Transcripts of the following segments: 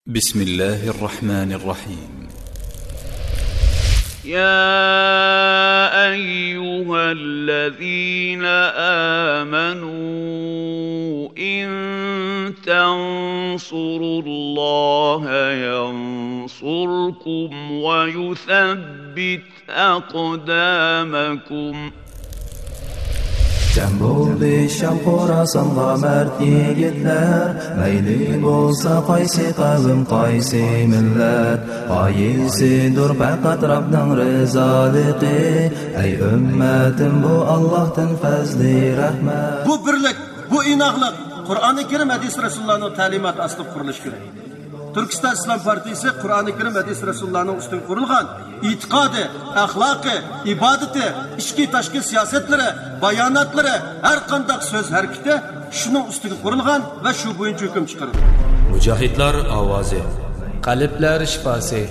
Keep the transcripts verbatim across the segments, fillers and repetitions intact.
بسم الله الرحمن الرحيم. يا أيها الذين آمنوا إن تنصروا الله ينصركم ويثبت أقدامكم. جەم بولدى شام خوراسانغا مەرد يىگىتلەر، مەيلى بولسا قايسى قەۋم، قايسى مىللەت، غايىسىدۇر پەقەت رەبنىڭ رىزالىقى. ئەي ئۈممەتىم، بۇ ئاللاھتىن پەزلى رەھمەت. بۇ بىرلىك، بۇ ئىناقلىق قۇرئانى كەرىم، ھەدىس رەسۇلۇللانىڭ تەلىماتى ئاستىدا قۇرۇلۇشى كېرەك. تۈركىستان ئىسلام پارتىيىسى قۇرئانى كەرىم، ھەدىس رەسۇلۇللانىڭ ئۈستىگە قۇرۇلغان ئېتىقادى، ئەخلاقى، ئىبادىتى، ئىچكى تاشقى سىياسەتلىرى، باياناتلىرى، ھەر قانداق سۆز ھەرىكىتى شۇنىڭ ئۈستىگە قۇرۇلغان ۋە شۇ بويىچە ھۆكۈم چىقىرىدۇ. مۇجاھىدلار ئاۋازى. قەلبلەر شىپاسى.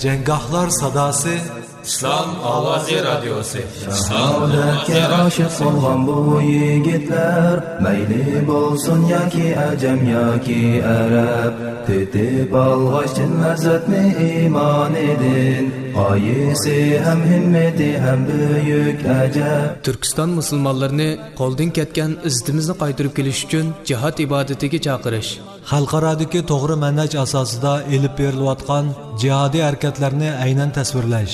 جەڭگاھلار ساداسى. ئىسلام ئاۋازى رادىيوسى. شاھادەتكە ئاشىق بولغان بۇ يىگىتلەر، مەيلى بولسۇن ياكى ئەجەم ياكى ئەرەب، تېتىپ ئالغاچ چىن لەززەتنى ئىمانىدىن، غايىسى ھەم ھىممىتى ھەم بۈيۈك ئەجەب. تۈركىستان مۇسۇلمانلىرىنى قولدىن كەتكەن ئىززىتىمىزنى قايتۇرۇپ كېلىش ئۈچۈن جىھاد ئىبادىتىگە چاقىرىش. خەلقئارادىكى توغرا مەنھەج ئاساسىدا ئېلىپ بېرىلىۋاتقان جىھادىي ھەرىكەتلەرنى ئەينەن تەسۋىرلەش.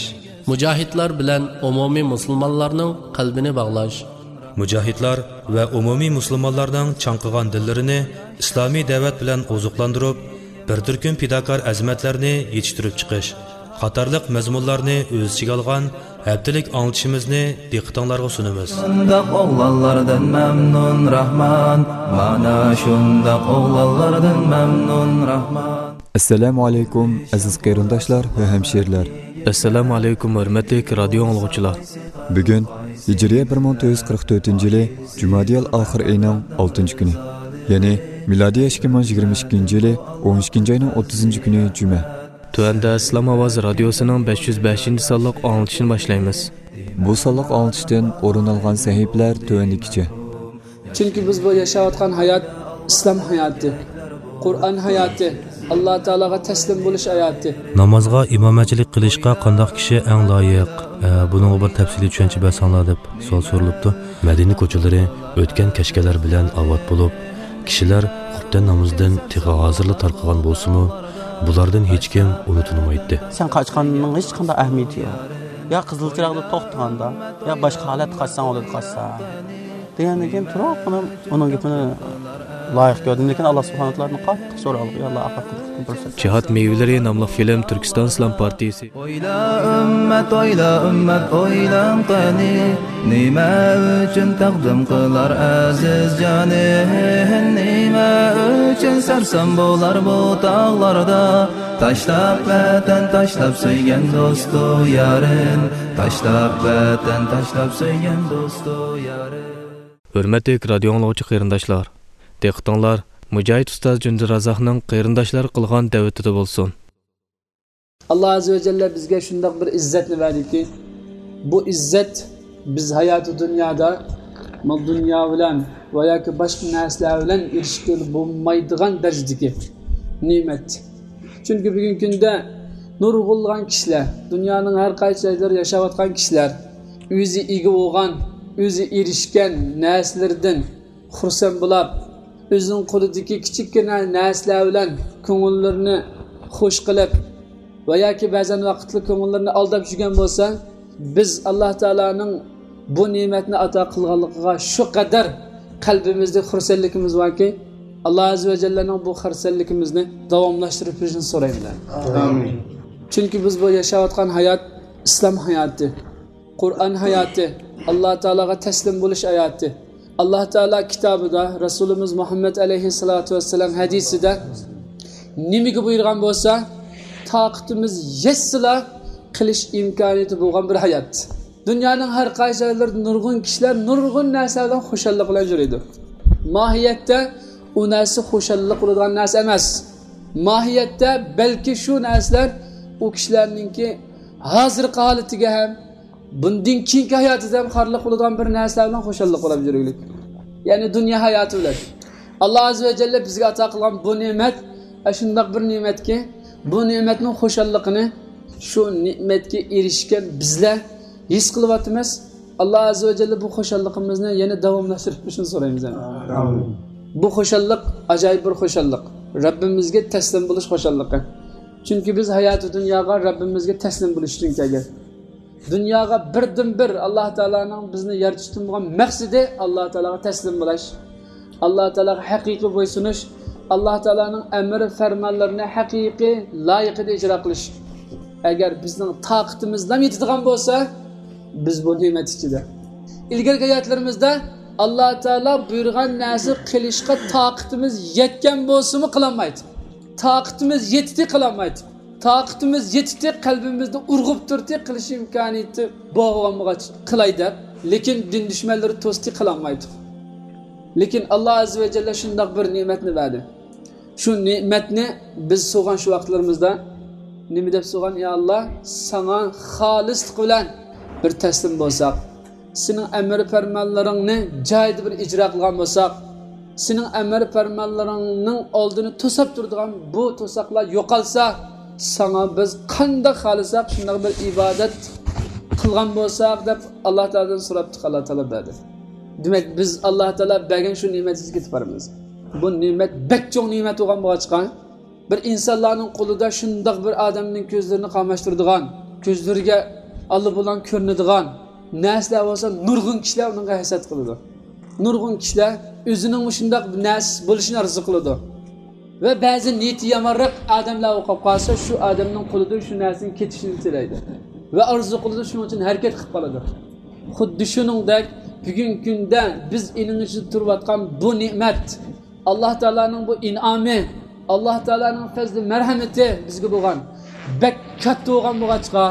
مۇجاھىدلار بىلەن ئومۇمىي مۇسۇلمانلارنىڭ قەلبىنى باغلاش. مۇجاھىدلار ۋە ئومۇمىي مۇسۇلمانلارنىڭ چاڭقىغان دىللىرىنى ئىسلامىي دەۋەت بىلەن ئوزۇقلاندۇرۇپ، بىر تۈركۈم پىداكار ئەزىمەتلەرنى يېتىشتۈرۈپ چىقىش قاتارلىق مەزمۇنلارنى ئۆز ئىچىگە ئالغان ھەپتىلىك ئاڭلىتىشىمىزنى دىققىتىڭلارغا سۇنىمىز. شۇنداق ئوغلانلاردىن مەمنۇن راھمان، مانا شۇنداق ئوغلانلاردىن مەمنۇن راھمان. ئەسسالامۇ ئەلەيكۇم، ئەزىز قېرىنداشلار ۋە ھەمشىرىلەر. ئەسسالامۇ ئەلەيكۇم، ھۆرمەتلىك رادىيو ئاڭلىغۇچىلار. بۈگۈن ھىجرىيە بىر مىڭ تۆت يۈز قىرىق تۆتىنچى يىلى جۇمادىيەل ئاخىر ئېيىنىڭ ئالتىنچى كۈنى، يەنى مىلادىيە ئىككى مىڭ يىگىرمە ئىككىنچى يىلى ئون ئىككىنچى ئاينىڭ ئوتتۇزىنچى كۈنى جۈمە. تۆۋەندە ئىسلام ئاۋازى رادىيوسىنىڭ بەش يۈز بەشىنچى سانلىق ئاڭلىتىشىنى باشلايمىز. بۇ سانلىق ئاڭلىتىشتىن ئورۇن ئالغان سەھىپىلەر تۆۋەندىكىچە. چۈنكى بىز بۇ ياشاۋاتقان ھايات ئىسلام ھاياتى، قۇرئان ھاياتى، ئاللا تائالاغا تەسلىم بولۇش ھاياتى. نامازغا ئىمامەتچىلىك قىلىشقا قانداق كىشى ئەڭ لايىق؟ ئە، بۇنىڭغا بىر تەپسىلىي چۈشەنچە بەرسەڭلار، دەپ سوئال سورىلىپتۇ. مەدىنە كوچىلىرى ئۆتكەن كەچكەنلەر بىلەن ئاۋات بولۇپ، كىشىلەر خۇپتەن نامىزىدىن تېخى ھازىرلا تارقىغان بولسىمۇ، بۇلاردىن ھېچكىم ئۇنى تونۇمايتتى. سەن قاچقاننىڭ ھېچقانداق ئەھمىيىتى يوق. يا قىزىل چىراغدا توختىغاندا، يا باشقا ھالەتتە قاچساڭ بولىدۇ، قاچسا. دېگەندىن كېيىن تۇرۇپ، مانا ئۇنىڭ گېپىنى لايىق كۆردۈم، لېكىن ئاللا سۇبھانەھۇ تائالادىن قاتتىق سورىغانلىقى، يا ئاللا، ئاپەتتىن قۇتقۇزغىن. جىھاد مېۋىلىرى ناملىق فىلىم تۈركىستان ئىسلام پارتىيىسى. ئويلا ئۈممەت، ئويلا ئۈممەت، ئويلاڭ قېنى، نېمە ئۈچۈن تەقدىم قىلار ئەزىز جانى؟ نېمە ئۈچۈن سەرسان بولار بۇ تاغلاردا؟ تاشلاپ ۋەتەن، تاشلاپ سۆيگەن دوستۇ يارىن، تاشلاپ ۋەتەن، تاشلاپ سۆيگەن دوستۇ يارىن. ھۆرمەتلىك رادىيو ئاڭلىغۇچى قېرىنداشلار، دىققىتىڭلار مۇجاھىد ئۇستاز جۈندىرازاقنىڭ قېرىنداشلارغا قىلغان دەۋىتىدە بولسۇن. ئاللا ئەززە ۋە جەللە بىزگە شۇنداق بىر ئىززەتنى بەردىكى، بۇ ئىززەت بىز ھاياتى دۇنيادا مال دۇنيا بىلەن ۋە ياكى باشقا نەرسىلەر بىلەن ئېرىشكىلى بولمايدىغان دەرىجىدىكى نېمەت. چۈنكى بۈگۈنكى كۈندە نۇرغۇنلىغان كىشىلەر، دۇنيانىڭ ھەر قايسى جايلىرىدا ياشاۋاتقان كىشىلەر ئۆزى ئىگە بولغان، ئۆزى ئېرىشكەن نەرسىلىرىدىن خۇرسەن بولاپ، ئۆزىنىڭ قولىدىكى كىچىككىنە نەرسىلەر بىلەن كۆڭۈللىرىنى خۇش قىلىپ ۋە ياكى بەزەن ۋاقىتلا كۆڭۈللىرىنى ئالداپ يۈرگەن بولسا، بىز ئاللا تائالانىڭ بۇ نېمەتنى ئاتا قىلغانلىقىغا شۇ قەدەر قەلبىمىزدە خۇرسەنلىكىمىز باركى، ئاللا ئەززە ۋە جەللەنىڭ بۇ خۇرسەنلىكىمىزنى داۋاملاشتۇرۇپ بېرىشىنى سورايمەن. ئامىن. چۈنكى بىز بۇ ياشاۋاتقان ھايات ئىسلام ھاياتى، قۇرئان ھاياتى، ئاللا تائالاغا تەسلىم بولۇش ھاياتى. ئاللا تائالا كىتابىدا، رەسۇلىمىز مۇھەممەد ئەلەيھىسسالاتۇ ۋەسسالام ھەدىسىدە نېمىگە بۇيرۇغان بولسا، تاقىتىمىز يەتسىلا قىلىش ئىمكانىيىتى بولغان بىر ھايات. دۇنيانىڭ ھەر قايسى جايلىرىدا نۇرغۇن كىشىلەر نۇرغۇن نەرسە بىلەن خۇشاللىق بىلەن يۈرىدۇ. ماھىيەتتە ئۇ نەرسە خۇشاللىق بولىدىغان نەرسە ئەمەس. ماھىيەتتە بەلكى شۇ نەرسىلەر ئۇ كىشىلەرنىڭكى ھازىرقى ھالىتىگە ھەم بۇندىن كېيىنكى ھاياتىدا ھەم خارلىق بولىدىغان بىر نەرسىلەر بىلەن خۇشاللىق بولاپ يۈرگۈلۈك. يەنى دۇنيا ھاياتى بىلەن. ئاللا ئەززە ۋە جەللە بىزگە ئاتا قىلغان بۇ نېمەت ئاشۇنداق بىر نېمەتكى، بۇ نېمەتنىڭ خۇشاللىقىنى، شۇ نېمەتكە ئېرىشكەن بىزلەر ھېس قىلىۋاتىمىز. ئاللا ئەززە ۋە جەللە بۇ خۇشاللىقىمىزنى يەنە داۋاملاشتۇرۇپ بېرىشىنى سورايمىز. ئامىن. بۇ خۇشاللىق ئاجايىپ بىر خۇشاللىق. رەببىمىزگە تەسلىم بولۇش خۇشاللىقى. چۈنكى بىز ھاياتى دۇنياغا رەببىمىزگە تەسلىم بولۇش ئۈچۈن كەلگەن. دۇنياغا بىردىنبىر ئاللا تائالانىڭ بىزنى يارىتىشتىن بولغان مەقسىتى ئاللا تائالاغا تەسلىم بولۇش، ئاللا تائالاغا ھەقىقىي بويسۇنۇش، ئاللا تائالانىڭ ئەمر فەرمانلىرىنى ھەقىقىي لايىقىدا ئىجرا قىلىش. ئەگەر بىزنىڭ تاقىتىمىزلا يېتىدىغان بولسا، بىز بۇ نېمەت ئىچىدە. ئىلگىرىكى ھاياتلىرىمىزدا ئاللا تائالا بۇيرۇغان نەرسە قىلىشقا تاقىتىمىز يەتكەن بولسىمۇ قىلالمايتتۇق. تاقىتىمىز يېتىتتى، قىلالمايتتۇق. تاقىتىمىز يېتىتتى، قەلبىمىزدە ئۇرغۇپ تۇرتتى، قىلىش ئىمكانىيىتى بولغان بولغاچ قىلاي دەپ. لېكىن دىن دۈشمەنلىرى توستى، قىلالمايتتۇق. لېكىن ئاللا ئەززە ۋە جەللە شۇنداق بىر نېمەتنى بەردى. شۇ نېمەتنى بىز سوغان شۇ ۋاقىتلىرىمىزدا نېمە دەپ سوغان؟ يا ئاللا، ساڭا خالىسلىق بىلەن بىر تەسلىم بولساق، سېنىڭ ئەمر پەرمانلىرىڭنى جايىدا بىر ئىجرا قىلغان بولساق، سېنىڭ ئەمر پەرمانلىرىڭنىڭ ئالدىنى توساپ تۇرىدىغان بۇ توساقلار يوقالسا، ساڭا بىز قانداق خالىساق شۇنداق بىر ئىبادەت قىلغان بولساق دەپ ئاللا تائالادىن سوراپتۇق، ئاللا تائالا بەردى. دېمەك، بىز ئاللا تائالا بەرگەن شۇ نېمەتكە يېتىپ بارىمىز. بۇ نېمەت بەك چوڭ نېمەت بولغان بولغاچقا، بىر ئىنسانلارنىڭ قولىدا شۇنداق بىر ئادەمنىڭ كۆزلىرىنى قاماشتۇرىدىغان، كۆزلىرىگە ئاللىبۇرلان كۆرۈنىدىغان نەرسىلەر بولسا، نۇرغۇن كىشىلەر ئۇنىڭغا ھەسەت قىلىدۇ. نۇرغۇن كىشىلەر ئۆزىنىڭ مۇشۇنداق نەرسە بولۇشىنى ئارزۇ قىلىدۇ. ۋە بەزى نىيىتى يامانراق ئادەملەر بولۇپ قالسا، شۇ ئادەمنىڭ قولىدىن شۇ نەرسىنىڭ كېتىشىنى تىلەيدۇ. ۋە ئارزۇ قىلىدۇ، شۇنىڭ ئۈچۈن ھەرىكەت قىلىپ قالىدۇ. خۇددى شۇنىڭدەك، بۈگۈنكى كۈندە بىز ئېنىڭ ئىچىدە تۇرۇۋاتقان بۇ نېمەت، ئاللا تائالانىڭ بۇ ئىنئامى، ئاللا تائالانىڭ پەزلى مەرھەمىتى بىزگە بولغان بەك كاتتا بولغان بولغاچقا،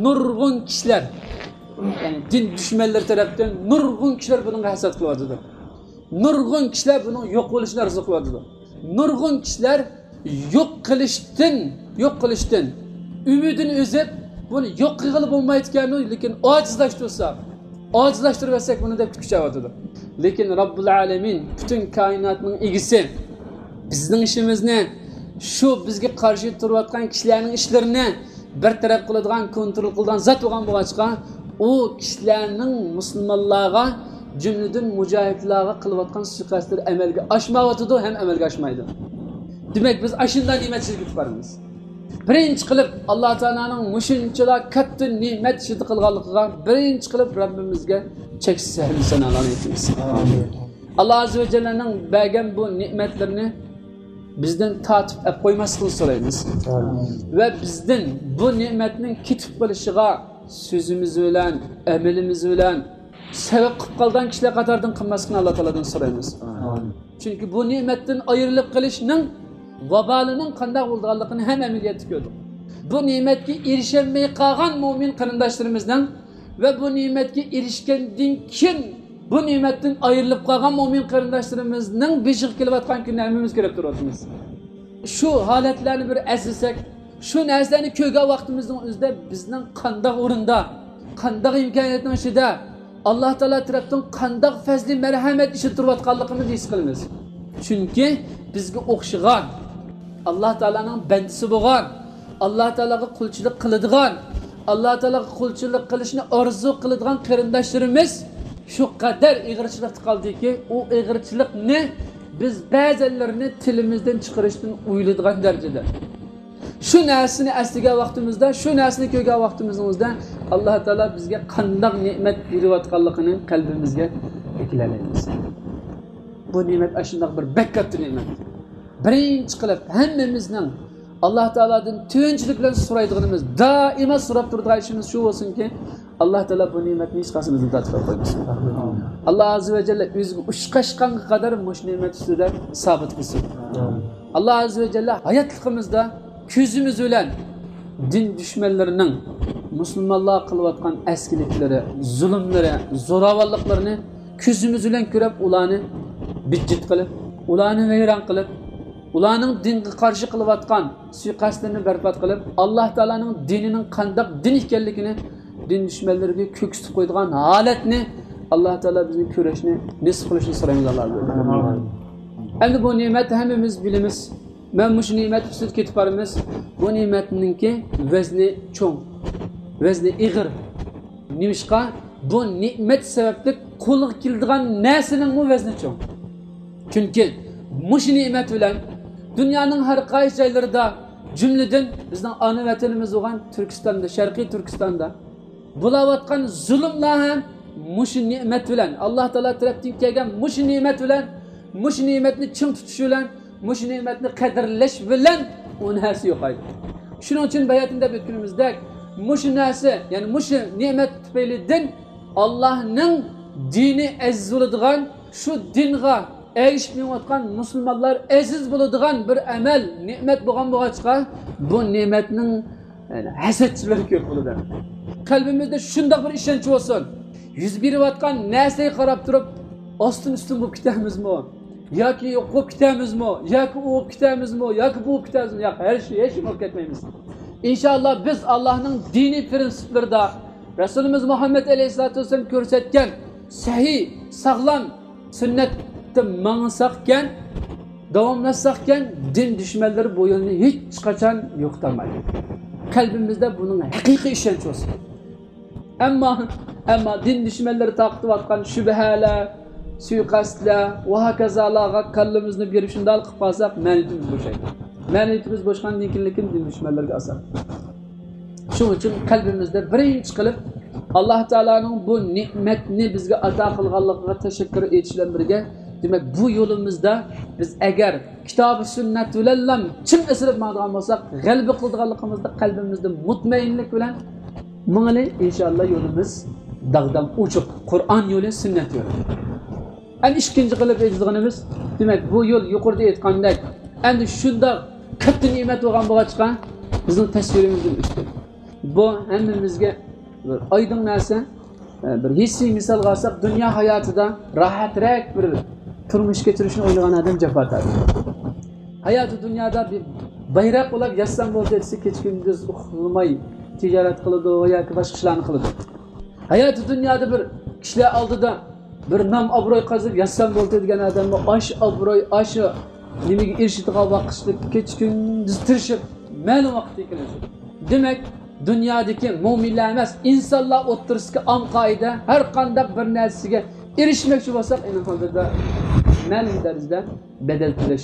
نۇرغۇن كىشىلەر، يەنى دىن دۈشمەنلىرى تەرەپتىن نۇرغۇن كىشىلەر بۇنىڭغا ھەسەت قىلىۋاتىدۇ. نۇرغۇن كىشىلەر بۇنىڭ يوق بولۇشىنى ئارزۇ قىلىۋاتىدۇ. نۇرغۇن كىشىلەر يوق قىلىشتىن، يوق قىلىشتىن ئۈمىدىنى ئۈزۈپ، بۇنى يوق قىلغىلى بولمايدىكەنۇ، لېكىن ئاجىزلاشتۇرساق، ئاجىزلاشتۇرۇۋەتسەك بۇنى دەپ كۈچەۋاتىدۇ. لېكىن رەببۇل ئالەمىن، پۈتۈن كائىناتنىڭ ئىگىسى، بىزنىڭ ئىشىمىزنى، شۇ بىزگە قارشى تۇرۇۋاتقان كىشىلەرنىڭ ئىشلىرىنى بىر تەرەپ قىلىدىغان، كونترول قىلىدىغان زات بولغان بولغاچقا، ئۇ كىشىلەرنىڭ مۇسۇلمانلارغا، جۈملىدىن مۇجاھىدلارغا قىلىۋاتقان سۇيىقەستلىرى ئەمەلگە ئاشمايۋاتىدۇ ھەم ئەمەلگە ئاشمايدۇ. دېمەك، بىز ئاشۇنداق نېمەت ئىچىگە كېتىپ بارىمىز. بىرىنچى قىلىپ، ئاللا تائالانىڭ مۇشۇنچىلا كاتتا نېمەت ئىچىدە قىلغانلىقىغا بىرىنچى قىلىپ رەببىمىزگە چەكسىز ھەمدۇ سانالارنى ئېيتىمىز. ئاللا ئەززە ۋە جەللەنىڭ بەرگەن بۇ نېمەتلىرىنى بىزدىن تارتىپ ئەپ قويماسلىقىنى سورايمىز. ۋە بىزدىن بۇ نېمەتنىڭ كېتىپ قېلىشىغا سۆزىمىز بىلەن، ئەمىلىمىز بىلەن سەۋەب قىلىپ قالغان كىشىلەر قاتارىدىن قىلماسلىقىنى ئاللا تائالادىن سورايمىز. چۈنكى بۇ نېمەتتىن ئايرىلىپ قېلىشنىڭ ۋابالىنىڭ قانداق بولىدىغانلىقىنى ھەم ئەمەلىيەتتە كۆردۇق. بۇ نېمەتكە ئېرىشەلمەي قالغان مۆمىن قېرىنداشلىرىمىزنىڭ ۋە بۇ نېمەتكە ئېرىشكەندىن كېيىن بۇ نېمەتتىن ئايرىلىپ قالغان مۆمىن قېرىنداشلىرىمىزنىڭ بېشىغا كېلىۋاتقان كۈننى ھەممىمىز كۆرۈپ تۇرۇۋاتىمىز. شۇ ھالەتلەرنى بىر ئەسلىسەك، شۇ نەرسىلەرنى كۆرگەن ۋاقتىمىزنىڭ ئۆزىدە بىزنىڭ قانداق ئورۇندا، قانداق ئىمكانىيەتنىڭ ئىچىدە، ئاللا تائالا تەرەپتىن قانداق پەزلى مەرھەمەت ئىچىدە تۇرۇۋاتقانلىقىمىزنى ھېس قىلىمىز. چۈنكى بىزگە ئوخشىغان، ئاللا تائالانىڭ بەندىسى بولغان، ئاللا تائالاغا قۇلچىلىق قىلىدىغان، ئاللا تائالاغا قۇلچىلىق قىلىشنى ئارزۇ قىلىدىغان قېرىنداشلىرىمىز شۇ قەدەر ئېغىرچىلىقتا قالدىكى، ئۇ ئېغىرچىلىقنى بىز بەزەنلىرىنى تىلىمىزدىن چىقىرىشتىن ئويلىدىغان دەرىجىدە. شۇ نەرسىنى ئەسلىگەن ۋاقتىمىزدا، شۇ نەرسىنى كۆرگەن ۋاقتىمىزنىڭ ئۆزىدە، ئاللا تائالا بىزگە قانداق نېمەت بېرىۋاتقانلىقىنى قەلبىمىزگە ئەكىلەلەيمىز. بۇ نېمەت ئاشۇنداق بىر بەك كاتتا نېمەت. بىرىنچى قىلىپ، ھەممىمىزنىڭ ئاللا تائالادىن تۆۋەنچىلىك بىلەن سورايدىغىنىمىز، دائىما سوراپ تۇرىدىغان ئىشىمىز شۇ بولسۇنكى، ئاللا تائالا بۇ نېمەتنى ھېچقايسىمىزدىن تارتىپ قويمىسۇن. ئاللا ئەززە ۋە جەللە ئۆزىگە ئۇشقاشقانغا قەدەر مۇشۇ نېمەت ئۈستىدە سابىت قىلسۇن. ئاللا ئەززە ۋە جەللە ھاياتلىقىمىزدا كۆزىمىز بىلەن دىن دۈشمەنلىرىنىڭ مۇسۇلمانلارغا قىلىۋاتقان ئەسكىلىكلىرى، زۇلۇملىرى، زوراۋانلىقلىرىنى كۆزىمىز بىلەن كۆرۈپ، ئۇلارنى بىتچىت قىلىپ، ئۇلارنى ۋەيران قىلىپ، ئۇلارنىڭ دىنغا قارشى قىلىۋاتقان سۇيىقەستلىرىنى بەربات قىلىپ، ئاللا تائالانىڭ دىنىنىڭ قانداق دىن ئىكەنلىكىنى دىن دۈشمەنلىرىگە كۆرسىتىپ قويىدىغان ھالەتنى ئاللا تائالا بىزنى كۆرۈشنى نېسىپ قىلىشنى سورايمىز ئاللا. ئەمدى بۇ نېمەتنى ھەممىمىز بىلىمىز. مەن مۇشۇ نېمەت ئۈستىدە كېتىپ بارىمىز. بۇ نېمەتنىڭكى ۋەزنى چوڭ، ۋەزنى ئېغىر. نېمىشقا؟ بۇ نېمەت سەۋەبلىك قولغا كېلىدىغان نەرسىنىڭمۇ ۋەزنى چوڭ. چۈنكى مۇشۇ نېمەت بىلەن دۇنيانىڭ ھەر قايسى جايلىرىدا، جۈملىدىن بىزنىڭ ئانا ۋەتىنىمىز بولغان تۈركىستاندا، شەرقىي تۈركىستاندا بولاۋاتقان زۇلۇملار ھەم مۇشۇ نېمەت بىلەن، ئاللا تائالا تەرەپتىن كەلگەن مۇشۇ نېمەت بىلەن، مۇشۇ نېمەتنى چىڭ تۇتۇش بىلەن، مۇشۇ نېمەتنى قەدىرلەش بىلەن ئۇ نەرسە يوقايدۇ. شۇنىڭ ئۈچۈن باياتىن دەپ ئۆتكىنىمىزدەك، مۇشۇ نەرسە، يەنى مۇشۇ نېمەت تۈپەيلىدىن ئاللانىڭ دىنى ئەزىز بولىدىغان، شۇ دىنغا ئەگىشىپ مېڭىۋاتقان مۇسۇلمانلار ئەزىز بولىدىغان بىر ئەمەل، نېمەت بولغان بولغاچقا، بۇ نېمەتنىڭ، يەنى، ھەسەتچىلىرى كۆپ بولىدۇ. قەلبىمىزدە شۇنداق بىر ئىشەنچ بولسۇن، يۈز بېرىۋاتقان نەرسىگە قاراپ تۇرۇپ، ئاستىن ئۈستۈن بولۇپ كېتەمىزمۇ؟ ياكى يوق بولۇپ كېتەمىزمۇ؟ ياكى ئۇ بولۇپ كېتەمىزمۇ؟ ياكى بۇ بولۇپ كېتەمىزمۇ؟ ياق، ھەر شى-، ھېچ نېمە بولۇپ كەتمەيمىز. ئىنشائاللا، بىز ئاللانىڭ دىنىي پرىنسىپلىرىدا، رەسۇلىمىز مۇھەممەد ئەلەيھىسسالاتۇ ۋەسسالام كۆرسەتكەن سەھىھ، ساغلام سۈننەتتە ماڭساقكەن، داۋاملاشساقكەن، دىن دۈشمەنلىرى بۇ يولنى ھېچقاچان يوقىتالمايدۇ. قەلبىمىزدە بۇنىڭ ھەقىقىي ئىشەنچ بولسۇن. ئەمما، ئەمما دىن دۈشمەنلىرى تارقىتىۋاتقان شۈبھەلەر، سۇيىقەستلەر ۋە ھاكازالارغا كاللىمىزنى بېرىپ شۇنداق قىلىپ قالساق، مەنىيىتىمىز بوشايدۇ. مەنىيىتىمىز بوشىغاندىن كېيىن لېكىن دىن دۈشمەنلىرىگە ئاسان. شۇنىڭ ئۈچۈن قەلبىمىزدە بىرىنچى قىلىپ، ئاللا تائالانىڭ بۇ نېمەتنى بىزگە ئاتا قىلغانلىقىغا تەشەككۈر ئېيتىش بىلەن بىرگە، دېمەك، بۇ يولىمىزدا بىز ئەگەر كىتابى سۈننەت بىلەنلا چىڭ ئېسىلىپ ماڭىدىغان بولساق، غەلىبە قىلىدىغانلىقىمىزدا قەلبىمىزدە مۇتمەئىنلىك بىلەن ماڭىلى، ئىنشائاللا، يولىمىز داغدام ئوچۇق. قۇرئان يولى، سۈننەت يولى. ئەمدى ئىككىنچى قىلىپ ئېيتىدىغىنىمىز، دېمەك، بۇ يول يۇقىرىدا ئېيتقاندەك، ئەمدى شۇنداق كاتتا نېمەت بولغان بولغاچقا، بىزنىڭ تەسۋىرىمىزدىن ئۈستۈن. بۇ ھەممىمىزگە بىر ئايدىڭ نەرسە. بىر ھېسسىي مىسالغا ئالساق، دۇنيا ھاياتىدا راھەترەك بىر تۇرمۇش كەچۈرۈشنى ئويلىغان ئادەم جاپا تارتىدۇ. ھاياتى دۇنيادا بىر بايراق ئۇلاپ ياتسام بولدى دېسە، كېچە كۈندۈز ئۇخلىماي تىجارەت قىلىدۇ ياكى باشقا ئىشلارنى قىلىدۇ. ھاياتى دۇنيادا بىر كىشىلەر ئالدىدا بىر نام ئابروي قازىنىپ ياتسام بولدى دېگەن ئادەممۇ ئاشۇ ئابروي، ئاشۇ نېمىگە ئېرىشىدىغان ۋاقىتلىق كېچە كۈندۈز تىرىشىپ مەلۇم ۋاقىتتا كېلىدۇ. دېمەك، دۇنيادىكى مۆمىنلەر ئەمەس، ئىنسانلار ئوتتۇرىسىدىكى ئام قائىدە، ھەر قانداق بىر نەرسىگە ئېرىشمەكچى بولساق، ئېنىق ھالدا مەلۇم دەرىجىدە بەدەل تۆلەش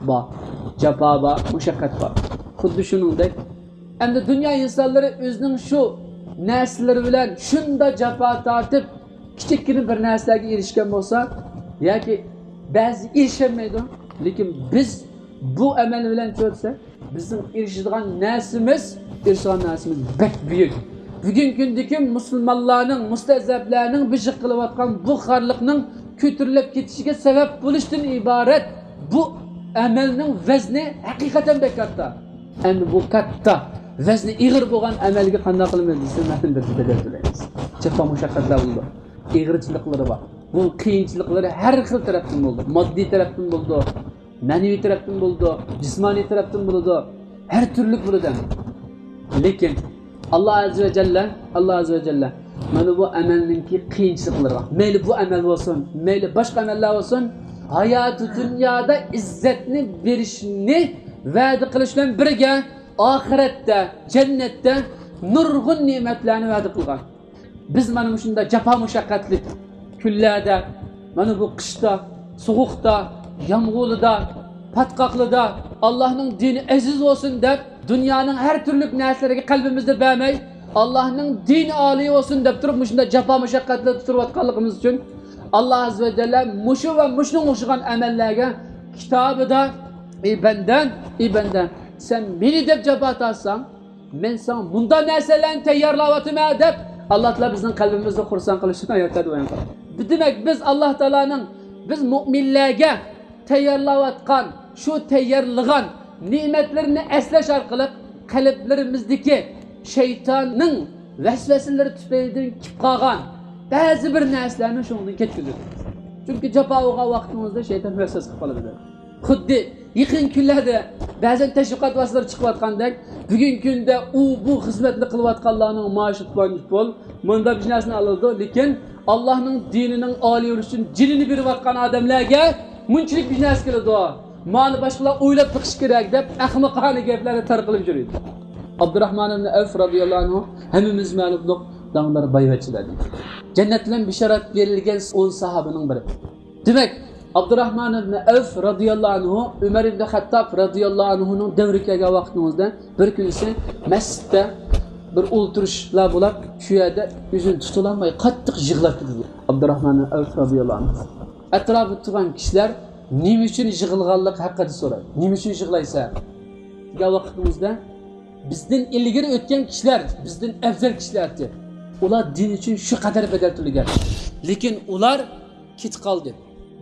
بار، جاپا بار، مۇشەققەت بار. خۇددى شۇنىڭدەك، ئەمدى دۇنيا ئىنسانلىرى ئۆزىنىڭ شۇ نەرسىلىرى بىلەن شۇنداق جاپا تارتىپ، كىچىككىنە بىر نەرسىلەرگە ئېرىشكەن بولسا، ياكى بەزى ئېرىشەلمەيدۇ، لېكىن بىز بۇ ئەمەل بىلەن چۆتسە، بىزنىڭ ئېرىشىدىغان نەرسىمىز، ئېرىشىدىغان نەرسىمىز بەك بۈيۈك. بۈگۈنكى كۈندىكى مۇسۇلمانلارنىڭ، مۇستەزەپلەرنىڭ بېشىغا قىلىۋاتقان بۇ خارلىقنىڭ كۆتۈرۈلۈپ كېتىشىگە سەۋەب بولۇشتىن ئىبارەت بۇ ئەمەلنىڭ ۋەزنى ھەقىقەتەن بەك كاتتا. ئەمدى بۇ كاتتا، ۋەزنى ئېغىر بولغان ئەمەلگە قانداق قىلىمىز دېسە، مەلۇم بىر بەدەل تۆلەيمىز. جاپا مۇشەققەتلەر بولىدۇ. ئېغىرچىلىقلىرى بار. بۇ قىيىنچىلىقلىرى ھەر خىل تەرەپتىن بولىدۇ. ماددىي تەرەپتىن بولىدۇ. مەنىۋى تەرەپتىن بولىدۇ، جىسمانىي تەرەپتىن بولىدۇ، ھەر تۈرلۈك بولىدۇ. لېكىن ئاللا ئەززە ۋە جەللە، ئاللا ئەززە ۋە جەللە مانا بۇ ئەمەلنىڭكى قىيىنچىلىقلىرىغا، مەيلى بۇ ئەمەل بولسۇن، مەيلى باشقا ئەمەللەر بولسۇن، ھاياتى دۇنيادا ئىززەتنى بېرىشنى ۋەدە قىلىش بىلەن بىرگە، ئاخىرەتتە، جەننەتتە نۇرغۇن نېمەتلەرنى ۋەدە قىلغان. بىز مانا مۇشۇنداق جاپا مۇشەققەتلىك كۈنلەردە، مانا بۇ قىشتا، سوغۇقتا، يامغۇرلىدا، پاتقاقلىدا ئاللانىڭ دىنى ئەزىز بولسۇن دەپ، دۇنيانىڭ ھەر تۈرلۈك نەرسىلىرىگە قەلبىمىزنى بەرمەي، ئاللانىڭ دىنى ئالىي بولسۇن دەپ تۇرۇپ، مۇشۇنداق جاپا مۇشەققەتلەردە تۇرۇۋاتقانلىقىمىز ئۈچۈن، ئاللا ئەززە ۋە جەللە مۇشۇ ۋە مۇشۇنىڭغا ئوخشىغان ئەمەللەرگە كىتابىدا، ئى بەندەم، ئى بەندەم، سەن مېنى دەپ جاپا تارتساڭ، مەن ساڭا مۇنداق نەرسىلەرنى تەييارلاۋاتىمەن دەپ، ئاللا تائالا بىزنىڭ قەلبىمىزنى خۇرسەن قىلىشىنى ئايەتلەردە بايان قىلغان. دېمەك، بىز ئاللا تائالانىڭ بىز مۆمىنلەرگە تەييارلاۋاتقان، شۇ تەييارلىغان نېمەتلىرىنى ئەسلەش ئارقىلىق قەلبلىرىمىزدىكى شەيتاننىڭ ۋەسۋەسىلىرى تۈپەيلىدىن كېلىپ قالغان بەزى بىر نەرسىلەرنى شۇنىڭدىن كەتكۈزىدۇ. چۈنكى جاپا بولغان ۋاقتىمىزدا شەيتان ۋەسۋەسە قىلىپ قالىدۇ. خۇددى يېقىن كۈنلەردە بەزەن تەشۋىقات ۋاسىتىلىرى چىقىۋاتقاندەك، بۈگۈنكى كۈندە ئۇ، بۇ خىزمەتنى قىلىۋاتقانلارنىڭ مائاشى پۇلانچە پۇل، مۇنداق بىر نەرسىنى ئالىدۇ، لېكىن ئاللانىڭ دىنىنىڭ ئالىي بولۇشى ئۈچۈن جېنىنى بېرىۋاتقان ئادەملەرگە مۇنچىلىك بىر نەرسە كېلىدۇ. مانا باشقىلار ئويلاپ بېقىشى كېرەك دەپ ئەخمىقانە گەپلەرنى تارقىلىپ يۈرىدۇ. ئابدۇراخمان ئىبن ئەۋف رازىياللاھۇ ئەنھۇ ھەممىمىز مەلۇملۇق داڭدار بايۋەچچىلەردىن. جەننەت بىلەن بېشارەت بېرىلگەن ئون ساھابىنىڭ بىرى. دېمەك، ئابدۇراخمان ئىبن ئەۋف رازىياللاھۇ ئەنھۇ ئۆمەر ئىبن خەتتاب رازىياللاھۇ ئەنھۇنىڭ دەۋرىگە كەلگەن ۋاقتىمىزدا بىر كۈنىسى مەسچىتتە بىر ئولتۇرۇشلار بولۇپ، شۇ يەردە ئۆزىنى تۇتۇلالماي قاتتىق يىغلاپ كېتىدۇ ئابدۇراخمان ئىبن ئەۋف رازىياللاھۇ ئەنھۇ. ئەتراپىدا تۇرغان كىشىلەر نېمە ئۈچۈن يىغلىغانلىقى ھەققىدە سورايدۇ. نېمە ئۈچۈن يىغلايسەن؟ دېگەن ۋاقتىمىزدا، بىزدىن ئىلگىرى ئۆتكەن كىشىلەر، بىزدىن ئەۋزەل كىشىلەر ئىدى. ئۇلار دىن ئۈچۈن شۇ قەدەر بەدەل تۆلىگەن. لېكىن ئۇلار كېتىپ قالدى.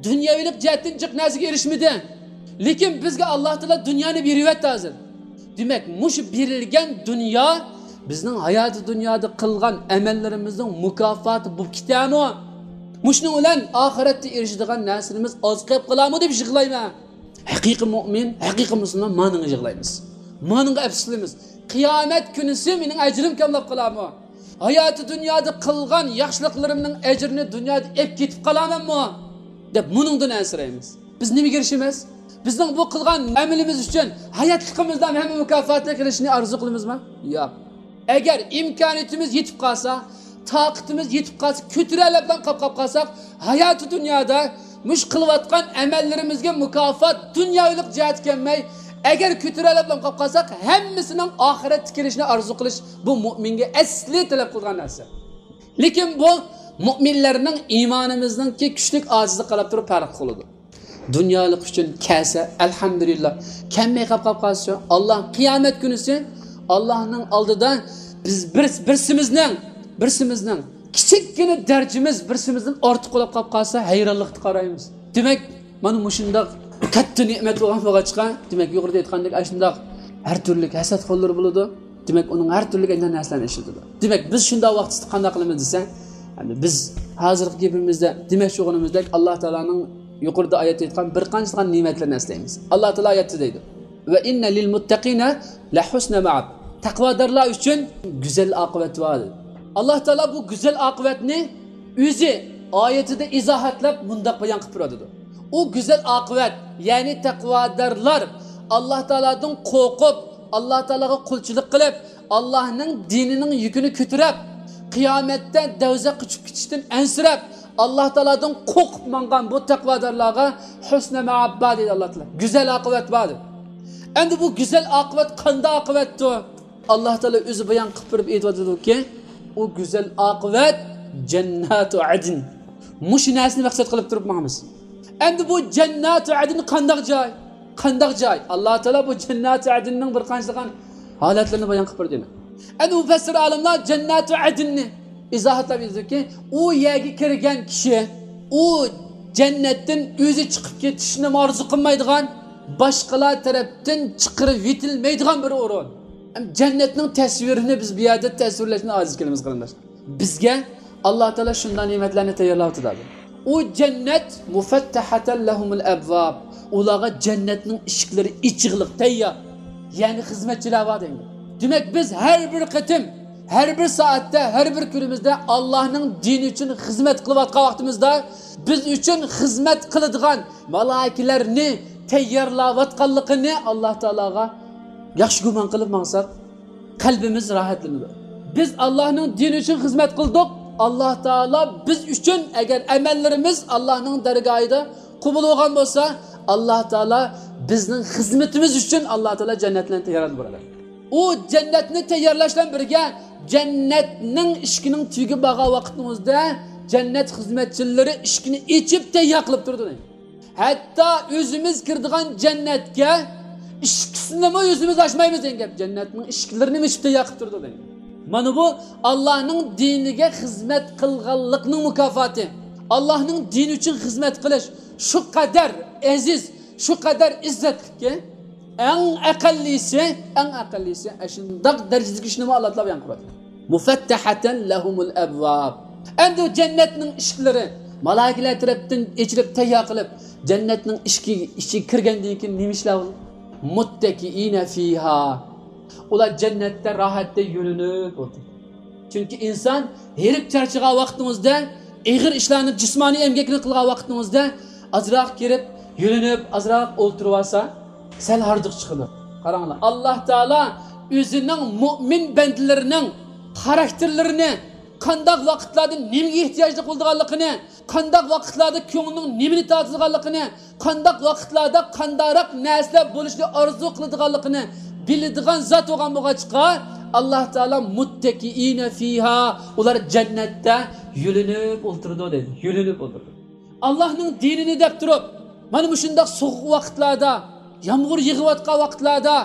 دۇنياۋىلىق جەھەتتىن جىق نەرسىگە ئېرىشمىدى. لېكىن بىزگە ئاللا تائالا دۇنيانى بېرىۋەتتى ھازىر. دېمەك، مۇشۇ بېرىلگەن دۇنيا بىزنىڭ ھاياتى دۇنيادا قىلغان ئەمەللىرىمىزنىڭ مۇكاپاتى بولۇپ كېتەرمۇ؟ مۇشۇنىڭ بىلەن ئاخىرەتتە ئېرىشىدىغان نەرسىلىرىمىز ئاز قېلىپ قالارمۇ دەپ يىغلايمەن. ھەقىقىي مۇئمىن، ھەقىقىي مۇسۇلمان مانىڭغا يىغلايمىز. مانىڭغا ئەپسۇسلىنىمىز. قىيامەت كۈنىسى مېنىڭ ئەجرىم كاملاپ قالارمۇ؟ ھاياتى دۇنيادا قىلغان ياخشىلىقلىرىمنىڭ ئەجرىنى دۇنيادا ئېلىپ كېتىپ قالارمەنمۇ؟ دەپ مۇنىڭدىن ئەنسىرەيمىز. بىز نېمىگە ئېرىشىمىز؟ بىزنىڭ بۇ قىلغان ئەمىلىمىز ئۈچۈن ھاياتلىقىمىزدا ھەممە مۇكاپاتنى قىلىشنى ئارزۇ قىلىمىزمۇ؟ ياق. ئەگەر ئىمكانىيىتىمىز يېتىپ قالسا، تاقىتىمىز يېتىپ قالسا، كۆتۈرەلەپ بىلەن قاپ-قاپ قالساق، ھاياتى دۇنيادا مۇشۇ قىلىۋاتقان ئەمەللىرىمىزگە مۇكاپات دۇنياۋىلىق جەھەتتە كەلمەي، ئەگەر كۆتۈرەلەپ بىلەن قاپ قالساق، ھەممىسىنىڭ ئاخىرەتتە كېلىشىنى ئارزۇ قىلىش بۇ مۇئمىنگە ئەسلى تەلەپ قىلىدىغان نەرسە. لېكىن بۇ مۇئمىنلەرنىڭ ئىمانىمىزنىڭكى كۈچلۈك ئاجىزلىقى قاراپ تۇرۇپ پەرق قىلىدۇ. دۇنيالىق ئۈچۈن كەلسە، ئەلھەمدۇلىللا. كەلمەي قاپ قالسا، ئاللا قىيامەت كۈنىسى ئاللانىڭ ئالدىدا بىز بىر، بىرسىمىزنىڭ، بىرسىمىزنىڭ كىچىككىنە دەرىجىمىز بىرسىمىزدىن ئارتۇق بولۇپ قاپ قالسا، ھەيرانلىقتا قارايمىز. دېمەك، مانا مۇشۇنداق كاتتا نېمەت بولغان بولغاچقا، دېمەك، يۇقىرىدا ئېيتقاندەك، ئاشۇنداق ھەر تۈرلۈك ھەسەتخورلار بولىدۇ. دېمەك، ئۇنىڭ ھەر تۈرلۈك ئەندىزە نەرسىلەرنى ئىشلىتىدۇ. دېمەك، بىز شۇنداق ۋاقىتتا قانداق قىلىمىز دېسە، يەنى بىز ھازىرقى گېپىمىزدە دېمەكچى بولغىنىمىزدەك، ئاللا تائالانىڭ يۇقىرىدا ئايەتتە ئېيتقان بىر قانچىلىغان نېمەتلىرىنى ئەسلەيمىز. ئاللا تائالا ئايەتتە دەيدۇ، «ۋە ئىننە لىل مۇتتەقىنە لەھۇسنە مەئاب.» تەقۋادارلار ئۈچۈن گۈزەل ئاقىۋەت بار. ئاللا تائالا بۇ گۈزەل ئاقىۋەتنى ئۆزى ئايىتىدە ئىزاھاتلاپ مۇنداق بايان قىلىپ بېرىۋاتىدۇ. ئۇ گۈزەل ئاقىۋەت، يەنى تەقۋادارلار ئاللا تائالادىن قورقۇپ، ئاللا تائالاغا قۇلچىلىق قىلىپ، ئاللانىڭ دىنىنىڭ يۈكىنى كۆتۈرۈپ، قىيامەتتە دوزاخقا چۈشۈپ كېتىشتىن ئەنسىرەپ، ئاللا تائالادىن قورقۇپ ماڭغان بۇ تەقۋادارلارغا ھۇسنە مائاب بار دەيدۇ ئاللا تائالا. گۈزەل ئاقىۋەت بار دەيدۇ. ئەمدى بۇ گۈزەل ئاقىۋەت قانداق ئاقىۋەتتۇر؟ ئاللا تائالا ئۆزى بايان قىلىپ بېرىپ ئېيتىۋاتىدۇكى، ئۇ گۈزەل ئاقىۋەت جەنناتۇ ئەدن. مۇشۇ نەرسىنى مەقسەت قىلىپ تۇرۇپ ماڭىمىز. ئەمدى بۇ جەنناتۇ ئەدن قانداق جاي؟ قانداق جاي؟ ئاللا تائالا بۇ جەنناتۇ ئەدننىڭ بىر قانچىلىغان ھالەتلىرىنى بايان قىلىپ بېرىدۇ. ئەمدى مۇپەسسىر ئالىملار جەنناتۇ ئەدننى ئىزاھاتلاپ ئېيتىدۇكى، ئۇ يەرگە كىرگەن كىشى، ئۇ جەننەتتىن ئۆزى چىقىپ كېتىشنىمۇ ئارزۇ قىلمايدىغان، باشقىلار تەرەپتىن چىقىرىۋېتىلمەيدىغان بىر ئورۇن. ھەم جەننەتنىڭ تەسۋىرىنى بىز بۇ يەردە تەسۋىرلەشنى ئاجىز كېلىمىز، قېرىنداشلار. بىزگە ئاللا تائالا شۇنداق نېمەتلەرنى تەييارلاۋاتىدۇ. ئۇ جەننەت مۇفەتتەھەتەن لەھۇمۇل ئەبۋاب. ئۇلارغا جەننەتنىڭ ئىشىكلىرى ئېچىقلىق، تەييار. يەنى خىزمەتچىلەر بار دەيدۇ. دېمەك، بىز ھەر بىر قېتىم، ھەر بىر سائەتتە، ھەر بىر كۈنىمىزدە ئاللانىڭ دىنى ئۈچۈن خىزمەت قىلىۋاتقان ۋاقتىمىزدا، بىز ئۈچۈن خىزمەت قىلىدىغان مالائىكىلەرنى تەييارلاۋاتقانلىقىنى ئاللا تائالاغا ياخشى گۇمان قىلىپ ماڭساق، قەلبىمىز راھەتلىنىدۇ. بىز ئاللانىڭ دىنى ئۈچۈن خىزمەت قىلدۇق. ئاللا تائالا بىز ئۈچۈن، ئەگەر ئەمەللىرىمىز ئاللانىڭ دەرگاھىدا قوبۇل بولغان بولسا، ئاللا تائالا بىزنىڭ خىزمىتىمىز ئۈچۈن ئاللا تائالا جەننەتلەرنى تەييارلاپ بېرىدۇ. ئۇ جەننەتنى تەييارلاش بىلەن بىرگە، جەننەتنىڭ ئىشىكىنىڭ تۈۋىگە بارغان ۋاقتىمىزدا، جەننەت خىزمەتچىلىرى ئىشىكنى ئېچىپ تەييار قىلىپ تۇرىدۇ. ھەتتا ئۆزىمىز كىرىدىغان جەننەتكە ئىشىكىسىنىمۇ ئۆزىمىز ئاچمايمىز دېگەن گەپ. جەننەتنىڭ ئىشىكلىرىنى ئېچىپ تەييار قىلىپ تۇرىدۇ دەيدۇ. مانا بۇ ئاللانىڭ دىنىگە خىزمەت قىلغانلىقنىڭ مۇكاپاتى. ئاللانىڭ دىنى ئۈچۈن خىزمەت قىلىش شۇ قەدەر ئەزىز، شۇ قەدەر ئىززەتلىككى، ئەڭ ئەقەللىسى، ئەڭ ئەقەللىسى ئاشۇنداق دەرىجىدىكى ئىشنىمۇ ئاللا تائالا بايان قىلىۋاتىدۇ. مۇفەتتەھەتەن لەھۇمۇل ئەبۋاب. ئەمدى ئۇ جەننەتنىڭ ئىشىكلىرى مالائىكىلەر تەرەپتىن ئېچىلىپ تەييار قىلىپ، جەننەتنىڭ ئىشىكى، ئىچىگە كىرگەندىن كېيىن نېمە ئىشلار بولىدۇ؟ مۇتتەكىئىنە فىھا. ئۇلار جەننەتتە راھەتتە يۆلىنىپ ئولتۇرىدۇ. چۈنكى ئىنسان ھېرىپ چارچىغان ۋاقتىڭىزدا، ئېغىر ئىشلارنى، جىسمانىي ئەمگەكنى قىلغان ۋاقتىڭىزدا، ئازراق كىرىپ، يۆلىنىپ ئازراق ئولتۇرۇۋالسا، سەل ھاردۇق چىقىدۇ. قاراڭلار، ئاللا تائالا ئۆزىنىڭ مۆمىن بەندىلىرىنىڭ خاراكتېرلىرىنى، قانداق ۋاقىتلاردا نېمىگە ئېھتىياجلىق بولىدىغانلىقىنى، قانداق ۋاقىتلاردا كۆڭلىنىڭ نېمىنى تارتىدىغانلىقىنى، قانداق ۋاقىتلاردا قانداقراق نەرسىلەر بولۇشنى ئارزۇ قىلىدىغانلىقىنى بىلىدىغان زات بولغان بولغاچقا، ئاللا تائالا مۇتتەكىئىنە فىھا، ئۇلار جەننەتتە يۆلىنىپ ئولتۇرىدۇ دەيدۇ. يۆلىنىپ ئولتۇرىدۇ. ئاللاھنىڭ دىنىنى دەپ تۇرۇپ، مانا مۇشۇنداق سوغۇق ۋاقىتلاردا، يامغۇر يېغىۋاتقان ۋاقىتلاردا،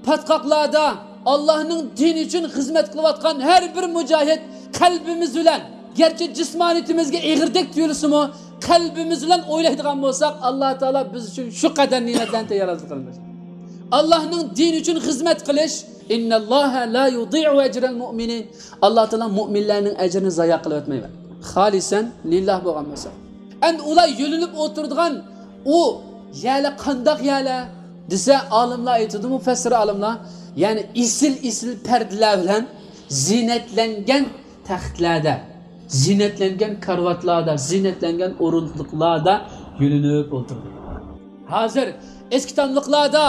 پاتقاقلاردا ئاللاھنىڭ دىنى ئۈچۈن خىزمەت قىلىۋاتقان ھەر بىر مۇجاھىد قەلبىمىز بىلەن، گەرچە جىسمانىيىتىمىزگە ئېغىردەك تۇيۇلسىمۇ، قەلبىمىز بىلەن ئويلايدىغان بولساق، ئاللا تائالا بىز ئۈچۈن شۇ قەدەر نېمەتلەرنى تەييارلىق قىلمىش. ئاللاھنىڭ دىنى ئۈچۈن خىزمەت قىلىش، ئىنناللاھە لا يۇدىئۇ ئەجرەل مۇئمىنىن. ئاللا تائالا مۆمىنلەرنىڭ ئەجرىنى زايا قىلىۋەتمەيدۇ. خالىسەن لىللاھ بولغان بولسا. ئەمدى ئۇلار يۆلىنىپ ئولتۇرىدىغان ئۇ يەرلەر قانداق يەرلەر دېسە، ئالىملار ئېيتىدۇ، مۇپەسسىر ئالىملار، يەنى ئېسىل-ئېسىل پەردىلەر بىلەن زىننەتلەنگەن تەختلەردە، زىننەتلەنگەن كارىۋاتلاردا، زىننەتلەنگەن ئورۇندۇقلاردا يۆلىنىپ ئولتۇرىدۇ. ھازىر ئەسكى تاملىقلاردا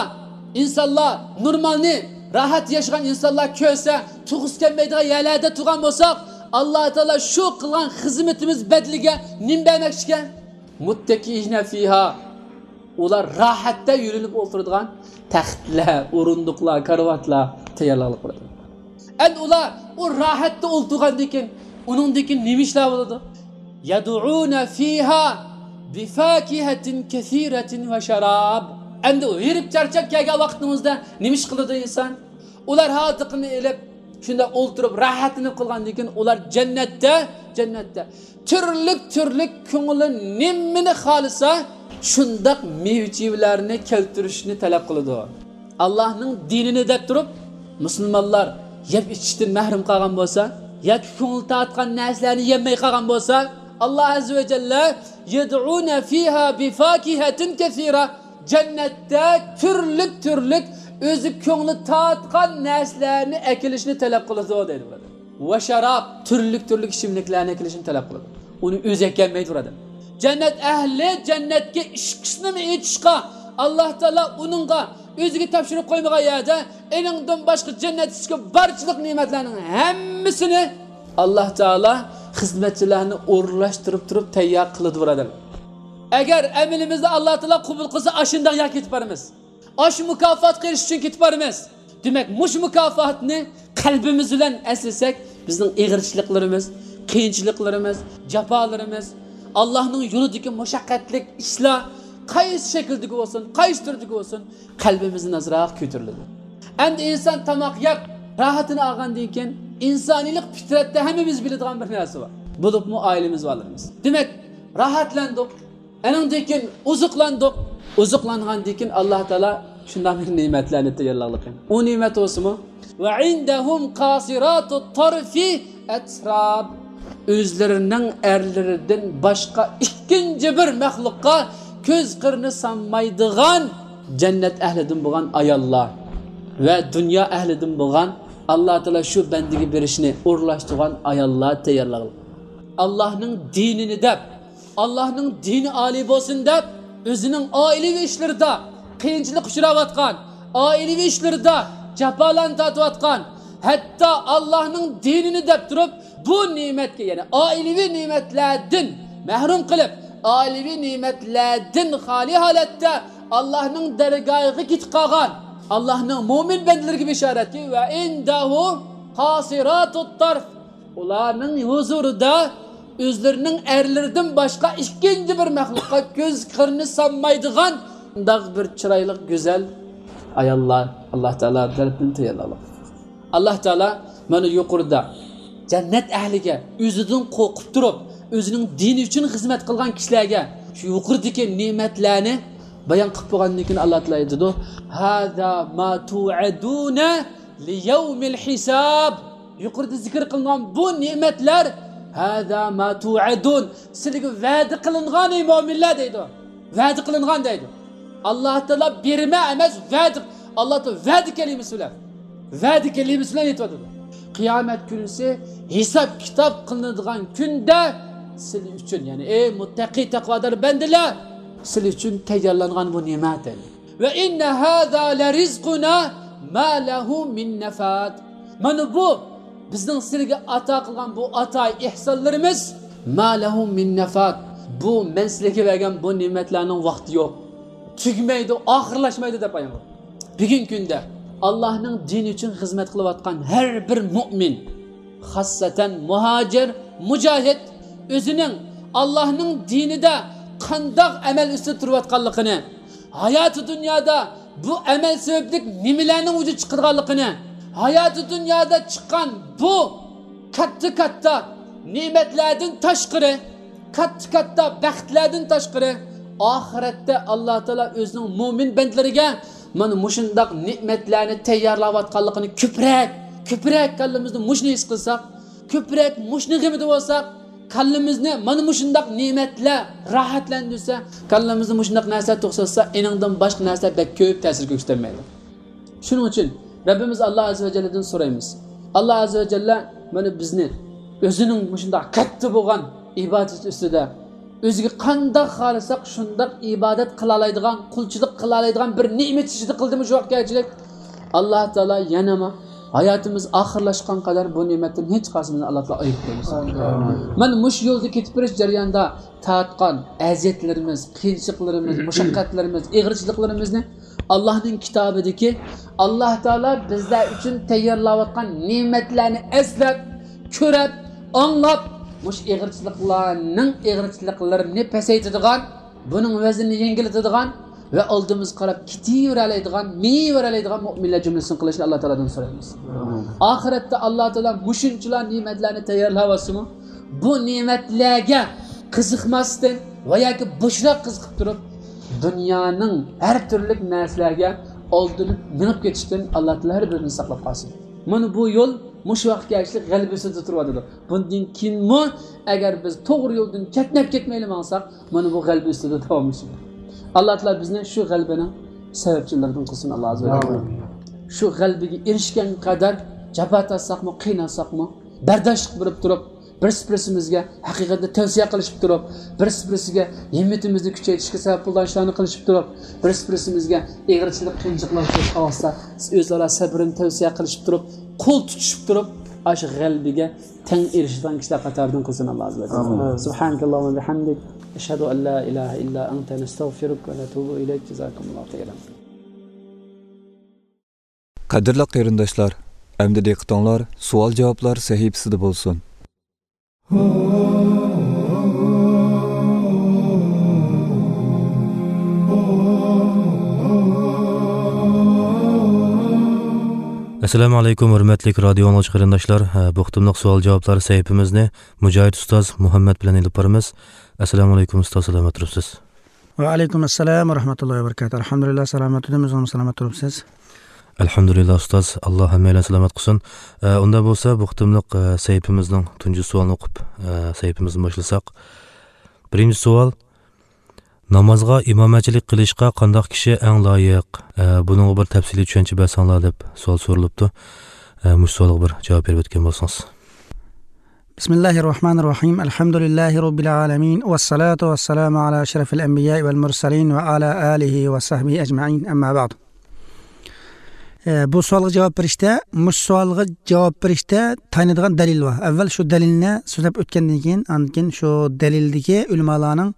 ئىنسانلار نورمالنى، راھەت ياشىغان ئىنسانلار كۆرسە، تۇرغۇسى كەلمەيدىغان يەرلەردە تۇرغان بولساق، ئاللا تائالا شۇ قىلغان خىزمىتىمىز بەدىلىگە نېمە بەرمەكچىكەن؟ مۇتتەكىئىنە فىھا. ئۇلار راھەتتە يۆلىنىپ ئولتۇرىدىغان تەختلەر، ئورۇندۇقلار، كارىۋاتلار تەييارلىق قىلىدۇ. ئەمدى ئۇلار ئۇ راھەتتە ئولتۇرغاندىن كېيىن، ئۇنىڭدىن كېيىن نېمە ئىشلار بولىدۇ؟ يەدئۇنە فىھا بىفاكىھەتىن كەسىرەتىن ۋە شاراب. ئەمدى ھېرىپ چارچاپ كەلگەن ۋاقتىمىزدا نېمە ئىش قىلىدۇ ئىنسان؟ ئۇلار ھازىرقىنى ئېلىپ، شۇنداق ئولتۇرۇپ راھەتلىنىپ قىلغاندىن كېيىن، ئۇلار جەننەتتە، جەننەتتە تۈرلۈك-تۈرلۈك كۆڭلى نېمىنى خالىسا، شۇنداق مېۋە-چېۋىلەرنى كەلتۈرۈشنى تەلەپ قىلىدۇ. ئاللاھنىڭ دىنىنى دەپ تۇرۇپ، مۇسۇلمانلار يەپ-ئىچىشتىن مەھرۇم قالغان بولسا ياكى كۆڭۈل تارتقان نەرسىلەرنى يەلمەي قالغان بولسا، ئاللا ئەززە ۋە جەللە، يەدئۇنە فىھا بىفاكىھەتىن كەسىرە، جەننەتتە تۈرلۈك-تۈرلۈك ئۆزى كۆڭلى تارتقان نەرسىلەرنى ئەكېلىشنى تەلەپ قىلىدۇ دەيدۇ. ۋە شاراب، تۈرلۈك-تۈرلۈك ئىچىملىكلەرنى ئەكېلىشنى تەلەپ قىلىدۇ. ئۇنى ئۆزى ئەكەلمەيدۇ بۇرادەر. جەننەت ئەھلى جەننەتكە ئىشىكىسىنىمۇ ئېچىشقا، ئاللا تائالا ئۇنىڭغا ئۆزىگە تاپشۇرۇپ قويمىغان يەردە، ئېنىڭدىن باشقا جەننەت ئىچىدىكى بارچىلىق نېمەتلەرنىڭ ھەممىسىنى ئاللا تائالا خىزمەتچىلەرنى ئورۇنلاشتۇرۇپ تۇرۇپ تەييار قىلىدۇ بۇرادەر. ئەگەر ئەمىلىمىزنى ئاللا تائالا قوبۇل قىلسا، ئاشۇنداق يەرگە كېتىپ بارىمىز. ئاشۇ مۇكاپاتقا ئېرىشىش ئۈچۈن كېتىپ بارىمىز. دېمەك، مۇشۇ مۇكاپاتنى قەلبىمىز بىلەن ئەسلىسەك، بىزنىڭ ئېغىرچىلىقلىرىمىز، قىيىنچىلىقلىرىمىز، جاپالىرىمىز، ئاللانىڭ يولىدىكى مۇشەققەتلىك ئىشلار قايسى شەكىلدىكى بولسۇن، قايسى تۈردىكى بولسۇن، قەلبىمىزدىن ئازراق كۆتۈرۈلىدۇ. ئەمدى ئىنسان تاماق يەپ، راھىتىنى ئالغاندىن كېيىن، ئىنسانىيلىق پىترەتتە ھەممىمىز بىلىدىغان بىر نەرسە بار. بولۇپمۇ ئائىلىمىز بالىلىرىمىز. دېمەك، راھەتلەندۇق. ئەنىڭدىن كېيىن ئوزۇقلاندۇق. ئوزۇقلانغاندىن كېيىن ئاللا تائالا شۇنداق بىر نېمەتلەرنى تەييارلىقى. ئۇ نېمەت بولسىمۇ، ۋە ئىندەھۇم قاسىراتۇت تارفى ئەتراب. ئۆزلىرىنىڭ ئەرلىرىدىن باشقا ئىككىنچى بىر مەخلۇققا كۆز قىرىنى سالمايدىغان جەننەت ئەھلىدىن بولغان ئاياللار ۋە دۇنيا ئەھلىدىن بولغان، ئاللا تائالا شۇ بەندىگە بېرىشنى ئورۇنلاشتۇرغان ئاياللار تەييارلىغان. ئاللانىڭ دىنىنى دەپ، ئاللانىڭ دىنى ئالىي بولسۇن دەپ، ئۆزىنىڭ ئائىلىۋى ئىشلىرىدا قىيىنچىلىققا ئۇچراۋاتقان، ئائىلىۋى ئىشلىرىدا جاپالارنى تارتىۋاتقان، ھەتتا ئاللانىڭ دىنىنى دەپ تۇرۇپ، بۇ نېمەتكە، يەنى ئائىلىۋى نېمەتلەردىن مەھرۇم قىلىپ، ئائىلىۋى نېمەتلەردىن خالىي ھالەتتە ئاللانىڭ دەرگاھىغا كېتىپ قالغان، ئاللانىڭ مۆمىن بەندىلىرىگە بېشارەتكى، ۋە ئىندەھۇ قاسىراتۇت تارف. ئۇلارنىڭ ھۇزۇرىدا ئۆزلىرىنىڭ ئەرلىرىدىن باشقا ئىككىنچى بىر مەخلۇققا كۆز قىرىنى سالمايدىغان شۇنداق بىر چىرايلىق، گۈزەل ئاياللار ئاللا تائالا تەرىپىدىن تەييارلىغان. ئاللا تائالا مانا يۇقىرىدا جەننەت ئەھلىگە، ئۆزىدىن قورقۇپ تۇرۇپ، ئۆزىنىڭ دىنى ئۈچۈن خىزمەت قىلغان كىشىلەرگە شۇ يۇقىرىدىكى نېمەتلەرنى بايان قىلىپ بولغاندىن كېيىن، ئاللا تائالا ئېيتىدۇ، ھازا ما توئەدۇنە لىيەۋمىل ھىساب. يۇقىرىدا زىكىر قىلىنغان بۇ نېمەتلەر، ھازا ما توئەدۇن، سىلەرگە ۋەدە قىلىنغان، ئەي مۆمىنلەر، دەيدۇ. ۋەدە قىلىنغان دەيدۇ. ئاللا تائالا بېرىمە ئەمەس، ۋەدە، ئاللا تائالا ۋەدە كەلىمىسى بىلەن، ۋەدە كەلىمىسى بىلەن ئېيتىۋاتىدۇ. قىيامەت كۈنىسى ھېساب-كىتاب قىلىنىدىغان كۈندە سىلەر ئۈچۈن، يەنى، ئەي مۇتتەقىي، تەقۋادار بەندىلەر، سىلى ئۈچۈن تەييارلانغان بۇ نېمەت. ۋە ئىننە ھازا لە رىزقۇنا ما لەھۇ مىن نەفاد. مانا بۇ بىزنىڭ سىلىگە ئاتا قىلغان بۇ ئاتا ئېھسانلىرىمىز. ما لەھۇ مىن نەفاد. بۇ مەن سىلىگە بەرگەن بۇ نېمەتلەرنىڭ ۋاقتى يوق. تۈگىمەيدۇ، ئاخىرلاشمايدۇ دەپ ئايان قىلدى. بۈگۈنكى كۈندە ئاللاھنىڭ دىنى ئۈچۈن خىزمەت قىلىۋاتقان ھەر بىر مۇئمىن، خاسسەتەن مۇھاجىر، مۇجاھىد ئۆزىنىڭ ئاللاھنىڭ دىنىدا قانداق ئەمەل ئۈستىدە تۇرۇۋاتقانلىقىنى، ھاياتى دۇنيادا بۇ ئەمەل سەۋەبلىك نېمىلەرنىڭ ۋۇجۇدقا چىقىدىغانلىقىنى، ھاياتى دۇنيادا چىققان بۇ كاتتا-كاتتا نېمەتلەردىن تاشقىرى، كاتتا-كاتتا بەختلەردىن تاشقىرى، ئاخىرەتتە ئاللا تائالا ئۆزىنىڭ مۆمىن بەندىلىرىگە مانا مۇشۇنداق نېمەتلەرنى تەييارلاۋاتقانلىقىنى كۆپرەك، كۆپرەك كاللىمىزدا مۇشۇنى ھېس قىلساق، كۆپرەك مۇشۇنىڭ غېمىدە بولساق، كاللىمىزنى مانا مۇشۇنداق نېمەتلەر راھەتلەندۈرسە، كاللىمىزنى مۇشۇنداق نەرسە توقساتسا، ئېنىڭدىن باشقا نەرسە بەك كۆپ تەسىر كۆرسىتەلمەيدۇ. شۇنىڭ ئۈچۈن رەببىمىز ئاللا ئەززە ۋە جەللىدىن سورايمىز. ئاللا ئەززە ۋە جەللە مانا بىزنى ئۆزىنىڭ مۇشۇنداق كاتتا بولغان ئىبادىتى ئۈستىدە ئۆزىگە قانداق خالىساق شۇنداق ئىبادەت قىلالايدىغان، قۇلچىلىق قىلالايدىغان بىر نېمەت ئىچىدە قىلدىمۇ شۇ ۋاقىت كەلگۈچىلىك؟ ئاللا تائالا يەنىمۇ ھاياتىمىز ئاخىرلاشقان قەدەر بۇ نېمەتتىن ھېچ قايسىمىزنى ئاللا تائالا ئايرىپ قويمىسۇن. مانا مۇشۇ يولدا كېتىپ بېرىش جەريانىدا تارتقان ئەزىيەتلىرىمىز، قىيىنچىلىقلىرىمىز، مۇشەققەتلىرىمىز، ئېغىرچىلىقلىرىمىزنى ئاللاھنىڭ كىتابىدىكى، ئاللا تائالا بىزلەر ئۈچۈن تەييارلاۋاتقان نېمەتلەرنى ئەسلەپ، كۆرۈپ، ئاڭلاپ، مۇشۇ ئېغىرچىلىقلارنىڭ ئېغىرچىلىقلىرىنى پەسەيتىدىغان، بۇنىڭ ۋەزنىنى يەڭگىللىتىدىغان ۋە ئالدىمىزغا قاراپ كېتىۋېرەلەيدىغان، مېڭىۋېرەلەيدىغان مۆمىنلەر جۈملىسىدىن قىلىشنى ئاللا تائالادىن سورايمىز. ئاخىرەتتە ئاللا تائالا مۇشۇنچىلا نېمەتلەرنى تەييارلاۋاتسىمۇ، بۇ نېمەتلەرگە قىزىقماستىن ۋە ياكى بوشراق قىزىقىپ تۇرۇپ، دۇنيانىڭ ھەر تۈرلۈك نەرسىلەرگە ئالدىنىپ مېڭىپ كېتىشتىن ئاللا تائالا ھەر بىرىمىزنى ساقلاپ قالسۇن. مانا بۇ يول مۇشۇ ۋاقىتكە ئەگىشلىك غەلىبە ئۈستىدە تۇرۇۋاتىدۇ. بۇندىن كېيىنمۇ ئەگەر بىز توغرا يولدىن چەتنەپ كەتمەيلا ماڭساق، مانا بۇ غەلىبە ئۈستىدە داۋاملىشىدۇ. ئاللا تائالا بىزنى شۇ غەلىبىنىڭ سەۋەبچىلىرىدىن قىلسۇن، ئاللا ئەززە ۋە جەللە. ئامىن. شۇ غەلىبىگە ئېرىشكەن قەدەر جاپا تارتساقمۇ، قىينالساقمۇ، بەرداشلىق بېرىپ تۇرۇپ، بىرسى بىرسىمىزگە ھەقىقەتنى تەۋسىيە قىلىشىپ تۇرۇپ، بىرسى بىرسىگە ھىممىتىمىزنى كۈچەيتىشكە سەۋەب بولىدىغان ئىشلارنى قىلىشىپ تۇرۇپ، بىرسى بىرسىمىزگە ئېغىرچىلىق، قىيىنچىلىقلار كېلىپ قالسا، ئۆزئارا سەبرىنى تەۋسىيە قىلىشىپ تۇرۇپ، قول تۇتۇشۇپ تۇرۇپ، ئاشۇ غەلىبىگە تەڭ ئېرىشىدىغان كىشىلەر قاتارىدىن قىلسۇن، ئاللا ئەززە ۋە جەللە. ئامىن. سبحانك اللهم وبحمدك، أشهد أن لا إله إلا أنت، نستغفرك ونتوب إليك. جزاكم الله خيرا. قەدىرلىك قېرىنداشلار، ئەمدى دىققىتىڭلار سوئال-جاۋابلار سەھىپىسىدە بولسۇن. ئەسسالامۇ ئەلەيكۇم، ھۆرمەتلىك رادىيو ئاڭلىغۇچى قېرىنداشلار. ھە، بۇ قېتىملىق سوئال-جاۋابلار سەھىپىمىزنى مۇجاھىد ئۇستاز مۇھەممەد بىلەن ئېلىپ بارىمىز. ئەسسالامۇ ئەلەيكۇم ئۇستاز، سالامەت تۇرۇپسىز؟ ۋەئەلەيكۇم ئەسسالام ۋە رەھمەتۇللاھى ۋە بەرىكاتۇھ. ئەلھەمدۇلىللا، سالامەت تۇردۇم، ئۆزىڭىز سالامەت تۇرۇپسىز؟ ئەلھەمدۇلىللا ئۇستاز، ئاللا ھەممەيلەن سالامەت قىلسۇن. ئە، ئۇنداق بولسا بۇ قېتىملىق، ئە، سەھىپىمىزنىڭ تۇنجى سوئالىنى ئوقۇپ، ئە، سەھىپىمىزنى باشلىساق. بىرىنچى سوئال، نامازغا ئىمامەتچىلىك قىلىشقا قانداق كىشى ئەڭ لايىق؟ ئە، بۇنىڭغا بىر تەپسىلىي چۈشەنچە بەرسەڭلار دەپ سوئال سورىلىپتۇ. ئە، مۇشۇ سوئالغا بىر جاۋاب بېرىپ ئۆتكەن بولسىڭىز. بسم الله الرحمن الرحيم. الحمد لله رب العالمين. والصلاة والسلام على أشرف الأنبياء والمرسلين وعلى آله وصحبه أجمعين. أما بعد. ئە، بۇ سوئالغا جاۋاب بېرىشتە، مۇشۇ سوئالغا جاۋاب بېرىشتە تايىنىدىغان دەلىل بار. ئەۋۋەل شۇ دەلىلنى سۆزلەپ ئۆتكەندىن كېيىن، ئاندىن كېيىن شۇ دەلىلدىكى ئۆلىمالارنىڭ،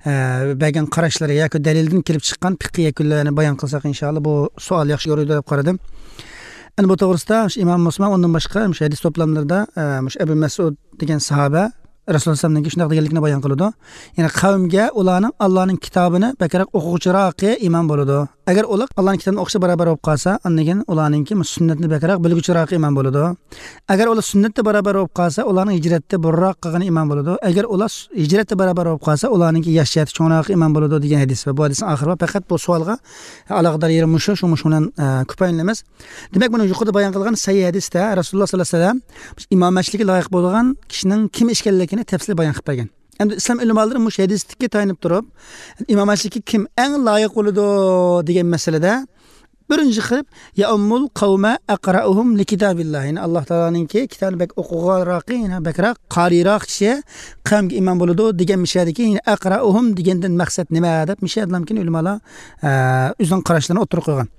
ئە، بەرگەن قاراشلىرى ياكى دەلىلدىن كېلىپ چىققان پىقھىي يەكۈنلەرنى بايان قىلساق، ئىنشائاللا، بۇ سوئال ياخشى يورۇيدۇ دەپ قارىدىم. ئەنە بۇ توغرىسىدا ئىمام مۇسلىم ئۇندىن باشقا مۇشۇ ھەدىس توپلاملىرىدا، ئە، مۇشۇ ئەبۇ مەسئۇد دېگەن ساھابە رەسۇلۇللا ئەلەيھىسسالامنىڭكى شۇنداق دېگەنلىكىنى بايان قىلىدۇ. يەنى قەۋمگە ئۇلارنىڭ ئاللانىڭ كىتابىنى بەكرەك ئوقۇغۇچىراقى ئىمام بولىدۇ. ئەگەر ئۇلار ئاللانىڭ كىتابىنى ئوقۇشتا بارابەر بولۇپ قالسا، ئاندىن كېيىن ئۇلارنىڭكى سۈننەتنى بەكرەك بىلگۈچىراقى ئىمام بولىدۇ. ئەگەر ئۇلار سۈننەتتە بارابەر بولۇپ قالسا، ئۇلارنىڭ ھىجرەتتە بۇرۇنراق قىلغىنى ئىمام بولىدۇ. ئەگەر ئۇلار س-، ھىجرەتتە بارابەر بولۇپ قالسا، ئۇلارنىڭكى ياش جەھەتتە چوڭراقى ئىمام بولىدۇ دېگەن ھەدىس بار. بۇ ھەدىسنىڭ ئاخىرى بار. پەقەت بۇ سوئالغا ئالاقىدار يېرى مۇشۇ، شۇ، مۇشۇ بىلەن، ئە، كۇپايىلىنىمىز. دېمەك، بۇنى يۇقىرىدا بايان قىلغان سەھىھ ھەدىستە رەسۇلۇللا ساللاللاھۇ ئەلەيھى ۋەسەللەم ئىمامەتچىلىككە لايىق بولىدىغان كىشىنىڭ كىم ئىكەنلىكىنى تەپسىلىي بايان قىلىپ بەرگەن. ئەمدى ئىسلام ئۆلىمالىرى مۇشۇ ھەدىستىكى تايىنىپ تۇرۇپ، ئىمامەتچىلىككە كىم ئەڭ لايىق بولىدۇ دېگەن مەسىلىدە بىرىنچى قىلىپ، يەئۇممۇل قەۋمە ئەقرەئۇھۇم لىكىتابىللا. يەنى ئاللا تائالانىڭكى كىتابىنى بەك ئوقۇغانراقى، يەنى بەكرەك قارىيراق كىشى قەۋمگە ئىمام بولىدۇ دېگەن مىشەدىكى، يەنى ئەقرەئۇھۇم دېگەندىن مەقسەت نېمە دەپ مىشەدىلەمكىن ئۆلىمالار، ئە، ئۆزىنىڭ قاراشلىرىنى ئوتتۇرىغا قويغان.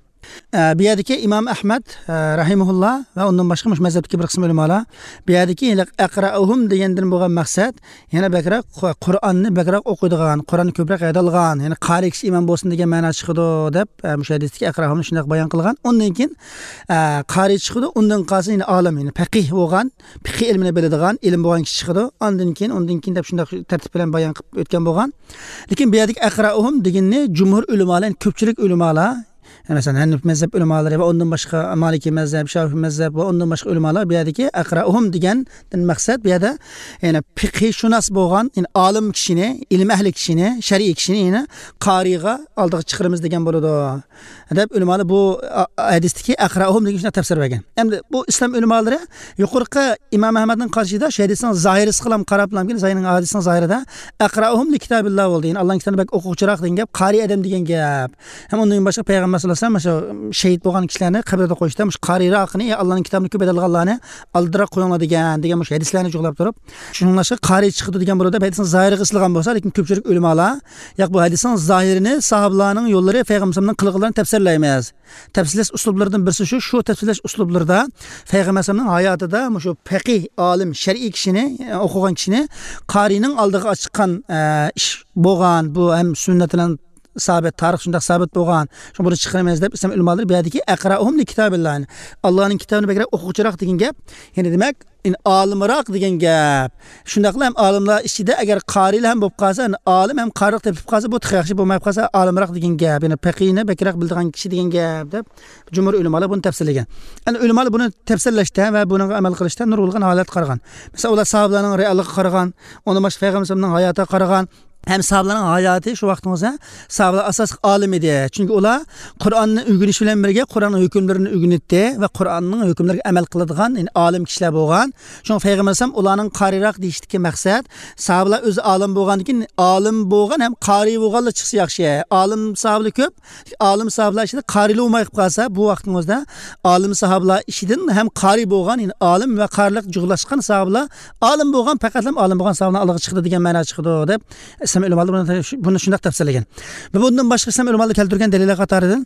ئە، بۇ يەردىكى ئىمام ئەھمەد، ئە، رەھىمەھۇللا ۋە ئۇندىن باشقا مۇشۇ مەزھەپتىكى بىر قىسىم ئۆلىمالار بۇ يەردىكى ئەقرەئۇھۇم دېگەندىن بولغان مەقسەت يەنە بەكرەك قۇ-، قۇرئاننى بەكرەك ئوقۇيدىغان، قۇرئاننى كۆپرەك ھەيدەلغان، يەنى قارىي كىشى ئىمام بولسۇن دېگەن مەنا چىقىدۇ دەپ، ئە، مۇشۇ ھەدىستىكى ئەقرەئۇھۇمنى شۇنداق بايان قىلغان. ئۇندىن كېيىن، ئە، قارىي چىقىدۇ، ئۇندىن قالسا يەنە ئالىم، يەنى پەقىھ بولغان، پىقىھ ئىلمىنى بىلىدىغان، ئىلىم بولغان كىشى چىقىدۇ. ئاندىن كېيىن، ئۇندىن كېيىن دەپ شۇنداق تەرتىپ بىلەن بايان قىلىپ ئۆتكەن بولغان. لېكىن بۇ يەردىكى ئەقرەئۇھۇم دېگىنىنى جۇمھۇر ئۆلىمالار، يەنى كۆپچىلىك ئۆلىمالار، مەسىلەن، ھەنەفىي مەزھەپ ئۆلىمالىرى ۋە ئۇندىن باشقا مالىكىي مەزھەپ، شافىئىي مەزھەپ ۋە ئۇندىن باشقا ئۆلىمالار بۇ يەردىكى ئەقرەئۇھۇم دېگەندىن مەقسەت بۇ يەردە، يەنى پىقھىشۇناس بولغان، يەنى ئالىم كىشىنى، ئىلىم ئەھلى كىشىنى، شەرئىي كىشىنى، يەنى قارىيغا ئالدىغا چىقىرىمىز دېگەن بولىدۇ دەپ ئۆلىمالار بۇ، ئا، ھەدىستىكى ئەقرەئۇھۇم دېگەن شۇنداق تەپسىر بەرگەن. ئەمدى بۇ ئىسلام ئۆلىمالىرى يۇقىرىقى ئىمام ئەھمەدنىڭ قارىشىدا شۇ ھەدىسنىڭ زاھىرىسىغىلا قاراپلا، زاھىرىنىڭ ھەدىسنىڭ زاھىرىدا ئەقرەئۇھۇم لىكىتابىللا بولدى. يەنى ئاللانىڭ كىتابىنى بەك ئوقۇغۇچىراق دېگەن گەپ، قارىي ئادەم دېگەن گەپ. ھەم ئۇندىن باشقا پەيغەمبەر ساللاللاھۇ ئەلەيھى ۋەسەللەم شۇ شېھىت بولغان كىشىلەرنى قەبرىدە قويۇشتا مۇشۇ قارىيراقنى، ئاللانىڭ كىتابىنى كۆپ ھەيدەلغانلارنى ئالدىراق قويۇڭلار دېگەن، دېگەن مۇشۇ ھەدىسلەرنى جۇغلاپ تۇرۇپ، شۇنىڭلاشقا قارىي چىقىدۇ دېگەن بولىدۇ دەپ ھەدىسنىڭ زاھىرىغا ئېسىلغان بولسا، لېكىن كۆپچىلىك ئۆلىمالار، ياق، بۇ ھەدىسنىڭ زاھىرىنى ساھابىلارنىڭ يوللىرى، پەيغەمبەر ئەلەيھىسسالامنىڭ قىلغانلىرىنى تەپسىرلەيمىز. تەپسىرلەش ئۇسلۇبلىرىدىن بىرسى شۇ، شۇ تەپسىرلەش ئۇسلۇبلىرىدا پەيغەمبەر ئەلەيھىسسالامنىڭ ھاياتىدا مۇشۇ پەقىھ، ئالىم، شەرئىي كىشىنى، ئوقۇغان كىشىنى قارىينىڭ ئالدىغا چىققان، ئە، ئىش بولغان، بۇ ھەم سۈننەت بىلەن سابىت، تارىخ شۇنداق سابىت بولغان، شۇڭا بۇنى چىقىرىمىز دەپ ئىسلام ئۆلىمالىرى بۇ يەردىكى ئەقرەئۇھۇم لىكىتابىللا، يەنى ئاللانىڭ كىتابىنى بەكرەك ئوقۇغۇچىراق دېگەن گەپ. يەنى دېمەك، يەنى ئالىمراق دېگەن گەپ. شۇنداقلا ھەم ئالىملار ئىچىدە ئەگەر قارىيلار ھەم بولۇپ قالسا، يەنى ئالىم ھەم قارىلىق تېپىپ قالسا، بۇ تېخى ياخشى، بولمايدۇ قالسا ئالىمراق دېگەن گەپ. يەنى پەقىھنى بەكرەك بىلىدىغان كىشى دېگەن گەپ دەپ جۇمھۇر ئۆلىمالار بۇنى تەپسىرلىگەن. يەنى ئۆلىمالار بۇنى تەپسىرلەشتە ۋە بۇنىڭغا ئەمەل قىلىشتا نۇرغۇنلىغان ھالەتكە قارىغان. مەسىلەن، ئۇلار ساھابىلەرنىڭ رېئاللىقىغا قارىغان، ئۇندىن باشقا پەيغەمبەر ئەلەيھىسسالامنىڭ ھاياتىغا قارىغان، ھەم ساھابىلەرنىڭ ھاياتى شۇ ۋاقتىڭىزدا ساھابىلەر ئاساسلىق ئالىم ئىدى. چۈنكى ئۇلار قۇرئاننى ئۆگىنىش بىلەن بىرگە قۇرئاننىڭ ھۆكۈملىرىنى ئۆگىنەتتى ۋە قۇرئاننىڭ ھۆكۈملىرىگە ئەمەل قىلىدىغان، يەنى ئالىم كىشىلەر بولغان. شۇڭا پەيغەمبەر ئەلەيھىسسالام ئۇلارنىڭ قارىيراق دېيىشتىكى مەقسەت، ساھابىلەر ئۆزى ئالىم بولغاندىن كېيىن، ئالىم بولغان ھەم قارىي بولغانلار چىقسا ياخشى. ئالىم ساھابىلەر كۆپ، ئالىم ساھابىلەر ئىچىدە قارىيلار بولماي قالسا، بۇ ۋاقتىڭىزدا ئالىم ساھابىلەر ئىچىدىن ھەم قارىي بولغان، يەنى ئالىم ۋە قارىلىق جۇغلاشقان ساھابىلەر، ئالىم بولغان، پەقەتلا ئالىم بولغان ساھابىلەر ئالدىغا چىقىدۇ دېگەن مەنا چىقىدۇ دەپ ئىسلام ئۆلىمالىرى بۇنى، بۇنى شۇنداق تەپسىرلىگەن. ۋە بۇندىن باشقا ئىسلام ئۆلىمالىرى كەلتۈرگەن دەلىللەر قاتارىدىن،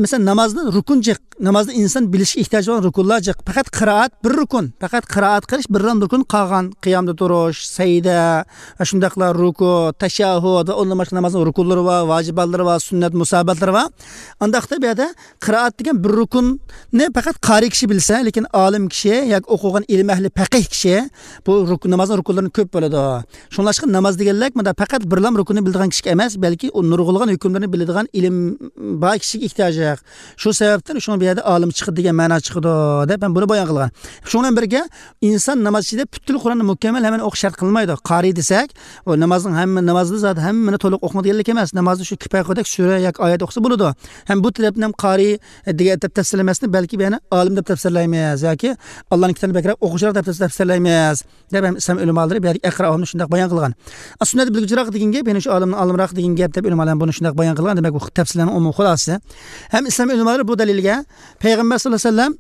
مەسىلەن، نامازنى رۇكۇن جىق، نامازدا ئىنسان بىلىشكە ئېھتىياجى بولغان رۇكۇنلار جىق. پەقەت قىرائەت بىر رۇكۇن، پەقەت قىرائەت قىلىش بىرلا رۇكۇن قالغان، قىيامدا تۇرۇش، سەجدە ۋە شۇنداقلا رۇكۇ، تەشەھھۇد ۋە ئۇندىن باشقا نامازنىڭ رۇكۇنلىرى بار، ۋاجىباتلىرى بار، سۈننەت مۇستەھەبباتلىرى بار. ئانداقتا بۇ يەردە قىرائەت دېگەن بىر رۇكۇننى پەقەت قارىي كىشى بىلسە، لېكىن ئالىم كىشى ياكى ئوقۇغان ئىلىم ئەھلى پەقىھ كىشى بۇ رۇكۇن، نامازنىڭ رۇكۇنلىرىنى كۆپ بىلىدۇ. شۇڭلاشقا ناماز دېگەنلىك مۇنداق پەقەت بىرلا رۇكۇننى بىلىدىغان كىشىگە ئەمەس، بەلكى ئۇ نۇرغۇنلىغان ھۆكۈملىرىنى بىلىدىغان ئىلىم بار كىشىگە ئېھتىياجلىق. شۇ سەۋەبتىن شۇڭا بۇ يەردە ئالىم چىقىدۇ دېگەن مەنا چىقىدۇ دەپ مەن بۇنى بايان قىلغان. شۇنىڭ بىلەن بىرگە ئىنسان ناماز ئىچىدە پۈتكۈل قۇرئاننى مۇكەممەل ھەممىنى ئوقۇش شەرت قىلىنمايدۇ. قارىي دېسەك، ئۇ نامازنىڭ ھەممە، نامازدا زادى ھەممىنى تولۇق ئوقۇڭ دېگەنلىك ئەمەس. نامازدا شۇ كىپايە قىلغۇدەك سۈرە ياكى ئايەت ئوقۇسا بولىدۇ. ھەم بۇ تەرەپتىن ھەم قارىي دېگەن دەپ تەپسىرلىمەسنى، بەلكى بۇ يەنە ئالىم دەپ تەپسىرلەيمىز ياكى ئاللانىڭ كىتابىنى بەكرەك ئوقۇغۇچىراق دەپ تەپسىرلەيمىز دەپ ھەم ئىسلام ئۆلىمالىرى بۇ يەردىكى ئەقرەئۇھۇمنى شۇنداق بايان قىلغان. ئا، سۈننەت بىلگۈچىراق دېگەن گەپ، يەنى شۇ ئالىمنىڭ ئالىمراق دېگەن گەپ دەپ ئۆلىمالار بۇنى شۇنداق بايان قىلغان. دېمەك، بۇ تەپسىرلەرنىڭ ئومۇمىي خۇلاسىسى. ھەم ئىسلام ئۆلىمالىرى بۇ دەلىلگە پەيغەمبەر ساللاللاھۇ ئەلەيھى ۋەسەللەم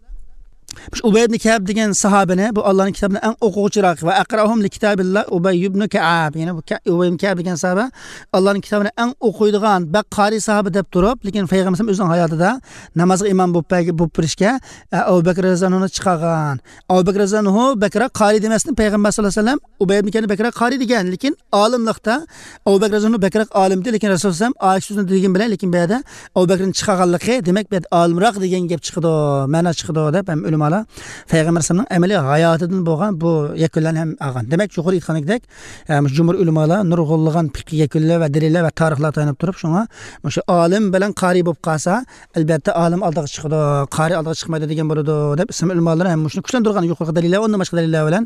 شۇ ئۇبەي ئىبنى كەئب دېگەن ساھابىنى، بۇ ئاللانىڭ كىتابىنى ئەڭ ئوقۇغۇچىراق ۋە ئەقرەئۇھۇم لىكىتابىللا ئۇبەي ئىبنى كەئب، يەنى بۇ كە-، ئۇبەي ئىبنى كەئب دېگەن ساھابە ئاللانىڭ كىتابىنى ئەڭ ئوقۇيدىغان، بەك قارىي ساھابە دەپ تۇرۇپ، لېكىن پەيغەمبەر ئۆزىنىڭ ھاياتىدا نامازغا ئىمام بولۇپ بەرگە-، بولۇپ بېرىشكە، ئە، ئەبۇ بەكرى رەزىياللاھۇ ئەنھۇنى چىقارغان. ئەبۇ بەكرى رەزىياللاھۇ ئەنھۇ بەكرەك قارىي دېمەستىن، پەيغەمبەر ساللاللاھۇ ئەلەيھى ۋەسەللەم ئۇبەي ئىبنى كەئبنى بەكرەك قارىي دېگەن، لېكىن ئالىملىقتا ئەبۇ بەكرى رەزىياللاھۇ ئەنھۇ بەكرەك ئالىم ئىدى، لېكىن رەسۇل سەللەللاھۇ ئەلەيھى ۋەسەللەم ئاشۇ سۆزنى دېگەن بىلەن، لېكىن بۇ يەردە ئەبۇ بەكرىنى چىقارغانلىقى، دېمەك، بۇ يەردە ئالىمراق دېگەن گەپ چىقىدۇ، مەنا چىقىدۇ دەپ ھەم ئۆلىمالار پەيغەمبەر ئەلەيھىسسالامنىڭ ئەمەلىي ھاياتىدىن بولغان بۇ يەكۈنلەرنى ھەم ئالغان. دېمەك، يۇقىرىدا ئېيتقاندەك، ئە، مۇشۇ جۇمھۇر ئۆلىمالار نۇرغۇنلىغان پىقھىي يەكۈنلەر ۋە دەلىللەر ۋە تارىخلارغا تايىنىپ تۇرۇپ، شۇڭا مۇشۇ ئالىم بىلەن قارىي بولۇپ قالسا، ئەلۋەتتە ئالىم ئالدىغا چىقىدۇ، قارىي ئالدىغا چىقمايدۇ دېگەن بولىدۇ دەپ ئىسلام ئۆلىمالىرى ھەم مۇشۇنى كۈچلەندۈرگەن يۇقىرىقى دەلىللەر، ئۇندىن باشقا دەلىللەر بىلەن.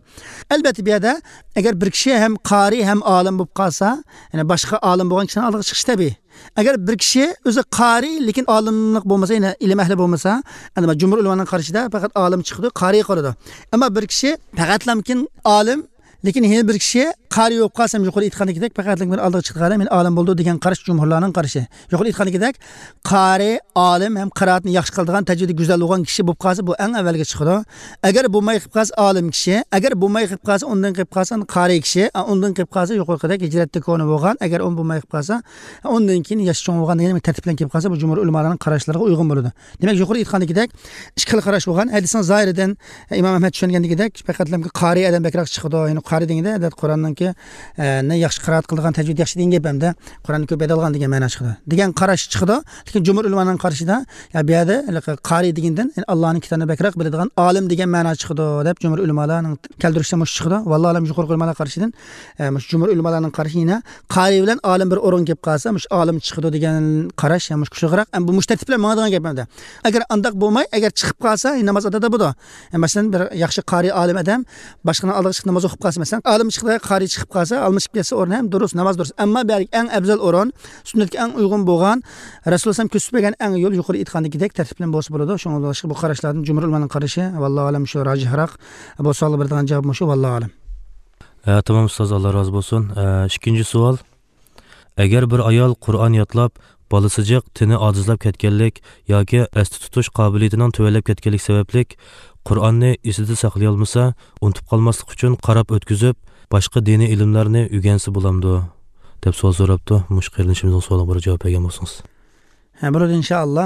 ئەلۋەتتە، بۇ يەردە ئەگەر بىر كىشى ھەم قارىي ھەم ئالىم بولۇپ قالسا، يەنى باشقا ئالىم بولغان كىشىنىڭ ئالدىغا چىقىشى تەبىئىي. ئەگەر بىر كىشى ئۆزى قارىي، لېكىن ئالىملىق بولمىسا، يەنى ئىلىم ئەھلى بولمىسا، ئەمدى جۇمھۇر ئۆلىمانىڭ قارىشىدا پەقەت ئالىم چىقىدۇ، قارىي قالىدۇ. ئەمما بىر كىشى پەقەتلەمكىن ئالىم، لېكىن ھېلى بىر كىشى قارىي بولۇپ قالسا، يۇقىرى ئېيتقاندىكىدەك، پەقەتلا بىر ئالدىغا چىقىدىغان ئادەم، يەنى ئالىم بولدى دېگەن قاراش جۇمھۇرلارنىڭ قارىشى. يۇقىرى ئېيتقاندىكىدەك، قارىي، ئالىم ھەم قىرائەتنى ياخشى قىلىدىغان، تەجۋىدى گۈزەل بولغان كىشى بولۇپ قالسا، بۇ ئەڭ ئەۋۋەلگە چىقىدۇ. ئەگەر بولماي قېلىپ قالسا، ئالىم كىشى، ئەگەر بولماي قېلىپ قالسا، ئۇندىن قېلىپ قالسا، قارىي كىشى، ئا، ئۇندىن قېلىپ قالسا، يۇقىرىقىدەك ھىجرەتتە كونا بولغان، ئەگەر ئۇ بولماي قېلىپ قالسا، ئۇندىن كېيىن ياشى چوڭ بولغان دېگەن تەرتىپ بىلەن كېلىپ قالسا، بۇ جۇمھۇر ئۆلىمالارنىڭ قاراشلىرىغا ئۇيغۇن بولىدۇ. دېمەك، يۇقىرى ئېيتقاندىكىدەك، ئىككى خىل قاراش بولغان. ھەدىسنىڭ زاھىرىدىن ئىمام ئەھمەد چۈشەنگەندىكىدەك، پەقەتلەمكى قارىي ئادەم بەكرەك چىقىدۇ. يەنى قارىي دېگەندە، ئادەتتە قۇرئاننىڭكى، ئە، نى ياخشى قىرائەت قىلىدىغان، تەجۋىد ياخشى دېگەن گەپ ئەمدى. قۇرئاننى كۆپ يادلىغان دېگەن مەنا چىقىدۇ. دېگەن قاراش چىقىدۇ. لېكىن جۇمھۇر ئۆلىمانىڭ قارىشىدا، يا بۇ يەردە قارىي دېگەندىن، يەنى ئاللانىڭ كىتابىنى بەكرەك بىلىدىغان ئالىم دېگەن مەنا چىقىدۇ، دەپ جۇمھۇر ئۆلىمالارنىڭ كەلتۈرۈشىدە مۇشۇ چىقىدۇ. ۋاللاھۇ ئەلەم، يۇقىرىقى ئۆلىمالار قارىشىدىن، ئە، مۇشۇ جۇمھۇر ئۆلىمالارنىڭ قارىشى يەنە قارىي بىلەن ئالىم بىر ئورۇنغا كېلىپ قالسا، مۇشۇ ئالىم چىقىدۇ دېگەن قاراش، يا مۇشۇ كۈچلۈكرەك، ئەمما بۇ مۇشۇ تەرتىپ بىلەن ماڭىدىغان گەپ ئەمدى. ئەگەر ئانداق بولماي، ئەگەر چىقىپ قالسا، ناماز ئادا بولىدۇ. مەسىلەن، بىر ياخشى قارىي ئالىم ئادەم باشقىنىڭ ئالدىغا چىقىپ ناماز ئوقۇپ قالسا، مەسىلەن، ئالىم چىقتى، قارىي چىقىپ قالسا، ئالمىشىپ كەتسە ئورنى ھەم دۇرۇس، ناماز دۇرۇس. ئەمما بۇ يەردىكى ئەڭ ئەۋزەل ئورۇن، سۈننەتكە ئەڭ ئۇيغۇن بولغان، رەسۇلۇللاھ كۆرسىتىپ بەرگەن ئەڭ يول يۇقىرى ئېيتقاندىكىدەك تەرتىپ بىلەن بولسا بولىدۇ. شۇڭا بۇ قاراشلاردىن جۇمھۇر ئۆلىمانىڭ قارىشى، ۋاللاھۇ ئەلەم، شۇ راجىھراق. بۇ سوئالغا بېرىدىغان جاۋاب مۇشۇ، ۋاللاھۇ ئەلەم. ھە، تامام ئۇستاز، ئاللا رازى بولسۇن. ھە، ئىككىنچى سوئال. ئەگەر بىر ئايال قۇرئان يادلاپ، بالىسى جىق، تېنى ئاجىزلاپ كەتكەنلىك ياكى ئەستە تۇتۇش قابىلىيىتىنىڭ تۆۋەنلەپ كەتكەنلىك سەۋەبلىك قۇرئاننى ئېسىدە ساقلىيالمىسا، ئۇنتۇپ قالماسلىق ئۈچۈن قاراپ ئۆتكۈزۈپ، باشقا دىنىي ئىلىملەرنى ئۆگەنسە بولامدۇ؟ دەپ سوئال سوراپتۇ. مۇشۇ قېرىندىشىمىزنىڭ سوئالىغا بىر جاۋاب بەرگەن بولسىڭىز. ھە، بولىدۇ، ئىنشائاللا.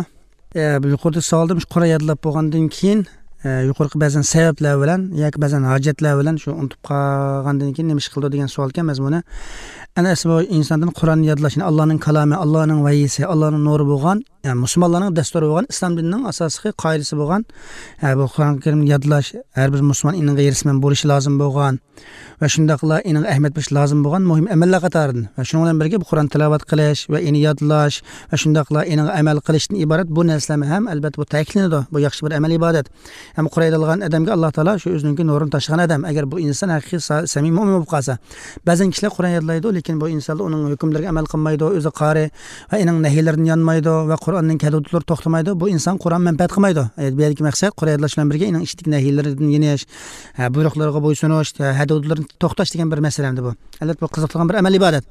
ئە، بۇ يۇقىرىدا سوئالدا مۇشۇ قۇرئان يادلاپ بولغاندىن كېيىن، ئە، يۇقىرىقى بەزەن سەۋەبلەر بىلەن ياكى بەزەن ھاجەتلەر بىلەن شۇ ئۇنتۇپ قالغاندىن كېيىن نېمە ئىش قىلىدۇ دېگەن سوئالكەن مەزمۇنى. ئەنە ئەسلى بۇ ئىنساندىن قۇرئان يادلاش، يەنى ئاللانىڭ كالامى، ئاللانىڭ ۋەھىيسى، ئاللانىڭ نۇرى بولغان، يەنى مۇسۇلمانلارنىڭ دەستۇرى بولغان، ئىسلام دىنىنىڭ ئاساسلىقى، قائىدىسى بولغان، ئە، بۇ قۇرئان كەرىمنى يادلاش ھەر بىر مۇسۇلمان ئىنىنىڭ ھېرىسمەن بولۇشى لازىم بولغان. ۋە شۇنداقلا ئېنىڭغا ئەھمىيەت بېرىش لازىم بولغان مۇھىم ئەمەللەر قاتارىدىن. ۋە شۇنىڭ بىلەن بىرگە بۇ قۇرئان تىلاۋەت قىلىش ۋە ئېنى يادلاش ۋە شۇنداقلا ئېنىڭغا ئەمەل قىلىشتىن ئىبارەت بۇ نەرسىلەرمۇ ھەم، ئەلبەتتە، بۇ تەكىتلىنىدۇ. بۇ ياخشى بىر ئەمەل ئىبادەت. ھەم قۇرئان يادلىغان ئادەمگە ئاللا تائالا شۇ ئۆزىنىڭكى نۇرىنى تاشلىغان ئادەم. ئەگەر بۇ ئىنسان ھەقىقىي سا-، سەمىمىي مۆمىن بولۇپ قالسا. بەزەن كىشىلەر قۇرئان يادلايدۇ، لېكىن بۇ ئىنسانلار ئۇنىڭ ھۆكۈملىرىگە ئەمەل قىلمايدۇ، ئۆزى قارىي ۋە ئېنىڭ نەھىيلىرىدىن يانمايدۇ ۋە قۇرئاننىڭ ھەددى ھۇدۇدلىرى توختىمايدۇ. بۇ ئىنسان قۇرئان مەنپەئەت قىلمايدۇ. ئە، بۇ يەردىكى مەقسەت قۇرئان يادلاش بىلەن بىرگە ئېنىڭ ئىچىدىكى نەھىيلىرىدىن يېنىش، ھە، بۇيرۇقلىرىغا بويسۇنۇش، ھە، ھەددى ھۇدۇدلىرىنى توختاش دېگەن بىر مەسىلە ئەمدى بۇ. ئەلۋەتتە، بۇ قىزىقىدىغان بىر ئەمەلىي ئىبادەت.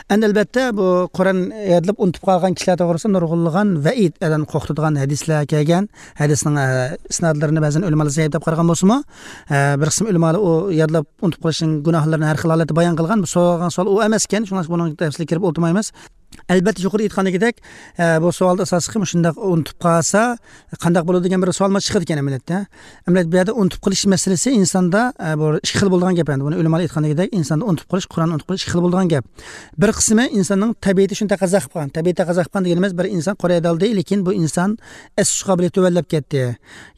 ئەمدى ئەلۋەتتە، بۇ قۇرئان يادلاپ ئۇنتۇپ قالغان كىشىلەر توغرىسىدا نۇرغۇنلىغان ۋەئىد، ئادەمنى قورقۇتىدىغان ھەدىسلەر كەلگەن. ھەدىسنىڭ، ئە، ئىسنادلىرىنى بەزەن ئۆلىمالار زەئىپ دەپ قارىغان بولسىمۇ، ئە، بىر قىسىم ئۆلىمالار ئۇ يادلاپ ئۇنتۇپ قېلىشنىڭ گۇناھلىرىنى ھەر خىل ھالەتتە بايان قىلغان. بۇ سورالغان سوئال ئۇ ئەمەسكەن، شۇڭلاشقا بۇنىڭ تەپسىلىگە كىرىپ ئولتۇرمايمىز. ئەلۋەتتە، يۇقىرىدا ئېيتقاندىكىدەك، ئە، بۇ سوئالدا ئاساسلىقى مۇشۇنداق ئۇنتۇپ قالسا، قانداق بولىدۇ دېگەن بىر سوئالمۇ چىقىدىكەن ئەمەلىيەتتە. ئەمەلىيەتتە، بۇ يەردە ئۇنتۇپ قېلىش مەسىلىسى ئىنساندا، ئە، بۇ ئىككى خىل بولىدىغان گەپ ئەمدى. بۇنى ئۆلىمالار ئېيتقاندىكىدەك، ئىنساندا ئۇنتۇپ قېلىش، قۇرئان ئۇنتۇپ قېلىش ئىككى خىل بولىدىغان گەپ. بىر قىسمى ئىنساننىڭ تەبىئىتى شۇنى تەقەززا قىلىپ قالغان. تەبىئىي تەقەززا قىلىپ قالغان دېگىنىمىز، بىر ئىنسان قۇرئان يادلىدى، لېكىن بۇ ئىنسان ئەستە تۇتۇش قابىلىيىتى تۆۋەنلەپ كەتتى.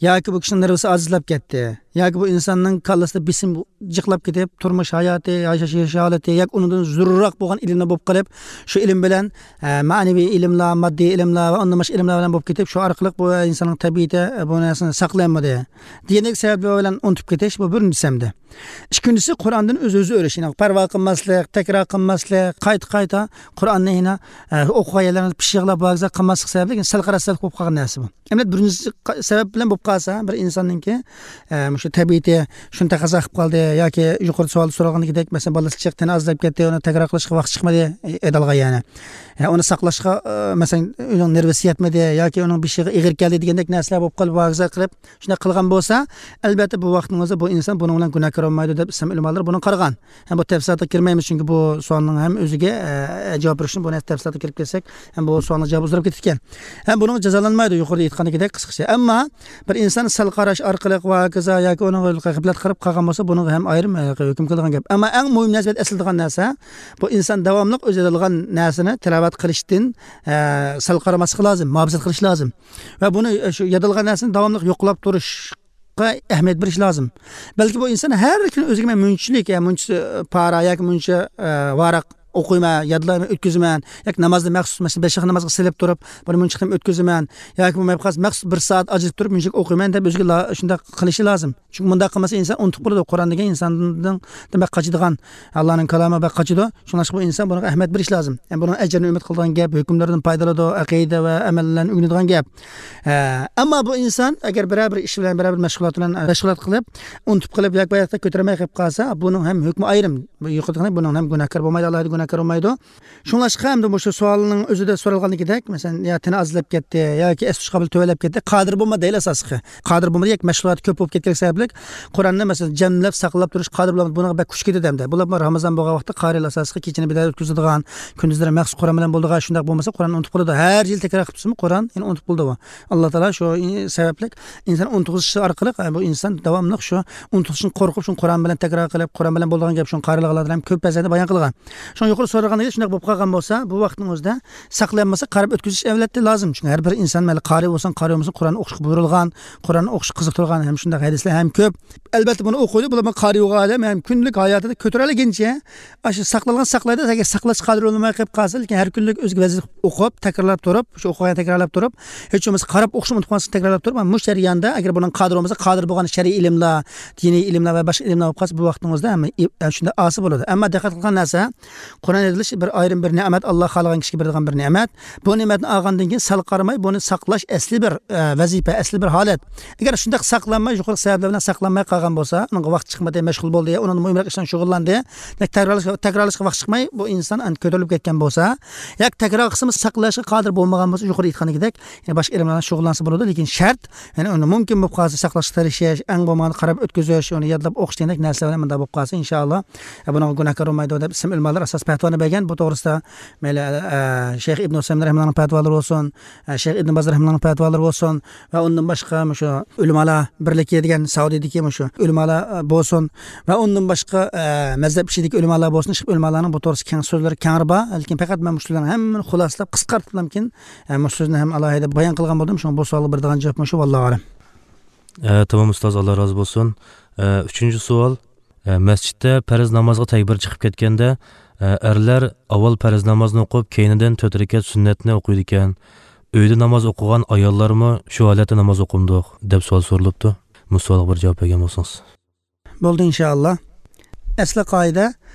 ياكى بۇ كىشىنىڭ نېرۋىسى ئاجىزلاپ كەتتى. ياكى بۇ ئىنساننىڭ كاللىسىدا بېسىم جىقلاپ كېتىپ، تۇرمۇش ھاياتى، ياشاش، ياشاش ھالىتى ياكى ئۇنىڭدىن زورراق بولغان ئىلىملەر بولۇپ قېلىپ، شۇ ئىلىم بىلەن، ئە، مەنىۋى ئىلىملەر، ماددىي ئىلىملەر ۋە ئۇندىن باشقا ئىلىملەر بىلەن بولۇپ كېتىپ، شۇ ئارقىلىق بۇ ئىنساننىڭ تەبىئىتى، ئە، بۇ نەرسىنى ساقلىيالمىدى دېگەندەك سەۋەبلەر بىلەن ئۇنتۇپ كېتىش، بۇ بىرىنچىسى ئەمدى. ئىككىنچىسى، قۇرئاندىن ئۆز-ئۆزى ئۆرۈش، يەنى پەرۋا قىلماسلىق، تەكرار قىلماسلىق، قايتا-قايتا قۇرئاننى يەنە، ئە، ئوقۇغان يەرلەرنى پىششىقلاپ، بۇ ھەققىدە قىلماسلىق سەۋەبلىك سەل قارا سەل بولۇپ قالغان نەرسە بۇ. ئەمدى بىرىنچى قا-، سەۋەب بىلەن بولۇپ قالسا، بىر ئىنساننىڭكى، ئە، مۇشۇ تەبىئىتى شۇنى تەقەززا قىلىپ قالدى ياكى يۇقىرىدا سوئالدا سورالغاندىكىدەك، مەسىلەن، بالىسى جىق، تېنى ئاجىزلاپ كەتتى، ئۇنى تەكرار قىلىشقا ۋاقىت چىقمىدى، ئى، ئەدالغا يەنى. ھە، ئۇنى ساقلاشقا، ئە، مەسىلەن، ئۆزىنىڭ نېرۋىسى يەتمىدى ياكى ئۇنىڭ بېشىغا ئېغىر كەلدى دېگەندەك نەرسىلەر بولۇپ قالىپ، ۋاگىزا قىلىپ، شۇنداق قىلغان بولسا، ئەلۋەتتە، بۇ ۋاقىتنىڭ ئۆزى بۇ ئىنسان بۇنىڭ بىلەن گۇناھكار بولمايدۇ دەپ ئىسلام ئۆلىمالىرى بۇنى قارىغان. ھەم بۇ تەپسىلاتقا كىرمەيمىز، چۈنكى بۇ سوئالنىڭ ھەم ئۆزىگە، ئە، جاۋاب بېرىشنى، بۇنى تەپسىلاتقا كىرىپ كەتسەك، ھەم بۇ سوئالنىڭ جاۋابى ئۇزىراپ كېتىدىكەن. ھەم بۇنىڭ جازالانمايدۇ، يۇقىرىدا ئېيتقاندىكىدەك قىسقىچە. ئەمما بىر ئىنسان سەل قاراش ئارقىلىق ۋە ھاكازا ياكى ئۇنىڭغا غەپلەت قىلىپ قالغان بولسا، بۇنىڭغا ھەم ئايرىم، ئە، ھۆكۈم قىلىدىغان گەپ. ئەمما ئەڭ مۇھىم نەرسە، ئەسلىدىغان نەرسە، بۇ ئىنسان داۋاملىق ئۆزى يادلىغان نەرسىنى تىلاۋەت قىلىشتىن، ئە، سەل قارىماسلىقى لازىم، مۇھاپىزەت قىلىشى لازىم. ۋە بۇنى، ئە، شۇ يادلىغان نەرسىنى داۋاملىق يوقلاپ تۇرۇشقا ئەھمىيەت بېرىش لازىم. بەلكى بۇ ئىنسان ھەر كۈنى ئۆزىگە مەن مۇنچىلىك، يا مۇنچە، ئە، پارا ياكى مۇنچە، ئە، ۋاراق ئوقۇيمەن، يادلايمەن، ئۆتكۈزىمەن ياكى نامازنى مەخسۇس، مەسىلەن، بەش ۋاق نامازغا سېلىپ تۇرۇپ، بۇنى مۇنچە قېتىم ئۆتكۈزىمەن ياكى بولمايدىغان بولسا مەخسۇس بىر سائەت ئاجرىتىپ تۇرۇپ مۇنچە ئوقۇيمەن دەپ ئۆزىگە لا-، شۇنداق قىلىشى لازىم. چۈنكى مۇنداق قىلمىسا ئىنسان ئۇنتۇپ قالىدۇ. قۇرئان دېگەن ئىنساندىن دېمەك قاچىدىغان، ئاللانىڭ كالامى بەك قاچىدۇ. شۇڭلاشقا بۇ ئىنسان بۇنىڭغا ئەھمىيەت بېرىش لازىم. يەنى بۇنىڭ ئەجرىنى ئۈمىد قىلىدىغان گەپ، ھۆكۈملىرىدىن پايدىلىنىدۇ، ئەقىدە ۋە ئەمەللەرنى ئۆگىنىدىغان گەپ. ئە، ئەمما بۇ ئىنسان ئەگەر بىرەر بىر ئىش بىلەن، بىرەر بىر مەشغۇلات بىلەن، مەشغۇلات قىلىپ، ئۇنتۇپ قېلىپ ياكى بۇ ھەقتە كۆتۈرمەي قېلىپ قالسا، بۇنىڭ ھەم ھۆكمى ئايرىم. بۇ يۇقىرىدا بۇنىڭ ھەم گۇناھكار بولمايدۇ، ئالاھىدە گۇناھكار بولمايدۇ. شۇڭلاشقا ئەمدى مۇشۇ سوئالنىڭ ئۆزىدە سورالغىنىدەك، مەسىلەن، يا تېنى ئازلاپ كەتتى ياكى ئەستە قابىلى تۆۋەنلەپ كەتتى، قادىر بولمىدى دەيلى ئاساسلىقى. قادىر بولمىدى ياكى مەشغۇلاتى كۆپ بولۇپ كەتكەنلىكى سەۋەبلىك قۇرئاننى، مەسىلەن، جەملەپ ساقلاپ تۇرۇش قادىر بولمىدى. بۇنىڭغا بەك كۈچ كېتىدۇ ئەمدى. بۇلار رامىزان بولغان ۋاقىتتا قارىيلار ئاساسلىقى كېچىنى بىدار ئۆتكۈزىدىغان، كۈندۈزلىرى مەخسۇس قۇرئان بىلەن بولىدىغان، شۇنداق بولمىسا قۇرئاننى ئۇنتۇپ قالىدۇ. ھەر يىل تەكرار قىلىپ تۇرسىمۇ قۇرئان يەنە ئۇنتۇپ قالىدۇ. ئاللا تائالا شۇ سەۋەبلىك ئىنسان ئۇنتۇغۇزۇش ئارقىلىق، بۇ ئىنسان داۋاملىق شۇ ئۇنتۇلۇشتىن قورقۇپ، شۇ قۇرئان بىلەن تەكرار قىلىپ، قۇرئان بىلەن بولىدىغان گەپ، شۇ قارىلىغانلاردا ھەم كۆپ پەزەندە بايان قىلغان. شۇڭا يۇقىرى سورالغاندەك شۇنداق بولۇپ قالغان بولسا، بۇ ۋاقىتنىڭ ئۆزىدە ساقلىيالمىسا، قاراپ ئۆتكۈزۈش ئەلۋەتتە لازىم. چۈنكى ھەر بىر ئىنسان مەيلى قارىي بولسۇن، قارىي بولمىسۇن، قۇرئان ئوقۇشقا بۇيرۇلغان، قۇرئان ئوقۇشقا قىزىقتۇرغان ھەم شۇنداق ھەدىسلەر ھەم كۆپ. ئەلۋەتتە بۇنى ئوقۇيدۇ، بۇلار قارىي بولغان ئادەم ھەم كۈندىلىك ھاياتىدا كۆتۈرەلىگىنىچە ئاشۇ ساقلانغان ساقلايدۇ، ئەگەر ساقلاش قادىر بولماي قېلىپ قالسا، لېكىن ھەر كۈنلۈك ئۆزىگە ۋەزىپە ئوقۇپ، تەكرارلاپ تۇرۇپ، شۇ ئوقۇغان تەكرارلاپ تۇرۇپ، ھېچ بولمىسا قاراپ ئوقۇشنى ئۇنتۇپ قالماسلىق تەكرارلاپ تۇرۇپ، مۇشۇ جەرياندا ئەگەر بۇنىڭ قادىر بولمىسا، قادىر بولغان شەرئىي ئىلىملار، دىنىي ئىلىملار ۋە باشقا ئىلىملار بولۇپ قالسا، بۇ ۋاقتىڭىزدا ھەممە ئى-، ئە، شۇنداق ئاسىي بولىدۇ. ئەمما دىققەت قىلغان نەرسە، قۇرئان ئېيتىلىش بىر ئايرىم بىر نېمەت، ئاللا خالىغان كىشىگە بېرىدىغان بىر نېمەت. بۇ نېمەتنى ئالغاندىن كېيىن سەل قارىماي، بۇنى ساقلاش ئەسلى بىر، ئە، ۋەزىپە، ئەسلى بىر ھالەت. ئەگەر شۇنداق ساقلانماي، يۇقىرىقى سەۋەبلەر بىلەن ساقلانماي قالغان بولسا، ئۇنىڭغا ۋاقىت چىقمىدى، مەشغۇل بولدى، ئۇنىڭدىن مۇھىمراق ئىش بىلەن شۇغۇللاندى. دېمەك، تەكرارلاشقا، تەكرارلاشقا ۋاقىت چىقماي، بۇ ئىنسان ئەنە كۆتۈرۈلۈپ كەتكەن بولسا، ياكى تەكرار قىلسىمۇ ساقلاشقا قادىر بولمىغان بولسا، يۇقىرىدا ئېيتقاندىكىدەك، يەنە باشقا ئىلىملەر بىلەن شۇغۇللانسا بولىدۇ، لېكىن شەرت، يەنى ئۇنى مۇمكىن بولۇپ قالسا ساقلاشقا تىرىشىش، ئەڭ بولمىغاندا قاراپ ئۆتكۈزۈش، ئۇنى يادلاپ ئوقۇش دېگەندەك نەرسىلەر بىلەن مۇنداق بولۇپ قالسا، ئىنشائاللا، بۇنىڭغا گۇناھكار بولمايدۇ دەپ ئىسلام ئۆلىمالىرى ئاساس پەتىۋانى بەرگەن. بۇ توغرىسىدا مەيلى، ئە، شەيخ ئىبن ئۇسەيمىن رەھىمەللانىڭ پەتىۋالىرى بولسۇن، ئە، شەيخ ئىبن باز رەھىمەللانىڭ پەتىۋالىرى بولسۇن ۋە ئۇندىن باشقا مۇشۇ ئۆلىمالار بىرلىكى دېگەن سەئۇدىدىكى مۇشۇ ئۆلىمالار، ئە، بولسۇن ۋە ئۇندىن باشقا، ئە، مەزھەپ ئىچىدىكى ئۆلىمالار بولسۇن، ئىشقىپ ئۆلىمالارنىڭ بۇ توغرىسىدا كەڭ سۆزلىرى كەڭرى بار. لېكىن پەقەت مەن مۇشۇلارنىڭ ھەممىنى خۇلاسىلاپ، قىسقارتىپلامكىن، ئە، مۇشۇ سۆزنى ھەم ئالاھىدە بايان قىلغان بولدۇم. شۇڭا بۇ سوئالغا بېرىدىغان جاۋاب مۇشۇ، ۋاللاھۇ ئەلەم. ئە، تامام ئۇستاز، ئاللا رازى بولسۇن. ئە، ئۈچىنچى سوئال. ئە، مەسچىتتە پەرز نامازغا تەكبىر چىقىپ كەتكەندە، ئە، ئەرلەر ئاۋۋال پەرز نامازنى ئوقۇپ، كەينىدىن تۆت رەكەت سۈننەتنى ئوقۇيدىكەن. ئۆيدە ناماز ئوقۇغان ئاياللارمۇ شۇ ھالەتتە ناماز ئوقۇمدۇق؟ دەپ سوئال سورىلىپتۇ. بۇ سوئالغا بىر جاۋاب بەرگەن بولسىڭىز. بولدى، ئىنشائاللا. ئەسلى قائىدە،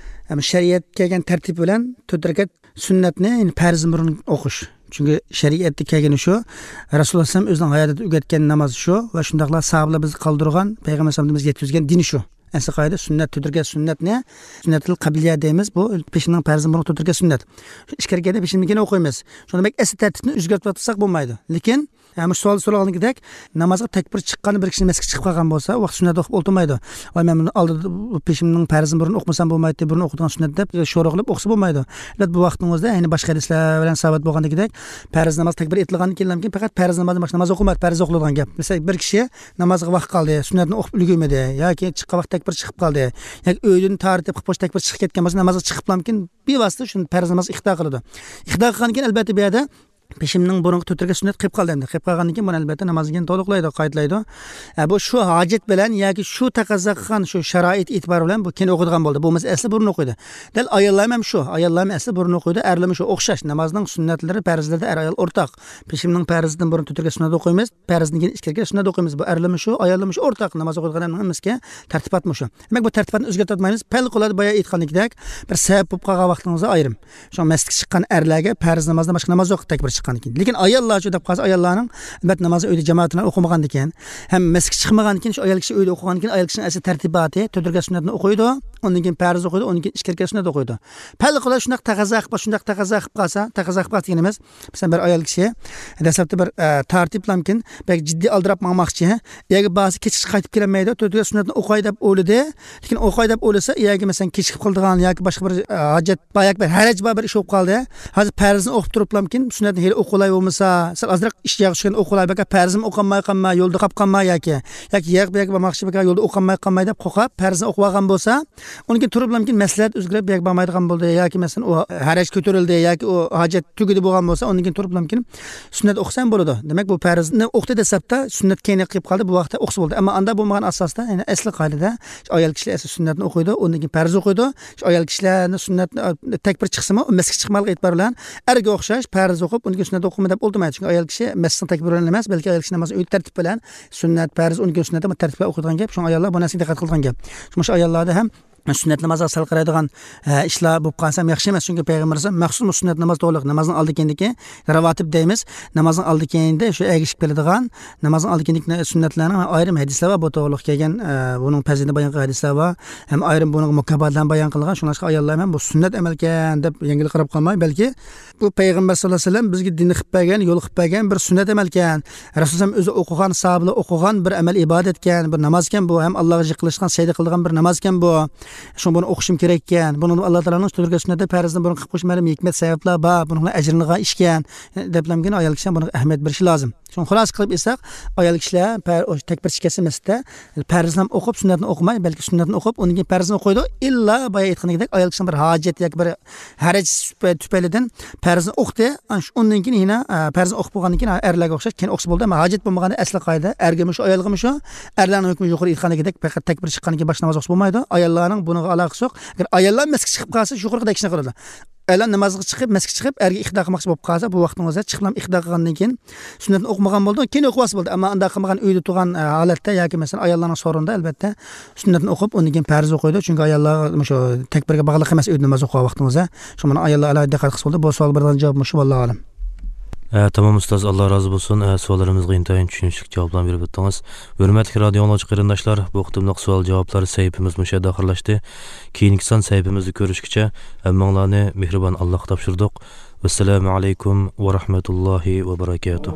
ئەم، شەرىئەتتە كەلگەن تەرتىپ بىلەن تۆت رەكەت سۈننەتنى، يەنى پەرزدىن بۇرۇن ئوقۇش. چۈنكى شەرىئەتتە كەلگىنى شۇ، رەسۇلۇللاھ ئەلەيھىسسالام ئۆزىنىڭ ھاياتىدا ئۆگەتكەن ناماز شۇ ۋە شۇنداقلا ساھابىلەر بىزگە قالدۇرغان، پەيغەمبەر ئەلەيھىسسالام بىزگە يەتكۈزگەن دىن شۇ. ئەسلى قائىدە سۈننەت، تۆت رەكەت سۈننەتنى، سۈننەتۇل قەبلىيە دەيمىز، بۇ پېشىننىڭ پەرزىدىن بۇرۇن تۆت رەكەت سۈننەت. ئىككى رەكەتنى پېشىندىن كېيىن ئوقۇيمىز. شۇنىڭ دېمەك ئەسلى تەرتىپنى ئۆزگەرتىۋاتساق بولمايدۇ. لېكىن، ھە، مۇشۇ سوئالدا سورالغىنىدەك، نامازغا تەكبىر چىققاندا بىر كىشى مەسچىتكە چىقىپ قالغان بولسا، ۋاقىت سۈننەت ئوقۇپ ئولتۇرمايدۇ. ۋاي، مەن بۇنى ئالدىدا، بۇ پېشىمنىڭ پەرزىنى بۇرۇن ئوقۇمىسام بولمايتتى، بۇرۇن ئوقۇيدىغان سۈننەت دەپ شورا قىلىپ ئوقۇسا بولمايدۇ. ئەلۋەتتە، بۇ ۋاقىتنىڭ ئۆزىدە، يەنى باشقا ھەدىسلەر بىلەن سابىت بولغاندىكىدەك، پەرز ناماز تەكبىر ئېيتىلغاندىن كېيىنلامكىن پەقەت پەرز نامازدىن باشقا ناماز ئوقۇلمايدۇ، پەرز ئوقۇلىدىغان گەپ. مەسىلەن، بىر كىشى نامازغا ۋاقىت قالدى، سۈننەتنى ئوقۇپ ئۈلگۈرمىدى ياكى چىققان ۋاقىت تەكبىر چىقىپ قالدى ياكى ئۆيدىن تارتىپ خوش تەكبىر چىقىپ كەتكەن بولسا، نامازغا چىقىپلامكىن بىۋاسىتە شۇ پەرز ناماز ئىقتىدا قىلىدۇ. ئىقتىدا قىلغاندىن كېيىن، ئەلۋەتتە، بۇ يەردە پېشىمنىڭ بۇرۇنقى تۆت رەكەت سۈننەت قېلىپ قالدى ئەمدى. قېلىپ قالغاندىن كېيىن بۇنى، ئەلۋەتتە، نامازدىن كېيىن تولۇقلايدۇ، قايتىلايدۇ. ئە، بۇ شۇ ھاجەت بىلەن ياكى شۇ تەقەززا قىلغان شۇ شارائىت ئېتىبارى بىلەن بۇ كېيىن ئوقۇيدىغان بولدى. بولمىسا ئەسلى بۇرۇن ئوقۇيدۇ. دەل ئاياللارمۇ ھەم شۇ. ئاياللارمۇ ئەسلى بۇرۇن ئوقۇيدۇ، ئەرلەرمۇ شۇ. ئوخشاش. نامازنىڭ سۈننەتلىرى، پەرزلىرىدە ئەر-ئايال ئورتاق. پېشىمنىڭ پەرزىدىن بۇرۇن تۆت رەكەت سۈننەت ئوقۇيمىز، پەرزدىن كېيىن ئىككى رەكەت سۈننەت ئوقۇيمىز. بۇ ئەرلەرمۇ شۇ، ئاياللارمۇ شۇ. ئورتاق ناماز ئوقۇيدىغان ئەرنىڭ ھەممىسىگە تەرتىپات مۇشۇ. دېمەك، بۇ تەرتىپاتنى ئۆزگەرتىۋاتمايمىز. پەلقۇلادە بايا ئېيتقاندىكىدەك، بىر سەۋەب بولۇپ قالغان ۋاقتىڭىزدا ئايرىم. شۇڭا مەسچىتكە چىققان ئەرلەرگە پەرز نامازدىن باشقا ناماز يوق، تەكبىر چىققاندىن كېيىن. لېكىن ئاياللارچۇ دەپ قالسا، ئاياللارنىڭ، ئەلۋەتتە، نامازنى ئۆيدە جامائەت بىلەن ئوقۇمىغاندىكىن ھەم مەسچىتكە چىقمىغاندىكىن، شۇ ئايال كىشى ئۆيدە ئوقۇغاندىكىن، ئايال كىشىنىڭ ئەسلى تەرتىپاتى تۆت رەكەت سۈننەتنى ئوقۇيدۇ، ئۇندىن كېيىن پەرز ئوقۇيدۇ، ئۇندىن كېيىن ئىككى رەكەت سۈننەت ئوقۇيدۇ. پەلقۇلادە شۇنداق تەقەززا قىلىپ، شۇنداق تەقەززا قىلىپ قالسا، تەقەززا قىلىپ قالسا دېگىنىمىز، مەسىلەن، بىر ئايال كىشى دەسلەپتە بىر، ئە، تارتىپلامكىن، بەك جىددىي ئالدىراپ ماڭماقچى. ئەگەر بارسا كېچىكىپ قايتىپ كېلەلمەيدۇ، تۆت رەكەت سۈننەتنى ئوقۇي دەپ ئويلىدى. لېكىن ئوقۇي دەپ ئويلىسا، ئەگەر، مەسىلەن، كېچىكىپ قالىدىغان ياكى باشقا بىر، ئە، ھاجەت بار ياكى بىر ھەرەج بار بىر ئىش بولۇپ قالدى. ھازىر پەرزنى ئوقۇپ تۇرۇپلامكىن، سۈننەتنى ھېلى ئوقۇلاي بولمىسا، سەل ئازراق ئىش ياغ چۈشكەن ئوقۇلاي، بەكە پەرزمۇ ئوقالماي قالماي، يولدا قاپ قالماي ياكى، ياكى ياق بۇ ياققا بارماقچى بەكە يولدا ئوقالماي قالماي دەپ قورقۇپ، پەرزنى ئوقۇۋالغان بولسا، ئۇنىڭ كېيىن تۇرۇپلامكىن مەسلىھەت ئۆزگىرىپ، ياكى بارمايدىغان بولدى، ياكى مەسىلەن، ئۇ ھەرەج كۆتۈرۈلدى، ياكى ئۇ ھاجەت تۈگىدى بولغان بولسا، ئۇنىڭ كېيىن تۇرۇپلامكىن سۈننەت ئوقۇسا ھەم بولىدۇ. دېمەك، بۇ پەرزنى ئوقۇدى دەسلەپتە، سۈننەت كەينىگە قېلىپ قالدى، بۇ ۋاقىتتا ئوقۇسا بولدى. ئەمما ئاندا بولمىغان ئاساستا، يەنى ئەسلى قائىدىدە ئايال كىشىلەر ئەسلى سۈننەتنى ئوقۇيدۇ، ئۇندىن كېيىن پەرز ئوقۇيدۇ. شۇ ئايال كىشىلەرنى سۈننەت، تەكبىر چىقسىمۇ، مەسكە چىقمىغانلىقى ئېتىبار بىلەن ئەرگە ئوخشاش پەرز ئوقۇپ، ئۇندىن كېيىن سۈننەت ئوقۇيمەن دەپ ئولتۇرمايدۇ. چۈنكى ئايال كىشى مەسچىتنىڭ تەكبىرى بىلەن ئەمەس، بەلكى ئايال كىشى نامازنى ئۆيدە تەرتىپ بىلەن سۈننەت، پەرز، ئۇندىن كېيىن سۈننەت دەپ تەرتىپ بىلەن ئوقۇيدىغان گەپ. شۇڭا ئاياللار بۇ نەرسىگە دىققەت قىلىدىغان گەپ. شۇڭا شۇ ئاياللاردا ھەم سۈننەت نامازغا سەل قارايدىغان، ئە، ئىشلار بولۇپ قالسا ھەم ياخشى ئەمەس. چۈنكى پەيغەمبىرىمىز مەخسۇس بۇ سۈننەت ناماز توغرىلىق، نامازنىڭ ئالدى كېيىندىكى راۋاتىب دەيمىز، نامازنىڭ ئالدى كېيىندە شۇ ئەگىشىپ كېلىدىغان، نامازنىڭ ئالدى كېيىندىكى سۈننەتلەرنىڭ ئايرىم ھەدىسلەر بار بۇ توغرىلىق كەلگەن، ئە، بۇنىڭ پەزىلىتىنى بايان قىلغان ھەدىسلەر بار. ھەم ئايرىم بۇنىڭغا مۇكاپاتلارنى بايان قىلغان. شۇڭلاشقا ئاياللار ھەم بۇ سۈننەت ئەمەلكەن دەپ يەڭگىل قاراپ قالماي، بەلكى بۇ پەيغەمبەر ساللاللاھۇ ئەلەيھى ۋەسەللەم بىزگە دىن قىلىپ بەرگەن، يول قىلىپ بەرگەن بىر سۈننەت ئەمەلكەن. رەسۇلۇللاھ ئۆزى ئوقۇغان، ساھابىلار ئوقۇغان بىر ئەمەل ئىبادەتكەن، بىر نامازكەن بۇ. ھەم ئاللاغا يېقىنلىشىدىغان، سەجدە قىلىدىغان بىر نامازكەن بۇ. شۇڭا بۇنى ئوقۇشۇم كېرەككەن. بۇنىڭدا ئاللا تائالانىڭ تۈرگە سۈننەتتە پەرزنى بۇرۇن قىلىپ قويۇش مەلۇم ھېكمەت، سەۋەبلەر بار. بۇنىڭ بىلەن ئەجىرىنى ئىشكەن، دەپلەمگىن ئايال كىشىلەر بۇنىڭغا ئەھمىيەت بېرىشى لازىم. شۇڭا خۇلاسە قىلىپ ئېيتساق، ئايال كىشىلەر پەر-، ئوش-، تەكبىر چىقىسى مەسچىتتە پەرزنى ھەم ئوقۇپ، سۈننەتنى ئوقۇماي، بەلكى سۈننەتنى ئوقۇپ، ئۇندىن كېيىن پەرزنى ئوقۇيدۇ. ئىللا بايا ئېيتقىنىدەك، ئايال كىشىنىڭ بىر ھاجەت ياكى بىر ھەرەج تۈپەيلىدىن پەرزنى ئوقۇدى. ئان-، شۇ، ئۇندىن كېيىن يەنە، ئە، پەرزنى ئوقۇپ بولغاندىن كېيىن، ئەرلەرگە ئوخشاش كېيىن ئوقۇسا بولدى. ئەمما ھاجەت بولمىغاندا ئەسلى قائىدە ئەرگىمۇ شۇ، ئايالغىمۇ شۇ، ئەرلەرنىڭ ھۆكمى يۇقىرى ئېيتقاندىكىدەك پەقەت تەكبىر چىققاندىن كېيىن باشقا ناماز ئوقۇسا بولمايدۇ. ئاياللارنىڭ بۇنىڭغا ئالاقىسى يوق. ئەگەر ئاياللار مەسچىتكە چىقىپ قالسا، يۇقىرىقىدەك ئىشنى قىلىدۇ. ئايال نامازغا چىقىپ، مەسچىتكە چىقىپ، ئەرگە ئىقتىدا قىلماقچى بولۇپ قالسا، بۇ ۋاقتىڭىزدا چىقىپلا ئىقتىدا قىلغاندىن كېيىن سۈننەتنى ئوقۇمىغان بولىدۇ، كېيىن ئوقۇۋالسا بولدى. ئەمما ئۇنداق قىلمىغان، ئۆيدە تۇرغان، ئە، ھالەتتە ياكى مەسىلەن، ئاياللارنىڭ سورۇنىدا، ئەلۋەتتە، سۈننەتنى ئوقۇپ، ئۇندىن كېيىن پەرز ئوقۇيدۇ. چۈنكى ئاياللار مۇشۇ تەكبىرگە باغلىق ئەمەس، ئۆيدە ناماز ئوقۇغان ۋاقتىڭىزدا. شۇڭا بۇنى ئاياللار ئالاھىدە دىققەت قىلسا بولىدۇ. بۇ سوئال بېرىدىغان جاۋاب مۇشۇ، ۋاللاھۇ ئالەم. ھە، تامام ئۇستاز، ئاللا رازى بولسۇن. ھە، سوئاللىرىمىزغا ئىنتايىن چۈشىنىشلىك جاۋابلارنى بېرىپ ئۆتتىڭىز. ھۆرمەتلىك رادىيو ئاڭلىغۇچى قېرىنداشلار، بۇ قېتىملىق سوئال جاۋابلار سەھىپىمىز مۇشۇ يەردە ئاخىرلاشتى. كېيىنكى سان سەھىپىمىزدە كۆرۈشكىچە، ھەممىڭلارنى مېھرىبان ئاللاغا تاپشۇردۇق. ۋەسسالامۇ ئەلەيكۇم ۋە رەھمەتۇللاھى ۋە بەرەكاتۇھ.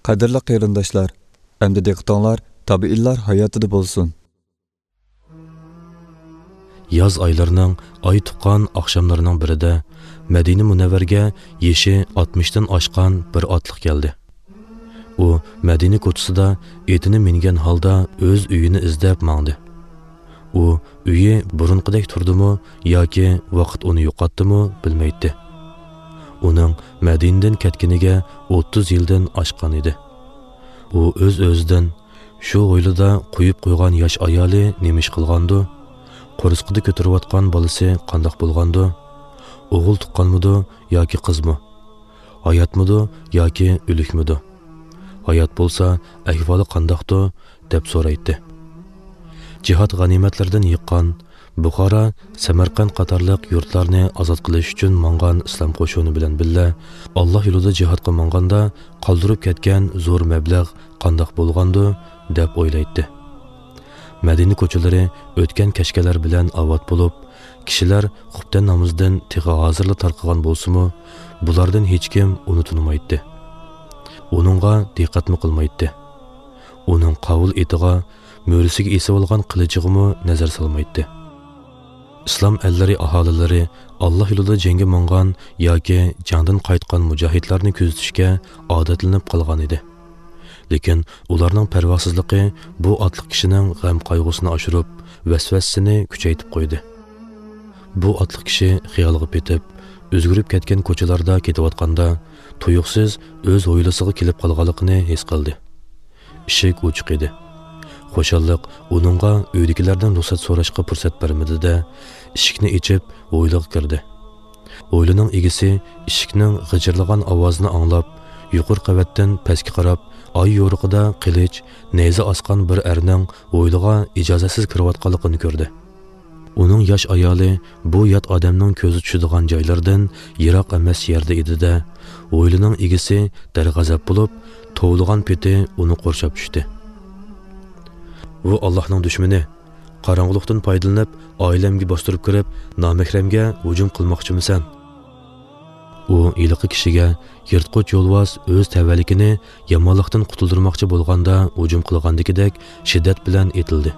قەدىرلىك قېرىنداشلار، ئەمدى دىققىتىڭلار تابىئىنلار ھاياتىدا بولسۇن. ياز ئايلىرىنىڭ ئاي تۇغقان ئاخشاملىرىنىڭ بىرىدە مەدىنە مۇنەۋۋەرگە يېشى ئاتمىشتىن ئاشقان بىر ئاتلىق كەلدى. ئۇ مەدىنە كوچىسىدا ئېتىنى مىنگەن ھالدا ئۆز ئۆيىنى ئىزدەپ ماڭدى. ئۇ ئۆيى بۇرۇنقىدەك تۇردىمۇ ياكى ۋاقىت ئۇنى يوقاتتىمۇ بىلمەيتتى. ئۇنىڭ مەدىنىدىن كەتكىنىگە ئوتتۇز يىلدىن ئاشقان ئىدى. ئۇ ئۆز-ئۆزىدىن، «شۇ ھويلىدا قويۇپ قويغان ياش ئايالى نېمە ئىش قىلغاندۇ؟ قورسىقىدا كۆتۈرۈۋاتقان بالىسى قانداق بولغاندۇ؟ ئوغۇل تۇغقانمىدۇ ياكى قىزمۇ؟ ھاياتمىدۇ ياكى ئۆلۈكمىدۇ؟ ھايات بولسا، ئەھۋالى قانداقتۇ؟» دەپ سورايتتى. جىھاد غەنىيمەتلىرىدىن يىغقان، بۇخارا، سەمەرقەنت قاتارلىق يۇرتلارنى ئازاد قىلىش ئۈچۈن ماڭغان ئىسلام قوشۇنى بىلەن بىللە، ئاللا يولىدا جىھادقا ماڭغاندا قالدۇرۇپ كەتكەن زور مەبلەغ قانداق بولغاندۇ، دەپ ئويلايتتى. مەدىنە كوچىلىرى ئۆتكەن كەچكەنلەر بىلەن ئاۋات بولۇپ، كىشىلەر خۇپتەن نامىزىدىن تېخى ھازىرلا تارقىغان بولسىمۇ، بۇلاردىن ھېچكىم ئۇنى تونۇمايتتى. ئۇنىڭغا دىققەتمۇ قىلمايتتى. ئۇنىڭ قاۋۇل ئېتىغا، مۈرىسىگە ئېسىۋالغان قىلىچىغىمۇ نەزەر سالمايتتى. ئىسلام ئەللىرى ئاھالىلىرى ئاللا يولىدا جەڭگە ماڭغان ياكى جەڭدىن قايتقان مۇجاھىدلارنى كۆزىتىشكە ئادەتلىنىپ قالغان ئىدى. لېكىن ئۇلارنىڭ پەرۋاسىزلىقى بۇ ئاتلىق كىشىنىڭ غەم-قايغۇسىنى ئاشۇرۇپ، ۋەسۋەسىسىنى كۈچەيتىپ قويدى. بۇ ئاتلىق كىشى خىيالغا پېتىپ، ئۆزگىرىپ كەتكەن كوچىلاردا كېتىۋاتقاندا، تۇيۇقسىز ئۆز ھويلىسىغا كېلىپ قالغانلىقىنى ھېس قىلدى. ئىشىك ئوچۇق ئىدى. خۇشاللىق ئۇنىڭغا ئۆيدىكىلەردىن رۇخسەت سوراشقا پۇرسەت بەرمىدى-دە، ئىشىكنى ئېچىپ، ھويلىغا كىردى. ھويلىنىڭ ئىگىسى ئىشىكنىڭ غىچىرلىغان ئاۋازىنى ئاڭلاپ، يۇقىرى قەۋەتتىن پەسكە قاراپ، ئاي يورۇقىدا قىلىچ، نەيزە ئاسقان بىر ئەرنىڭ ھويلىغا ئىجازەتسىز كىرىۋاتقانلىقىنى كۆردى. ئۇنىڭ ياش ئايالى بۇ يات ئادەمنىڭ كۆزى چۈشىدىغان جايلىرىدىن يىراق ئەمەس يەردە ئىدى-دە، ھويلىنىڭ ئىگىسى دەرغەزەپ بولۇپ، توۋلىغان پېتى ئۇنى قورشاپ چۈشتى. «ۋۇ ئاللاھنىڭ دۈشمىنى! قاراڭغۇلۇقتىن پايدىلىنىپ، ئائىلەمگە باستۇرۇپ كىرىپ، نامەھرەمگە ھۇجۇم قىلماقچىمۇسەن؟» ئۇ ھېلىقى كىشىگە يىرتقۇچ يولۋاس ئۆز تەۋەلىكىنى يامانلىقتىن قۇتۇلدۇرماقچى بولغاندا ھۇجۇم قىلغاندىكىدەك شىددەت بىلەن ئېتىلدى.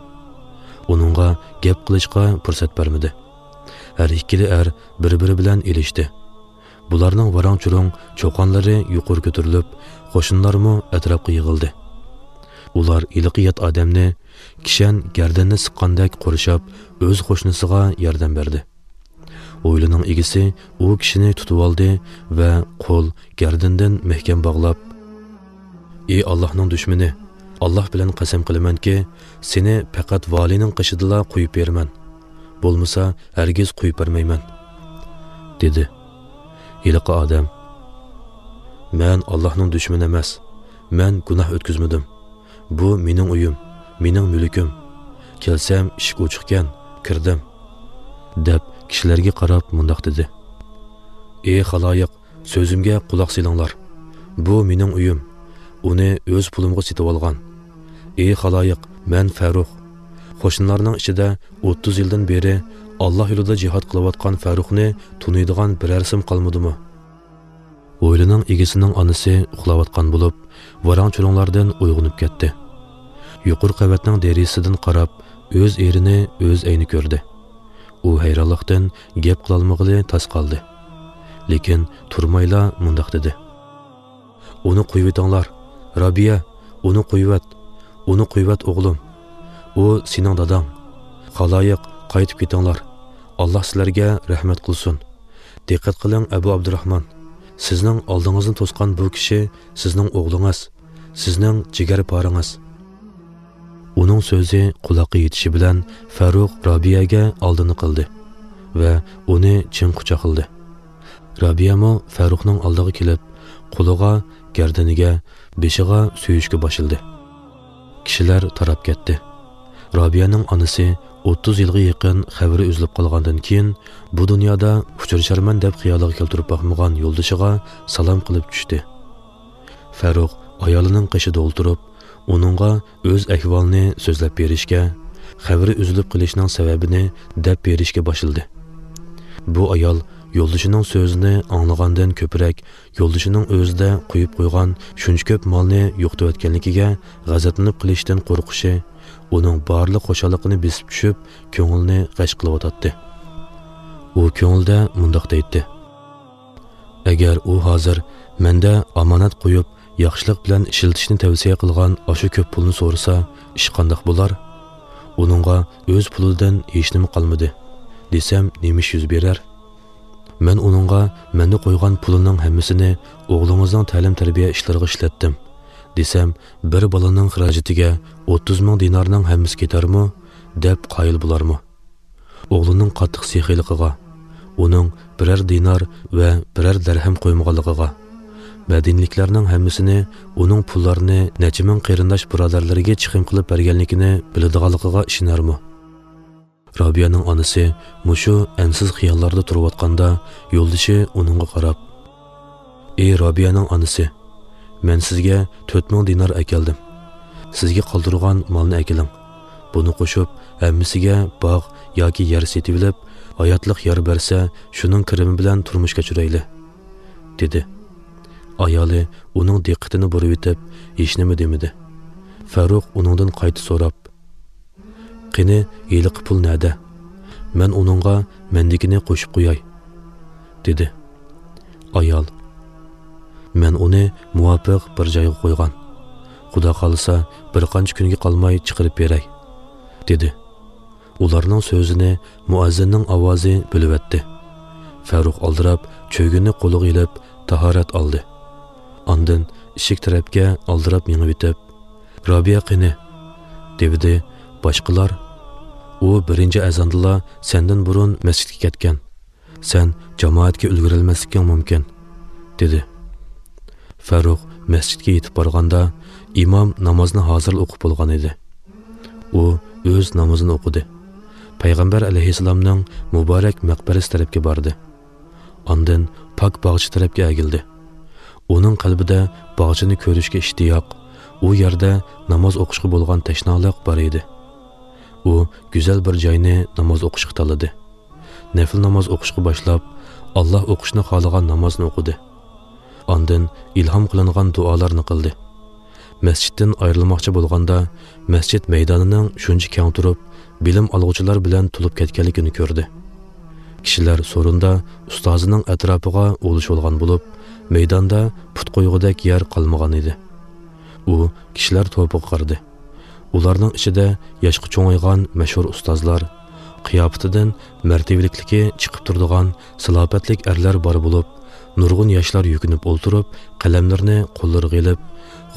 ئۇنىڭغا گەپ قىلىشقا پۇرسەت بەرمىدى. ھەر ئىككىلى ئەر بىر-بىرى بىلەن ئېلىشتى. بۇلارنىڭ ۋاراڭ-چۇرۇڭ چۇقانلىرى يۇقىرى كۆتۈرۈلۈپ، قوشنىلارمۇ ئەتراپقا يىغىلدى. ئۇلار ھېلىقى يات ئادەمنى كىشەن گەردىنىنى سىققاندەك قورشاپ، ئۆز قوشنىسىغا ياردەم بەردى. ھويلىنىڭ ئىگىسى ئۇ كىشىنى تۇتۇۋالدى ۋە قول گەردىنىدىن مەھكەم باغلاپ، «ئى ئاللاھنىڭ دۈشمىنى، ئاللاھ بىلەن قەسەم قىلىمەنكى، سېنى پەقەت ۋالىينىڭ قېشىدىلا قويۇپ بېرىمەن. بولمىسا، ھەرگىز قويۇپ بەرمەيمەن» دېدى. ھېلىقى ئادەم، «مەن ئاللاھنىڭ دۈشمىنى ئەمەس. مەن گۇناھ ئۆتكۈزمىدىم. بۇ مېنىڭ ئۆيۈم، مېنىڭ مۈلكۈم. كەلسەم ئىشىك ئوچۇقكەن، كىردىم» دەپ كىشىلەرگە قاراپ مۇنداق دېدى: «ئى خالايىق، سۆزۈمگە قۇلاق سېلىڭلار. بۇ مېنىڭ ئۆيۈم. ئۇنى ئۆز پۇلۇمغا سېتىۋالغان. ئى خالايىق، مەن فەرۇخ. قوشنىلارنىڭ ئىچىدە ئوتتۇز يىلدىن بېرى ئاللاھ يولىدا جىھاد قىلىۋاتقان فەرۇخنى تونۇيدىغان بىرەرسىم قالمىدىمۇ؟» ھويلىنىڭ ئىگىسىنىڭ ئانىسى ئۇخلاۋاتقان بولۇپ، ۋاراڭ-چۇرۇڭلاردىن ئويغىنىپ كەتتى. يۇقىرى قەۋەتنىڭ دېرىزىسىدىن قاراپ، ئۆز ئېرىنى ئۆز ئەينى كۆردى. ئۇ ھەيرانلىقتىن گەپ قىلالمىغىلى تاس قالدى. لېكىن تۇرمايلا مۇنداق دېدى: «ئۇنى قويۇۋېتىڭلار، رابىيە، ئۇنى قويۇۋەت، ئۇنى قويۇۋەت، ئوغلۇم. ئۇ سېنىڭ داداڭ. خالايىق، قايتىپ كېتىڭلار. ئاللاھ سىلەرگە رەھمەت قىلسۇن. دىققەت قىلىڭ، ئەبۇ ئابدۇراخمان. سىزنىڭ ئالدىڭىزنى توسقان بۇ كىشى سىزنىڭ ئوغلىڭىز، سىزنىڭ جىگەرپارىڭىز.» ئۇنىڭ سۆزى قۇلاققا يېتىشى بىلەن فەرۇخ رابىيەگە ئالدىنى قىلدى ۋە ئۇنى چىڭ قۇچاقلىدى. رابىيەمۇ فەرۇخنىڭ ئالدىغا كېلىپ، قولىغا، گەردىنىگە، بېشىغا سۆيۈشكە باشلىدى. كىشىلەر تاراپ كەتتى. رابىيەنىڭ ئانىسى ئوتتۇز يىلغا يېقىن خەۋىرى ئۈزۈلۈپ قالغاندىن كېيىن، بۇ دۇنيادا ئۇچرىشارمەن دەپ خىيالىغا كەلتۈرۈپ باقمىغان يولدىشىغا سالام قىلىپ چۈشتى. فەرۇخ ئايالىنىڭ قېشىدا ئولتۇرۇپ، ئۇنىڭغا ئۆز ئەھۋالىنى سۆزلەپ بېرىشكە، خەۋىرى ئۈزۈلۈپ قېلىشنىڭ سەۋەبىنى دەپ بېرىشكە باشلىدى. بۇ ئايال يولدىشىنىڭ سۆزىنى ئاڭلىغاندىن كۆپرەك، يولدىشىنىڭ ئۆزىدە قويۇپ قويغان شۇنچە كۆپ مالنى يوقىتىۋەتكەنلىكىگە غەزەپلىنىپ قېلىشتىن قورقۇشى ئۇنىڭ بارلىق خۇشاللىقىنى بېسىپ چۈشۈپ، كۆڭلىنى غەش قىلىۋاتاتتى. ئۇ كۆڭلىدە مۇنداق دەيتتى: «ئەگەر ئۇ ھازىر مەندە ئامانەت قويۇپ، ياخشىلىق بىلەن ئىشلىتىشنى تەۋسىيە قىلغان ئاشۇ كۆپ پۇلنى سورىسا، ئىش قانداق بولار؟ ئۇنىڭغا ئۆز پۇلىدىن ھېچنېمە قالمىدى، دېسەم، نېمە ئىش يۈز بېرەر؟ مەن ئۇنىڭغا مەندە قويغان پۇلىنىڭ ھەممىسىنى ئوغلىڭىزنىڭ تەلىم-تەربىيە ئىشلىرىغا ئىشلەتتىم، دېسەم، بىر بالىنىڭ خىراجىتىگە ئوتتۇز مىڭ دىنارنىڭ ھەممىسى كېتەرمۇ؟» دەپ قايىل بولارمۇ؟ ئوغلىنىڭ قاتتىق سېخىيلىقىغا، ئۇنىڭ بىرەر دىنار ۋە بىرەر دەرھەم قويمىغانلىقىغا، مەدىنىلىكلەرنىڭ ھەممىسىنى ئۇنىڭ پۇللارنى نەچچە مىڭ قېرىنداش بۇرادەرلىرىگە چىقىم قىلىپ بەرگەنلىكىنى بىلىدىغانلىقىغا ئىشىنەرمۇ؟ رابىيەنىڭ ئانىسى مۇشۇ ئەنسىز خىياللاردا تۇرۇۋاتقاندا، يولدىشى ئۇنىڭغا قاراپ: «ئى رابىيەنىڭ ئانىسى، مەن سىزگە تۆت مىڭ دىنار ئەكەلدىم. سىزگە قالدۇرغان مالنى ئەكېلىڭ. بۇنى قوشۇپ، ھەممىسىگە باغ ياكى يەر سېتىۋېلىپ، ھاياتلىق يار بەرسە، شۇنىڭ كىرىمى بىلەن تۇرمۇش كەچۈرەيلى»، دېدى. ئايالى ئۇنىڭ دىققىتىنى بۇرۇۋېتىپ، ھېچنېمە دېمىدى. فەرۇخ ئۇنىڭدىن قايتا سوراپ: «قېنى، ھېلىقى پۇل نەدە؟ مەن ئۇنىڭغا مەندىكىنى قوشۇپ قوياي»، دېدى. ئايال: «مەن ئۇنى مۇۋاپىق بىر جايغا قويغان. خۇدا خالىسا، بىر قانچە كۈنگە قالماي چىقىرىپ بېرەي»، دېدى. ئۇلارنىڭ سۆزىنى مۇئەززىننىڭ ئاۋازى بۆلۈۋەتتى. فەرۇخ ئالدىراپ چۆگۈننى قولىغا ئېلىپ، تاھارەت ئالدى. ئاندىن ئىشىك تەرەپكە ئالدىراپ مېڭىۋېتىپ، «رابىيە قېنى؟» دېۋىدى. باشقىلار: «ئۇ بىرىنچى ئەزاندىلا سەندىن بۇرۇن مەسچىتكە كەتكەن. سەن جامائەتكە ئۈلگۈرەلمەسلىكىڭ مۇمكىن»، دېدى. فەرۇخ مەسچىتكە يېتىپ بارغاندا، ئىمام نامازنى ھازىرلا ئوقۇپ بولغان ئىدى. ئۇ ئۆز نامىزىنى ئوقۇدى. پەيغەمبەر ئەلەيھىسسالامنىڭ مۇبارەك مەقبەرىسى تەرەپكە باردى. ئاندىن پاك باغچە تەرەپكە ئەگىلدى. ئۇنىڭ قەلبىدە باغچىنى كۆرۈشكە ئىشتىياق، ئۇ يەردە ناماز ئوقۇشقا بولغان تەشنالىق بار ئىدى. ئۇ گۈزەل بىر جاينى ناماز ئوقۇشقا تاللىدى. نەپلى ناماز ئوقۇشقا باشلاپ، ئاللا ئوقۇشنى خالىغان نامازنى ئوقۇدى. ئاندىن ئىلھام قىلىنغان دۇئالارنى قىلدى. مەسچىتتىن ئايرىلماقچى بولغاندا، مەسچىت مەيدانىنىڭ شۇنچە كەڭ تۇرۇپ، بىلىم ئالغۇچىلار بىلەن تولۇپ كەتكەنلىكىنى كۆردى. كىشىلەر سورۇندا ئۇستازىنىڭ ئەتراپىغا ئولىشىۋالغان بولۇپ، مەيداندا پۇت قويغۇدەك يەر قالمىغان ئىدى. ئۇ كىشىلەر توپىغا قارىدى. ئۇلارنىڭ ئىچىدە ياشقا چوڭايغان مەشھۇر ئۇستازلار، قىياپىتىدىن مەرتىۋىلىكلىكى چىقىپ تۇرىدىغان سالاپەتلىك ئەرلەر بار بولۇپ، نۇرغۇن ياشلار يۈكۈنۈپ ئولتۇرۇپ، قەلەملىرىنى قوللىرىغا ئېلىپ،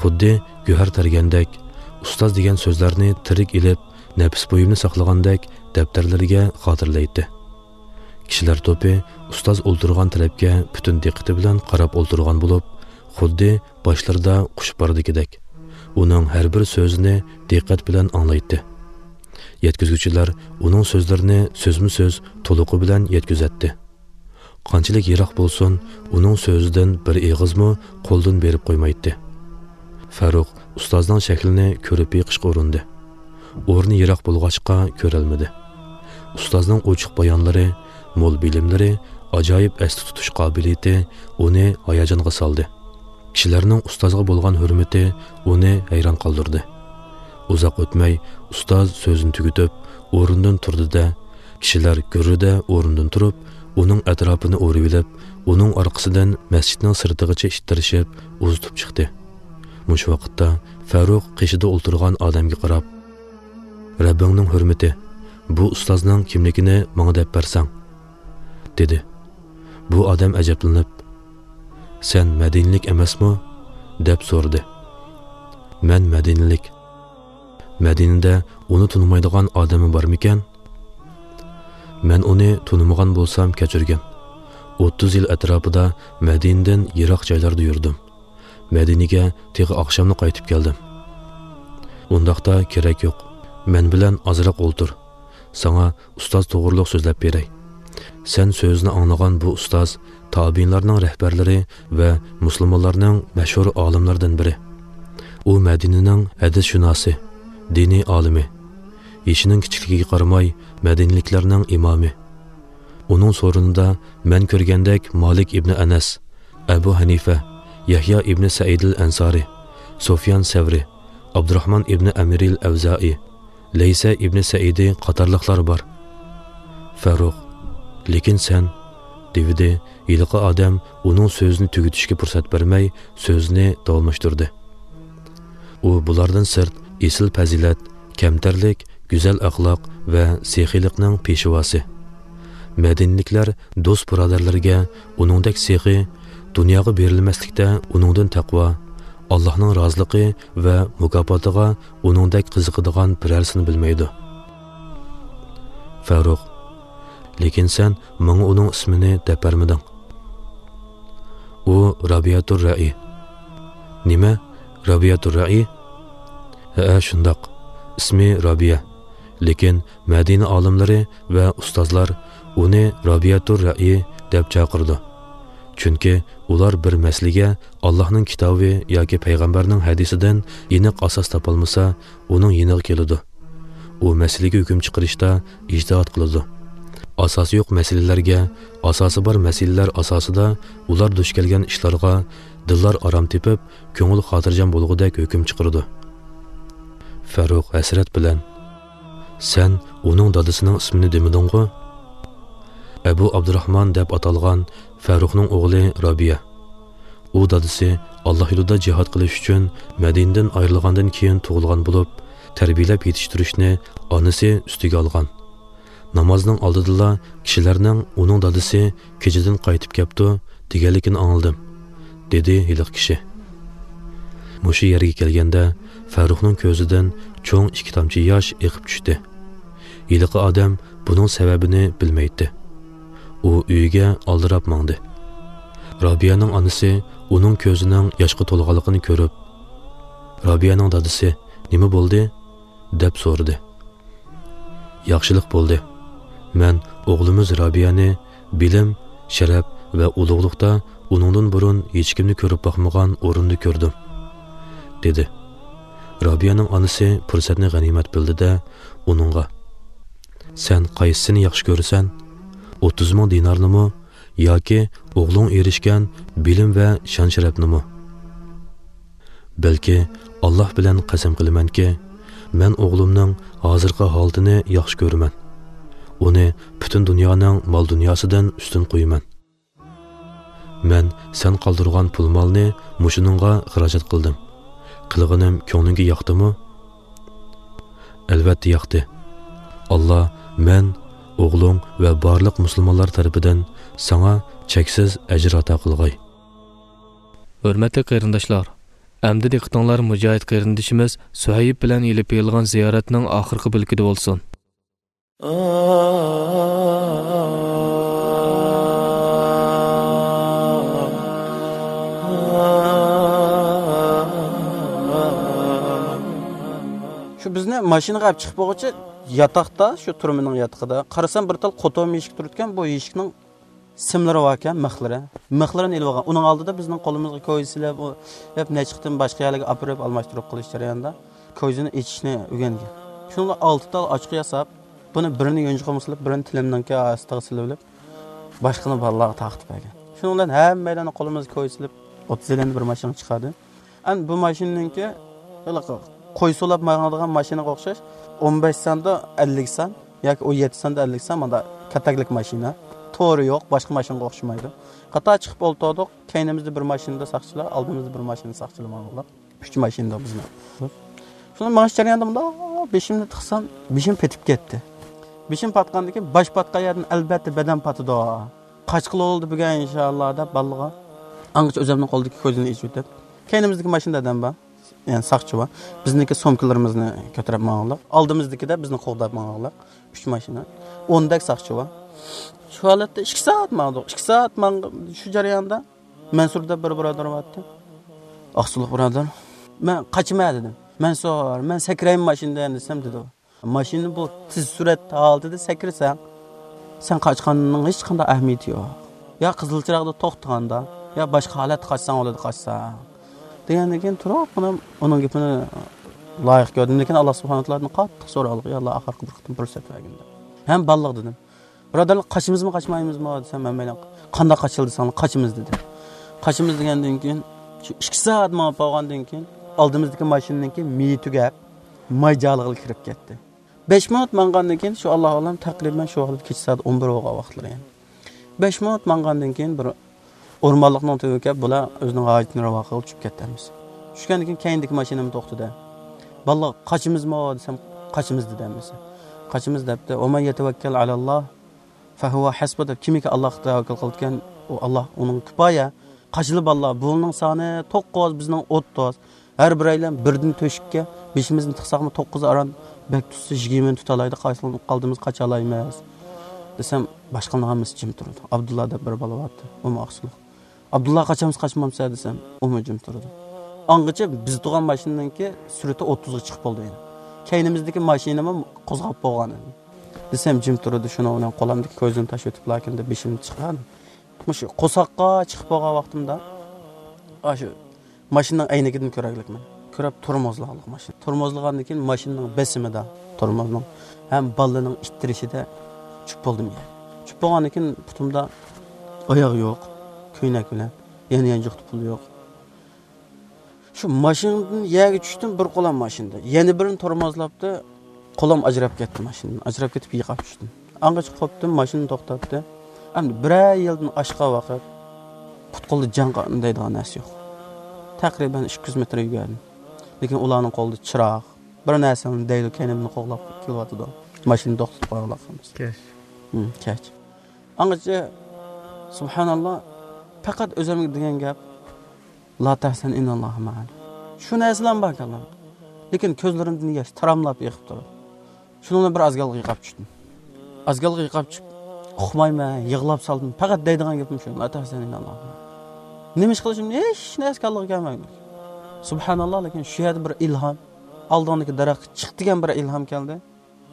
خۇددى گۆھەر تەرگەندەك، ئۇستاز دېگەن سۆزلەرنى تىرىك ئېلىپ، نەپىس بۇيۇمنى ساقلىغاندەك دەپتەرلىرىگە خاتىرىلەيتتى. كىشىلەر توپى ئۇستاز ئولتۇرغان تەرەپكە پۈتۈن دىققىتى بىلەن قاراپ ئولتۇرغان بولۇپ، خۇددى باشلىرىدا قۇش باردىكىدەك، ئۇنىڭ ھەر بىر سۆزىنى دىققەت بىلەن ئاڭلايتتى. يەتكۈزگۈچىلەر ئۇنىڭ سۆزلىرىنى سۆزمۇ سۆز تولۇقى بىلەن يەتكۈزەتتى. قانچىلىك يىراق بولسۇن، ئۇنىڭ سۆزىدىن بىر ئېغىزمۇ قولدىن بېرىپ قويمايتتى. فاروق ئۇستازنىڭ شەكلىنى كۆرۈپ بېقىشقا ئۇرۇندى. ئورنى يىراق بولغاچقا كۆرەلمىدى. ئۇستازنىڭ ئوچۇق بايانلىرى، مول بىلىملىرى، ئاجايىپ ئەستە تۇتۇش قابىلىيىتى ئۇنى ھاياجانغا سالدى. كىشىلەرنىڭ ئۇستازغا بولغان ھۆرمىتى ئۇنى ھەيران قالدۇردى. ئۇزاق ئۆتمەي ئۇستاز سۆزىنى تۈگىتىپ، ئورنىدىن تۇردى-دە، كىشىلەر گۈررىدە ئورنىدىن تۇرۇپ، ئۇنىڭ ئەتراپىنى ئورىۋېلىپ، ئۇنىڭ ئارقىسىدىن مەسچىتنىڭ سىرتىغىچە ئىتتىرىشىپ ئۇزىتىپ چىقتى. مۇشۇ ۋاقىتتا فاروق قېشىدا ئولتۇرغان ئادەمگە قاراپ، «رەببىڭنىڭ ھۆرمىتى، بۇ ئۇستازنىڭ كىملىكىنى ماڭا دەپ بەرسەڭ» دېدى. بۇ ئادەم ئەجەبلىنىپ، «سەن مەدىنىلىك ئەمەسمۇ؟» دەپ سورىدى. «مەن مەدىنىلىك. مەدىنىدە ئۇنى تونۇمايدىغان ئادەممۇ بارمىكەن؟» «مەن ئۇنى تونۇمىغان بولسام كەچۈرگىن. ئوتتۇز يىل ئەتراپىدا مەدىنىدىن يىراق جايلاردا يۈردۈم. مەدىنىگە تېخى ئاخشاملا قايتىپ كەلدىم.» «ئۇنداقتا كېرەك يوق. مەن بىلەن ئازراق ئولتۇر. ساڭا ئۇستاز توغرۇلۇق سۆزلەپ بېرەي. سەن سۆزىنى ئاڭلىغان بۇ ئۇستاز تابىئىنلارنىڭ رەھبەرلىرى ۋە مۇسۇلمانلارنىڭ مەشھۇر ئالىملىرىدىن بىرى. ئۇ مەدىنىنىڭ ھەدىسشۇناسى، دىنىي ئالىمى. يېشىنىڭ كىچىكلىكىگە قارىماي، مەدىنىلىكلەرنىڭ ئىمامى. ئۇنىڭ سورۇنىدا مەن كۆرگەندەك مالىك ئىبنى ئەنەس، ئەبۇ ھەنىفە، يەھيا ئىبنى سەئىدىل ئەنسارى، سۇفيان سەۋرى، ئابدۇراھمان ئىبنى ئەمىرىل ئەۋزائى، لەيسە ئىبنى سەئىدى قاتارلىقلار بار.» «فاروق، لېكىن سەن» دېۋىدى. ھېلىقى ئادەم ئۇنىڭ سۆزىنى تۈگىتىشكە پۇرسەت بەرمەي، سۆزىنى داۋاملاشتۇردى. «ئۇ بۇلاردىن سىرت ئېسىل پەزىلەت، كەمتەرلىك، گۈزەل ئەخلاق ۋە سېخىيلىقنىڭ پېشۋاسى. مەدىنىلىكلەر دوست-بۇرادەرلىرىگە ئۇنىڭدەك سېخىي، دۇنياغا بېرىلمەسلىكتە ئۇنىڭدىن تەقۋا، ئاللاھنىڭ رازىلىقى ۋە مۇكاپاتىغا ئۇنىڭدەك قىزىقىدىغان بىرەرسىنى بىلمەيدۇ.» «فاروق، لېكىن سەن ماڭا ئۇنىڭ ئىسمىنى دەپ بەرمىدىڭ.» «ئۇ رابىيەتۇر رەئى.» «نېمە؟ رابىيەتۇر رەئى؟» «ھەئە، شۇنداق. ئىسمى رابىيە. لېكىن مەدىنە ئالىملىرى ۋە ئۇستازلار ئۇنى رابىيەتۇر رەئى دەپ چاقىرىدۇ. چۈنكى ئۇلار بىر مەسىلىگە ئاللاھنىڭ كىتابى ياكى پەيغەمبەرنىڭ ھەدىسىدىن ئېنىق ئاساس تاپالمىسا، ئۇنىڭ يېنىغا كېلىدۇ. ئۇ مەسىلىگە ھۆكۈم چىقىرىشتا ئىجتىھات قىلىدۇ. ئاساسى يوق مەسىلىلەرگە، ئاساسى بار مەسىلىلەر ئاساسىدا ئۇلار دۇچ كەلگەن ئىشلارغا دىللار ئارام تېپىپ، كۆڭۈل خاتىرجەم بولغۇدەك ھۆكۈم چىقىرىدۇ.» فاروق ھەسرەت بىلەن، «سەن ئۇنىڭ دادىسىنىڭ ئىسمىنى دېمىدىڭغۇ؟» «ئەبۇ ئابدۇراھمان دەپ ئاتالغان فاروقنىڭ ئوغلى رابىيە. ئۇ دادىسى ئاللا يولىدا جىھاد قىلىش ئۈچۈن مەدىنىدىن ئايرىلغاندىن كېيىن تۇغۇلغان بولۇپ، تەربىيەلەپ يېتىشتۈرۈشنى ئانىسى ئۈستىگە ئالغان. نامازنىڭ ئالدىدىلا كىشىلەرنىڭ ئۇنىڭ دادىسى كېچىدىن قايتىپ كەپتۇ دېگەنلىكىنى ئاڭلىدىم»، دېدى ھېلىقى كىشى. مۇشۇ يەرگە كەلگەندە فاروقنىڭ كۆزىدىن چوڭ ئىككى تامچە ياش ئېقىپ چۈشتى. ھېلىقى ئادەم بۇنىڭ سەۋەبىنى بىلمەيتتى. ئۇ ئۆيىگە ئالدىراپ ماڭدى. رابىيەنىڭ ئانىسى ئۇنىڭ كۆزىنىڭ ياشقا تولغانلىقىنى كۆرۈپ، «رابىيەنىڭ دادىسى، نېمە بولدى؟» دەپ سورىدى. «ياخشىلىق بولدى. مەن ئوغلىمىز رابىيەنى بىلىم، شەرەپ ۋە ئۇلۇغلۇقتا ئۇنىڭدىن بۇرۇن ھېچكىمنى كۆرۈپ باقمىغان ئورۇندا كۆردۈم»، دېدى. رابىيەنىڭ ئانىسى پۇرسەتنى غەنىيمەت بىلدى-دە، ئۇنىڭغا، «سەن قايسىسىنى ياخشى كۆرىسەن؟ ئوتتۇز مىڭ دىنارنىمۇ ياكى ئوغلۇڭ ئېرىشكەن بىلىم ۋە شان-شەرەپنىمۇ؟ بەلكى ئاللاھ بىلەن قەسەم قىلىمەنكى، مەن ئوغلۇمنىڭ ھازىرقى ھالىتىنى ياخشى كۆرىمەن. ئۇنى پۈتۈن دۇنيانىڭ مال-دۇنياسىدىن ئۈستۈن قويىمەن. مەن سەن قالدۇرغان پۇل-مالنى مۇشۇنىڭغا خىراجەت قىلدىم. قىلغىنىم كۆڭلۈڭگە ياقتىمۇ؟ ئەلۋەتتە ياقتى. ئاللاھ مەن، ئوغلۇڭ ۋە بارلىق مۇسۇلمانلار تەرىپىدىن ساڭا چەكسىز ئەجىر ئاتا قىلغاي. ھۆرمەتلىك قېرىنداشلار، ئەمدى دىققىتىڭلار مۇجاھىد قېرىندىشىمىز سۇھەيب بىلەن ئېلىپ بېرىلغان زىيارەتنىڭ ئاخىرقى بۆلىكىدە بولسۇن. شۇ بىزنى ماشىنىغا ئەپ چىقىپ بولغۇچە ياتاقتا، شۇ تۈرمىنىڭ ياتىقىدا قارىسام، بىر تال قوتۇم يېشىك تۇرىدىكەن. بۇ يېشىكنىڭ سىملىرى باركەن، مىخلىرى. مىخلىرىنى ئېلىۋالغان. ئۇنىڭ ئالدىدا بىزنىڭ قولىمىزغا كويزا سېلىپ، ئۇ، دەپ نەچچە قېتىم باشقا يەرلەرگە ئاپىرىپ ئالماشتۇرۇپ قىلىش جەريانىدا كويزىنى ئېچىشنى ئۆگەنگەن. شۇنىڭدا ئالتە تال ئاچقۇ ياساپ، بۇنى بىرىنى يونچۇقىمغا سېلىپ، بىرىنى تىلىمنىڭكى ئاستىغا سېلىۋېلىپ، باشقىنى بالىلارغا تارقىتىپ بەرگەن. شۇنىڭ بىلەن ھەممەيلەننى قولىمىزغا كويزا سېلىپ، ئوتتۇز ئەللىنى بىر ماشىنىغا چىقاردى. ئەمدى بۇ ماشىنىنىڭكى ھېلىقى قوي سولاپ ماڭىدىغان ماشىنىغا ئوخشاش، ئون بەش ساندا ئەللىك سان ياكى ئون يەتتە ساندا ئەللىك سان، ماندا كاتەكلىك ماشىنا. تورى يوق، باشقا ماشىنىغا ئوخشىمايدۇ. قاتار چىقىپ ئولتۇردۇق. كەينىمىزدە بىر ماشىنىدا ساقچىلار، ئالدىمىزدا بىر ماشىنىدا ساقچىلار ماڭغانلار. ئۈچ ماشىنىدا بىزنىڭ. شۇنىڭ مېڭىش جەريانىدا مۇنداق بېشىمنى تىقسام، بېشىم پېتىپ كەتتى. بېشىم پاتقاندىن كېيىن، باش پاتقان يەردىن ئەلۋەتتە بەدەن پاتىدۇ. قاچقىلى بولدى بۈگۈن ئىنشاللا دەپ بالىغا. ئاڭغىچە ئۆزۈمنىڭ قولىدىكى كويزىنى ئېچىۋېتىپ، كەينىمىزدىكى ماشىنىدا ئادەم بار. يەنى ساقچى بار. بىزنىڭكى سومكىلىرىمىزنى كۆتۈرۈپ ماڭغانلار. ئالدىمىزدىكىدە بىزنى قوغداپ ماڭغانلار. ئۈچ ماشىنا. ئوندەك ساقچى بار. شۇ ھالەتتە ئىككى سائەت ماڭدۇق. ئىككى سائەت ماڭ-، شۇ جەرياندا مەنسۇر دەپ بىر بۇرادەر بارتتى. ئاقسۇلۇق بۇرادەر. مەن قاچىمەن دېدىم. مەنسۇر، مەن سەكرەيمەن ماشىنىدىن دېسەم دېدى. ماشىنا بۇ تېز سۈرئەت ھالىتىدە سەكرىسەڭ، سەن قاچقاننىڭ ھېچقانداق ئەھمىيىتى يوق. يا قىزىل چىراغدا توختىغاندا، يا باشقا ھالەتتە قاچساڭ بولىدۇ، قاچساڭ. دېگەندىن كېيىن تۇرۇپ، مانا ئۇنىڭ گېپىنى لايىق كۆردۈم. لېكىن ئاللا سۇبھانەھۇ تائالادىن قاتتىق سورىغانلىق، يا ئاللا، ئاخىرقى بىر قېتىم پۇرسەت بەرگىن دەپ. ھەم بالىلىق دېدىم. بۇرادەرلەر، قاچىمىزمۇ، قاچمايمىزمۇ دېسەم، ھەممەيلەن قانداق قاچىلى دېسەڭلار، قاچىمىز دېدى. قاچىمىز دېگەندىن كېيىن، شۇ ئىككى سائەت مېڭىپ بولغاندىن كېيىن، ئالدىمىزدىكى ماشىنىنىڭكى مېيى تۈگەپ، ماي جالىغىلا كىرىپ كەتتى. بەش مىنۇت ماڭغاندىن كېيىن، شۇ ئاللا ئالەم، تەقرىبەن شۇ ۋاقىت كېچە سائەت ئون بىر بولغان ۋاقىتلىرى يەنە. بەش مىنۇت ماڭغاندىن كېيىن بىر ئورمانلىقنىڭ تۈۋىگە كەپ، بۇلار ئۆزىنىڭ ھاجىتىنى راۋا قىلغىلى چۈشۈپ كەتتى ھەممىسى. چۈشكەندىن كېيىن كەينىدىكى ماشىنىمۇ توختىدى. بالىلار، قاچىمىزمۇ دېسەم، قاچىمىز دېدى ھەممىسى. قاچىمىز دەپتۇ. ۋەمەن يەتەۋەككەل ئەلەللاھ فەھۇۋە ھەسبۇ دەپ، كىمكى ئاللاھقا تەۋەككۈل قىلىدىكەن، ئۇ ئاللاھ ئۇنىڭ كۇپايە. قاچىلى بالىلار، بۇنىڭ سانى توققۇز، بىزنىڭ ئوتتۇز. ھەر بىرەيلەن بىردىن تۆشۈككە بېشىمىزنى تىقساقمۇ، توققۇز ئاران بەك تۇتسا يىگىرمىنى تۇتالايدۇ، قايسىلىرىنى قالدىمىز قاچالايمىز دېسەم، باشقىلارنىڭ ھەممىسى جىم تۇرىدۇ. ئابدۇللا دەپ بىر بالا بارتى، ئۇمۇ ئاقسۇلۇق. ئابدۇللا، قاچامسىز، قاچمامسىز دېسەم، ئۇمۇ جىم تۇرىدۇ. ئاڭغىچە بىز تۇرغان ماشىنىنىڭكى سۈرئىتى ئوتتۇزغا چىقىپ بولدى يەنە. كەينىمىزدىكى ماشىنىمۇ قوزغاپ بولغان ئىدى. دېسەم، جىم تۇرىدۇ، شۇنىڭ بىلەن قولۇمدىكى كويزىنى تاشلىۋېتىپلا كىردى، بېشىمنى چىقاردىم. مۇشۇ قورساققا چىقىپ بولغان ۋاقتىمدا، ئاشۇ ماشىنىنىڭ ئەينىكىدىن كۆرەرلىكمەن. كۆرۈپ تورمۇزلىغانلىق ماشىنا. تورمۇزلىغاندىن كېيىن ماشىنىنىڭ بېسىمىدا، تورمۇزنىڭ ھەم بالىنىڭ ئىتتىرىشىدە چۈشۈپ بولدۇم يەرگە. چۈشۈپ بولغاندىن كېيىن پۇتۇمدا ئاياغ يوق، كۆينەك بىلەن، يەنە يانچۇقتا پۇل يوق. شۇ ماشىنىدىن يەرگە چۈشتۈم، بىر قولام ماشىنىدا. يەنە بىرىنى تورمۇزلاپتۇ. قولام ئاجراپ كەتتى ماشىنىدىن. ئاجراپ كېتىپ يىقاپ چۈشتۈم. ئاڭغىچە قوپتۇم، ماشىنا توختاتتى. ئەمدى بىرەر يىلدىن ئاشقان ۋاقىت، پۇت-قولدا جان قان دەيدىغان نەرسە يوق. تەقرىبەن ئىككى يۈز مېتىر يۈگۈردۈم. لېكىن ئۇلارنىڭ قولىدا چىراغ، بىر نەرسىنى دەيدۇ، كەينىمدىن قوغلاپ كېلىۋاتىدۇ. ماشىنا توختىتىپ قويغانلىق قىلمىسا. كەچ. ھىم، كەچ. ئاڭغىچە، سۇبھاناللا، پەقەت ئۆزۈمگە دېگەن گەپ، لا تەھزەن ئىنناللاھۇ مەئەنا. شۇ نەرسىلەرمۇ بار كاللامدا. لېكىن كۆزلىرىمدىن ياش تاراملاپ ئېقىپ تۇرىدۇ. شۇنىڭ بىلەن بىر ئازگالغا يىقاپ چۈشتۈم. ئازگالغا يىقاپ چۈشۈپ، ئۇقمايمەن، يىغلاپ سالدىم. پەقەت دەيدىغان گېپىم شۇ، لا تەھزەن ئىنناللاھۇ مەئەنا. نېمە ئىش قىلىشىمنى ھېچ نەرسە كاللىغا كەلمەيدۇ. سۇبھاناللا، لېكىن شۇ يەردە بىر ئىلھام، ئالدىڭدىكى دەرەخكە چىق دېگەن بىر ئىلھام كەلدى.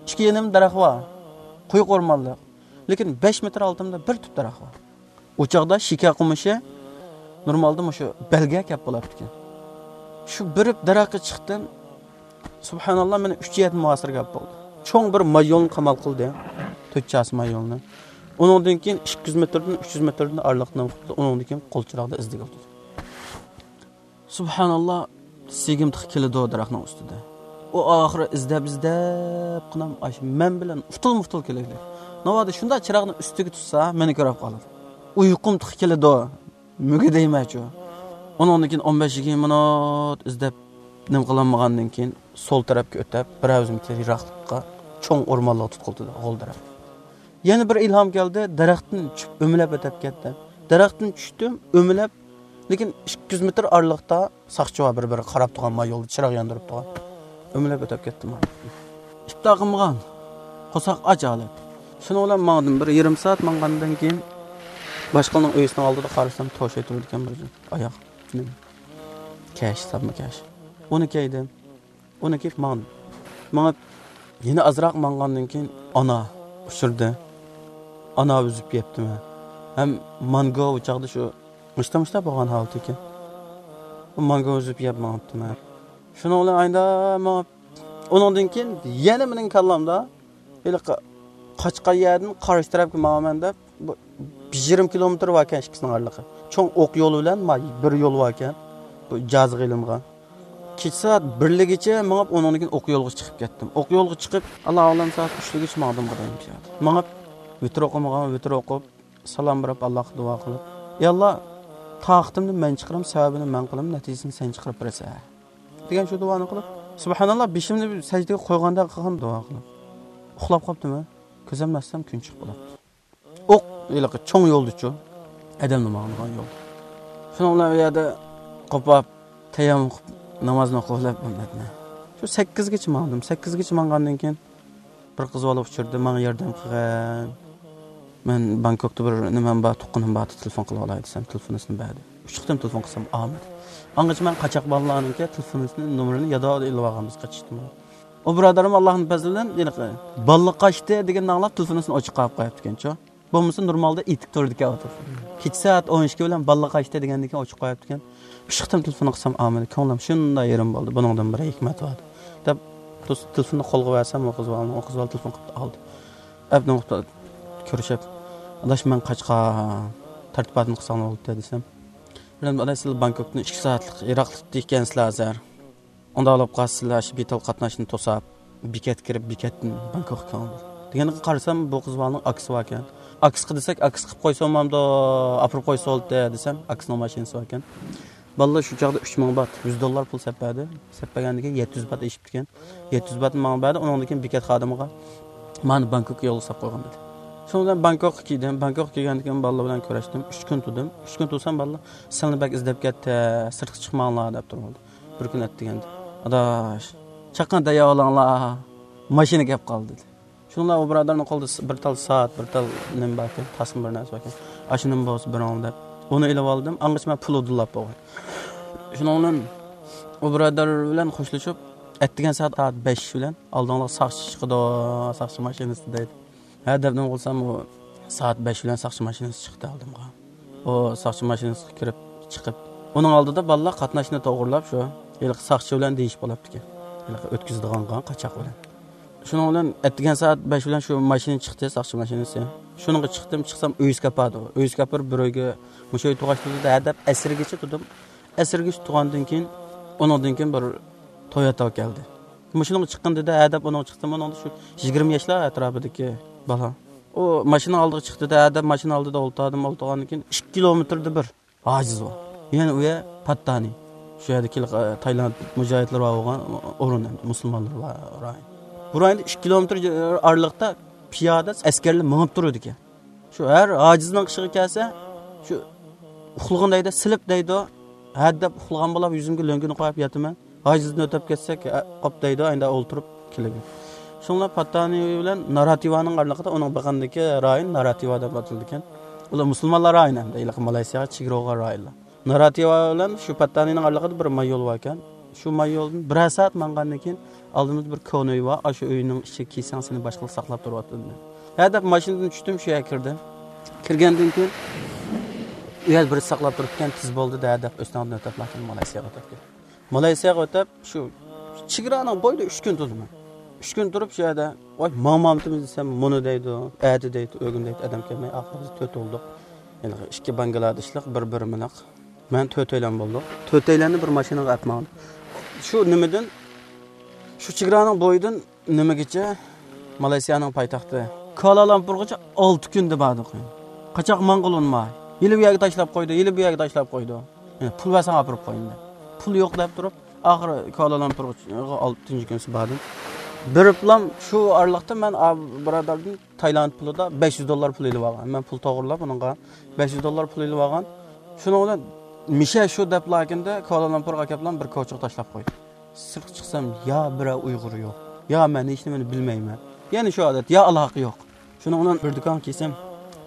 ئىككى يېنىمدا دەرەخ بار. قويۇق ئورمانلىق. لېكىن بەش مېتىر ئالدىمدا بىر تۈپ دەرەخ بار. ئۇ چاغدا شېكەر قومۇشى نورمالدا مۇشۇ بەلگە كەپ بولاتتىكەن. شۇ بېرىپ دەرەخكە چىقتىم. سۇبھاناللا، مانا ئۈچ يەردە مۇھاسىرە گەپ بولدى. چوڭ بىر ماي يولنى قامال قىلدى. تۆت چاسا ماي يولنى. ئۇنىڭدىن كېيىن ئىككى يۈز مېتىردىن، ئۈچ يۈز مېتىردىن ئارىلىقتا نېمە قىپتۇ؟ ئۇنىڭدىن كېيىن قول چىراغدا ئىزدىگىلى تۇردى. سۇبھاناللا، سىگىم تېخى كېلىدۇ دەرەخنىڭ ئۈستىدە. ئۇ ئاخىرى ئىزدەپ، ئىزدەپ قىنام ئاشۇ مەن بىلەن ئۇتۇل-مۇتۇل كېلەيلى. ناۋادا شۇنداق چىراغنى ئۈستىگە تۇتسا، مېنى كۆرۈپ قالىدۇ. ئۇيقۇم تېخى كېلىدۇ. مۈگدەيمەنچۇ. ئۇنىڭدىن كېيىن ئون بەش يىگىرمە مىنۇت ئىزدەپ، نېمە قىلالمىغاندىن كېيىن، سول تەرەپكە ئۆتۈپ، بىر ئۆزۈم يىراقلىققا، چوڭ ئورمانلىققا تۇتقۇلىدى، غول تەرەپ. يەنە بىر ئىلھام كەلدى، دەرەختىن چۈشۈپ ئۆمىلەپ ئۆتۈپ كەتتىم. دەرەختىن چۈشتۈم، ئۆمىلەپ، لېكىن ئىككى يۈز مېتىر ئارىلىقتا ساقچى بار، بىر-بىرى قاراپ تۇرغان، ما يولدا چىراغ ياندۇرۇپ تۇرغان. ئۆمىلەپ ئۆتۈپ كەتتىم. ئىپتار قىلمىغان، قورساق ئاچ ھالەت. شۇنىڭ بىلەن ماڭدىم. بىر يېرىم سائەت ماڭغاندىن كېيىن، باشقىلارنىڭ ئۆيىسىنىڭ ئالدىدا قارىسام، توشاي تۇرىدىكەن بىر ئاياغ، نېمە، كەش، ساپما كەش. ئۇنى كىيدىم. ئۇنى كىيىپ ماڭدىم. مېڭىپ، يەنە ئازراق ماڭغاندىن كېيىن ئانا ئۇچرىدى. ئانا ئۈزۈپ يەپتىمەن. ھەم مانگو ئۇ چاغدا شۇ مۇشتا-مۇشتا بولغان ھالىتى ئىكەن. ئۇ مانگو ئۈزۈپ يەپ ماڭىپتىمەن. شۇنىڭ بىلەن ئايدا مېڭىپ، ئۇنىڭدىن كېيىن يەنە مېنىڭ كاللامدا ھېلىقى قاچقان يەردىن قارشى تەرەپكە ماڭىمەن دەپ، بۇ بىر يېرىم كىلومېتىر باركەن ئىككىسىنىڭ ئارىلىقى. چوڭ ئوق يول بىلەن ما-، بىر يول باركەن. بۇ جازىغا ئېلىنغان. كېچە سائەت بىرلىگىچە مېڭىپ، ئۇنىڭدىن كېيىن ئوق يولغا چىقىپ كەتتىم. ئوق يولغا چىقىپ، ئاللا ئالەم سائەت ئۈچلىگىچە ماڭدىم بۇ دەيدۇ. مېڭىپ، ۋىتىر ئوقۇمىغان، ۋىتىر ئوقۇپ، سالام بېرىپ، ئاللاغا دۇئا قىلىپ، يا ئاللا، تاقىتىمنى مەن چىقىرىمەن، سەۋەبىنى مەن قىلىمەن، نەتىجىسىنى سەن چىقىرىپ بېرىسەن، دېگەن شۇ دۇئانى قىلىپ، سۇبھاناللا، بېشىمنى سەجدىگە قويغاندەك قىلغان دۇئا قىلىپ، ئۇخلاپ قاپتىمەن. كۆزۈمنى ئاچسام، كۈن چىقىپ بولۇپتۇ. ئوق ھېلىقى چوڭ يولدىچۇ، ئادەملا ماڭىدىغان يول. شۇنىڭ بىلەن ئۇ يەردە قوپاپ، تەيەممۇم قىلىپ، نامازنى ئوقۇۋېلىپ، شۇ سەككىزگىچە ماڭدىم. سەككىزگىچە ماڭغاندىن كېيىن، بىر قىز بالا ئۇچرىدى، ماڭا ياردەم قىلغىن. مەن بانكوكتا بىر نېمەم بار، تۇغقىنىم بار، تېلېفون قىلىۋالاي دېسەم، تېلېفونىسىنى بەردى. ئۈچ قېتىم تېلېفون قىلسام ئالمىدى. ئاڭغىچە مەن قاچاق بالىلارنىڭكى تېلېفونىسىنى، نومۇرىنى ياداۋادا ئېلىۋالغان، بىز قېچىشتىن بۇرۇن. ئۇ بۇرادىرىم ئاللاھنىڭ پەزلى بىلەن ھېلىقى بالىلار قاچتى دېگەننى ئاڭلاپ، تېلېفونىسىنى ئوچۇق قويۇپ قويۇپتىكەنچۇ. بولمىسا نورمالدا ئېيتىپ تۇرىدىكەن ئۇ تېلېفون. كېچە سائەت ئون ئىككى بىلەن بالىلار قاچتى دېگەندىن كېيىن ئوچۇق قويۇپتىكەن. ئۈچ قېتىم تېلېفون قىلسام ئالمىدى. كۆڭلۈم شۇنداق يېرىم بولدى. بۇنىڭدىن بىر ھېكمەت بار دەپ، تېلېفوننى قولغا بەرسەم، ئۇ قىز بالىنىڭ، ئۇ قىز بالا تېلېفون قىلىپ ئالدى. ئەپ نۇقتا كۆرۈشۈپ، ئاداش، مەن قاچقان، تەرتىپاتنى قىلساڭلار بولدى دېسەم، بىردەم، ئاداش، سىلەر بانكوكتىن ئىككى سائەتلىق يىراقلىقتا ئىكەنسىلەر ھازىر. ئۇنداق بولۇپ قالسا، سىلەر شۇ بىتال قاتناشنى توساپ، بېكەتكە كىرىپ، بېكەتتىن بانكوكقا كېلىڭلار. دېگەندىكىن قارىسام، بۇ قىز بالىنىڭ ئاكىسى باركەن. ئاكىسىغا دېسەك، ئاكىسى قىلىپ قويسا بولمامدۇ، ئاپىرىپ قويسا بولدى دېسەم، ئاكىسىنىڭ ماشىنىسى باركەن. بالىلار شۇ چاغدا ئۈچ مىڭ بات، يۈز دوللار پۇل سەپ بەردى. سەپ بەرگەندىن كېيىن يەتتە يۈز بات ئېشىپتىكەن. يەتتە يۈز باتنى ماڭا بەردى، ئۇنىڭدىن كېيىن بېكەت خادىمىغا مانا بانكوك يولغا ساپ قويغان دېدى. شۇنىڭ بىلەن بانكوكقا كىردىم. بانكوكقا كىرگەندىن كېيىن بالىلار بىلەن كۆرۈشتۈم. ئۈچ كۈن تۇردۇم. ئۈچ كۈن تۇرسام بالىلار، سىلەرنى بەك ئىزدەپ كەتتى، سىرتقا چىقماڭلار دەپ تۇرۇۋالدى. بىر كۈن ئەتىگەندە، ئاداش، چاققان دەيۋالاڭلار، ماشىنا كەپ قالدى دېدى. شۇنىڭ بىلەن ئۇ بۇرادەرنىڭ قولىدا س-، بىر تال سائەت، بىر تال نېمە باركەن، تاسما بىر نەرسە باركەن. ئاشۇنىمۇ بولسا بېرىڭ دەپ، ئۇنى ئېلىپ ئالدىم. ئاڭغىچە مەن پۇل ئۇدۇللاپ بولغان. شۇنىڭ بىلەن ئۇ بۇرادەر بىلەن خوشلىشىپ، ئەتىگەن سائەت، سائەت بەش بىلەن ئالدىڭلارغا ساقچى چىقىدۇ، ساقچى ماشىنىسى دەيدۇ. ھە دەپ نېمە قىلسام، ئۇ سائەت بەش بىلەن ساقچى ماشىنىسى چىقتى ئالدىمغا. ئۇ ساقچى ماشىنىسىغا كىرىپ چىقىپ، ئۇنىڭ ئالدىدا بالىلار قاتناشنى توغرىلاپ شۇ ھېلىقى ساقچى بىلەن دېيىشىپ بولۇپتىكەن. ھېلىقى ئۆتكۈزىدىغانغا قاچاق بىلەن. شۇنىڭ بىلەن ئەتىگەن سائەت بەش بىلەن شۇ ماشىنا چىقتى، ساقچى ماشىنىسى. شۇنىڭغا چىقتىم، چىقسام ئۆيىسى كاپاردۇ. ئۆيىسى كاپىر بىر ئۆيگە مۇشۇ ئۆي تۇغاش تۇردى ھە دەپ ئەسىرگىچە تۇردۇم. ئەسىرگىچە تۇرغاندىن كېيىن، ئۇنىڭدىن كېيىن بىر تويوتا كەلدى. مۇشۇنىڭغا چىققىن دېدى، ھە دەپ ئۇنىڭغا چىقتىم. ئۇنىڭدا شۇ يىگىرمە ياشلار ئەتراپىدىكى بالا. ئۇ ماشىنىنىڭ ئالدىغا چىقتى دە، ھە دەپ ماشىنا ئالدىدا ئولتۇردۇم. ئولتۇرغاندىن كېيىن ئىككى كىلومېتىردا بىر ھاجىز بار. يەنە ئۇ يەر پاتتانى. شۇ يەردىكى، ئە، تايلاند مۇجاھىدلىرى بار بولغان ئورۇن، ئەمدى مۇسۇلمانلار بار رايون. بۇ رايوندا ئىككى كىلومېتىر ئارىلىقتا پىيادە ئەسكەرلەر مېڭىپ تۇرىدىكەن. شۇ ھەر ھاجىزنىڭ ئىشىغا كەلسە، شۇ ئۇخلىغىن دەيدۇ، سىلىپ دەيدۇ، ھە دەپ ئۇخلىغان بولاپ يۈزۈمگە لۆڭگىنى قويۇپ ياتىمەن. ھاجىزدىن ئۆتۈپ كەتسەك، ھە، قاپ دەيدۇ، ئەندە ئولتۇرۇپ كېلىمەن. شۇڭلار پاتتانى بىلەن ناراتىۋانىڭ ئارىلىقىدا، ئۇنىڭ بېقىندىكى رايون ناراتىۋا دەپ ئاتىلىدىكەن. ئۇلار مۇسۇلمانلار رايونى ھەمدە ھېلىقى مالايسىياغا چېگرا بولغان رايونلار. ناراتىۋا بىلەن شۇ پاتتانىنىڭ ئارىلىقىدا بىر ماي يول باركەن. شۇ ماي يولدىن بىرەر سائەت ماڭغاندىن كېيىن ئالدىمىزدا بىر كونا ئۆي بار، ئاشۇ ئۆينىڭ ئىچىگە كىرسەڭ سېنى باشقىلار ساقلاپ تۇرۇۋاتىدۇ دېدى. ھە دەپ ماشىنىدىن چۈشتۈم، شۇ يەرگە كىردىم. كىرگەندىن كېيىن ئۇ يەردە بىرسى ساقلاپ تۇرۇپتىكەن، تېز بولدى دە دەپ ئۆستەڭدىن ئۆتۈپ، لېكىن مالايسىياغا ئۆتۈپ كەتتىم. مالايسىياغا ئۆتۈپ، شۇ چېگرانىڭ بويىدا ئۈچ كۈن تۇردۇم مەن. ئۈچ كۈن تۇرۇپ شۇ يەردە، ۋاي، ماڭمامتىمىز دېسەم، مۇنۇ دەيدۇ، ئەتە دەيدۇ، ئۆگۈن دەيدۇ، ئادەم كەلمەي، ئاخىرى بىز تۆت بولدۇق. ھېلىقى ئىككى بانگلادېشلىق، بىر بىرمىلىق. مەن تۆتەيلەن بولدۇق. تۆتەيلەننى بىر ماشىنىغا ئەپ ماڭدىم. شۇ نېمىدىن، شۇ چېگرانىڭ بويىدىن نېمىگىچە، مالايسىيانىڭ پايتەختى كۇئالالامپۇرغىچە ئالتە كۈندە باردۇق. قاچاق ماڭغىلى ئۇنىماي. ھېلى بۇ يەرگە تاشلاپ قويدى، ھېلى بۇ يەرگە تاشلاپ قويدى. يەنە پۇل بەرسەڭ ئاپىرىپ قويىمەن دەپ. پۇل يوق دەپ تۇرۇپ، ئاخىرى كۇئالالامپۇرغا ئالتىنچى كۈنسى باردىم. بېرىپلام شۇ ئارىلىقتا مەن ئا، بۇرادەردىن تايلاند پۇلىدا بەش يۈز دوللار پۇل ئېلىپ ئالغان. مەن پۇل توغرىلاپ ئۇنىڭغا بەش يۈز دوللار پۇل ئېلىپ ئالغان. شۇنىڭ بىلەن مىشە شۇ دەپلا كۈندە كۇئالالامپۇرغا كەپلام بىر كوچىغا تاشلاپ قويدى. سىرتقا چىقسام، يا بىرەر ئۇيغۇر يوق، يا مەن ھېچنېمىنى بىلمەيمەن. يەنە شۇ ئادەت، يا ئالاقە يوق. شۇنىڭ بىلەن بىر دۇكانغا كىرسەم،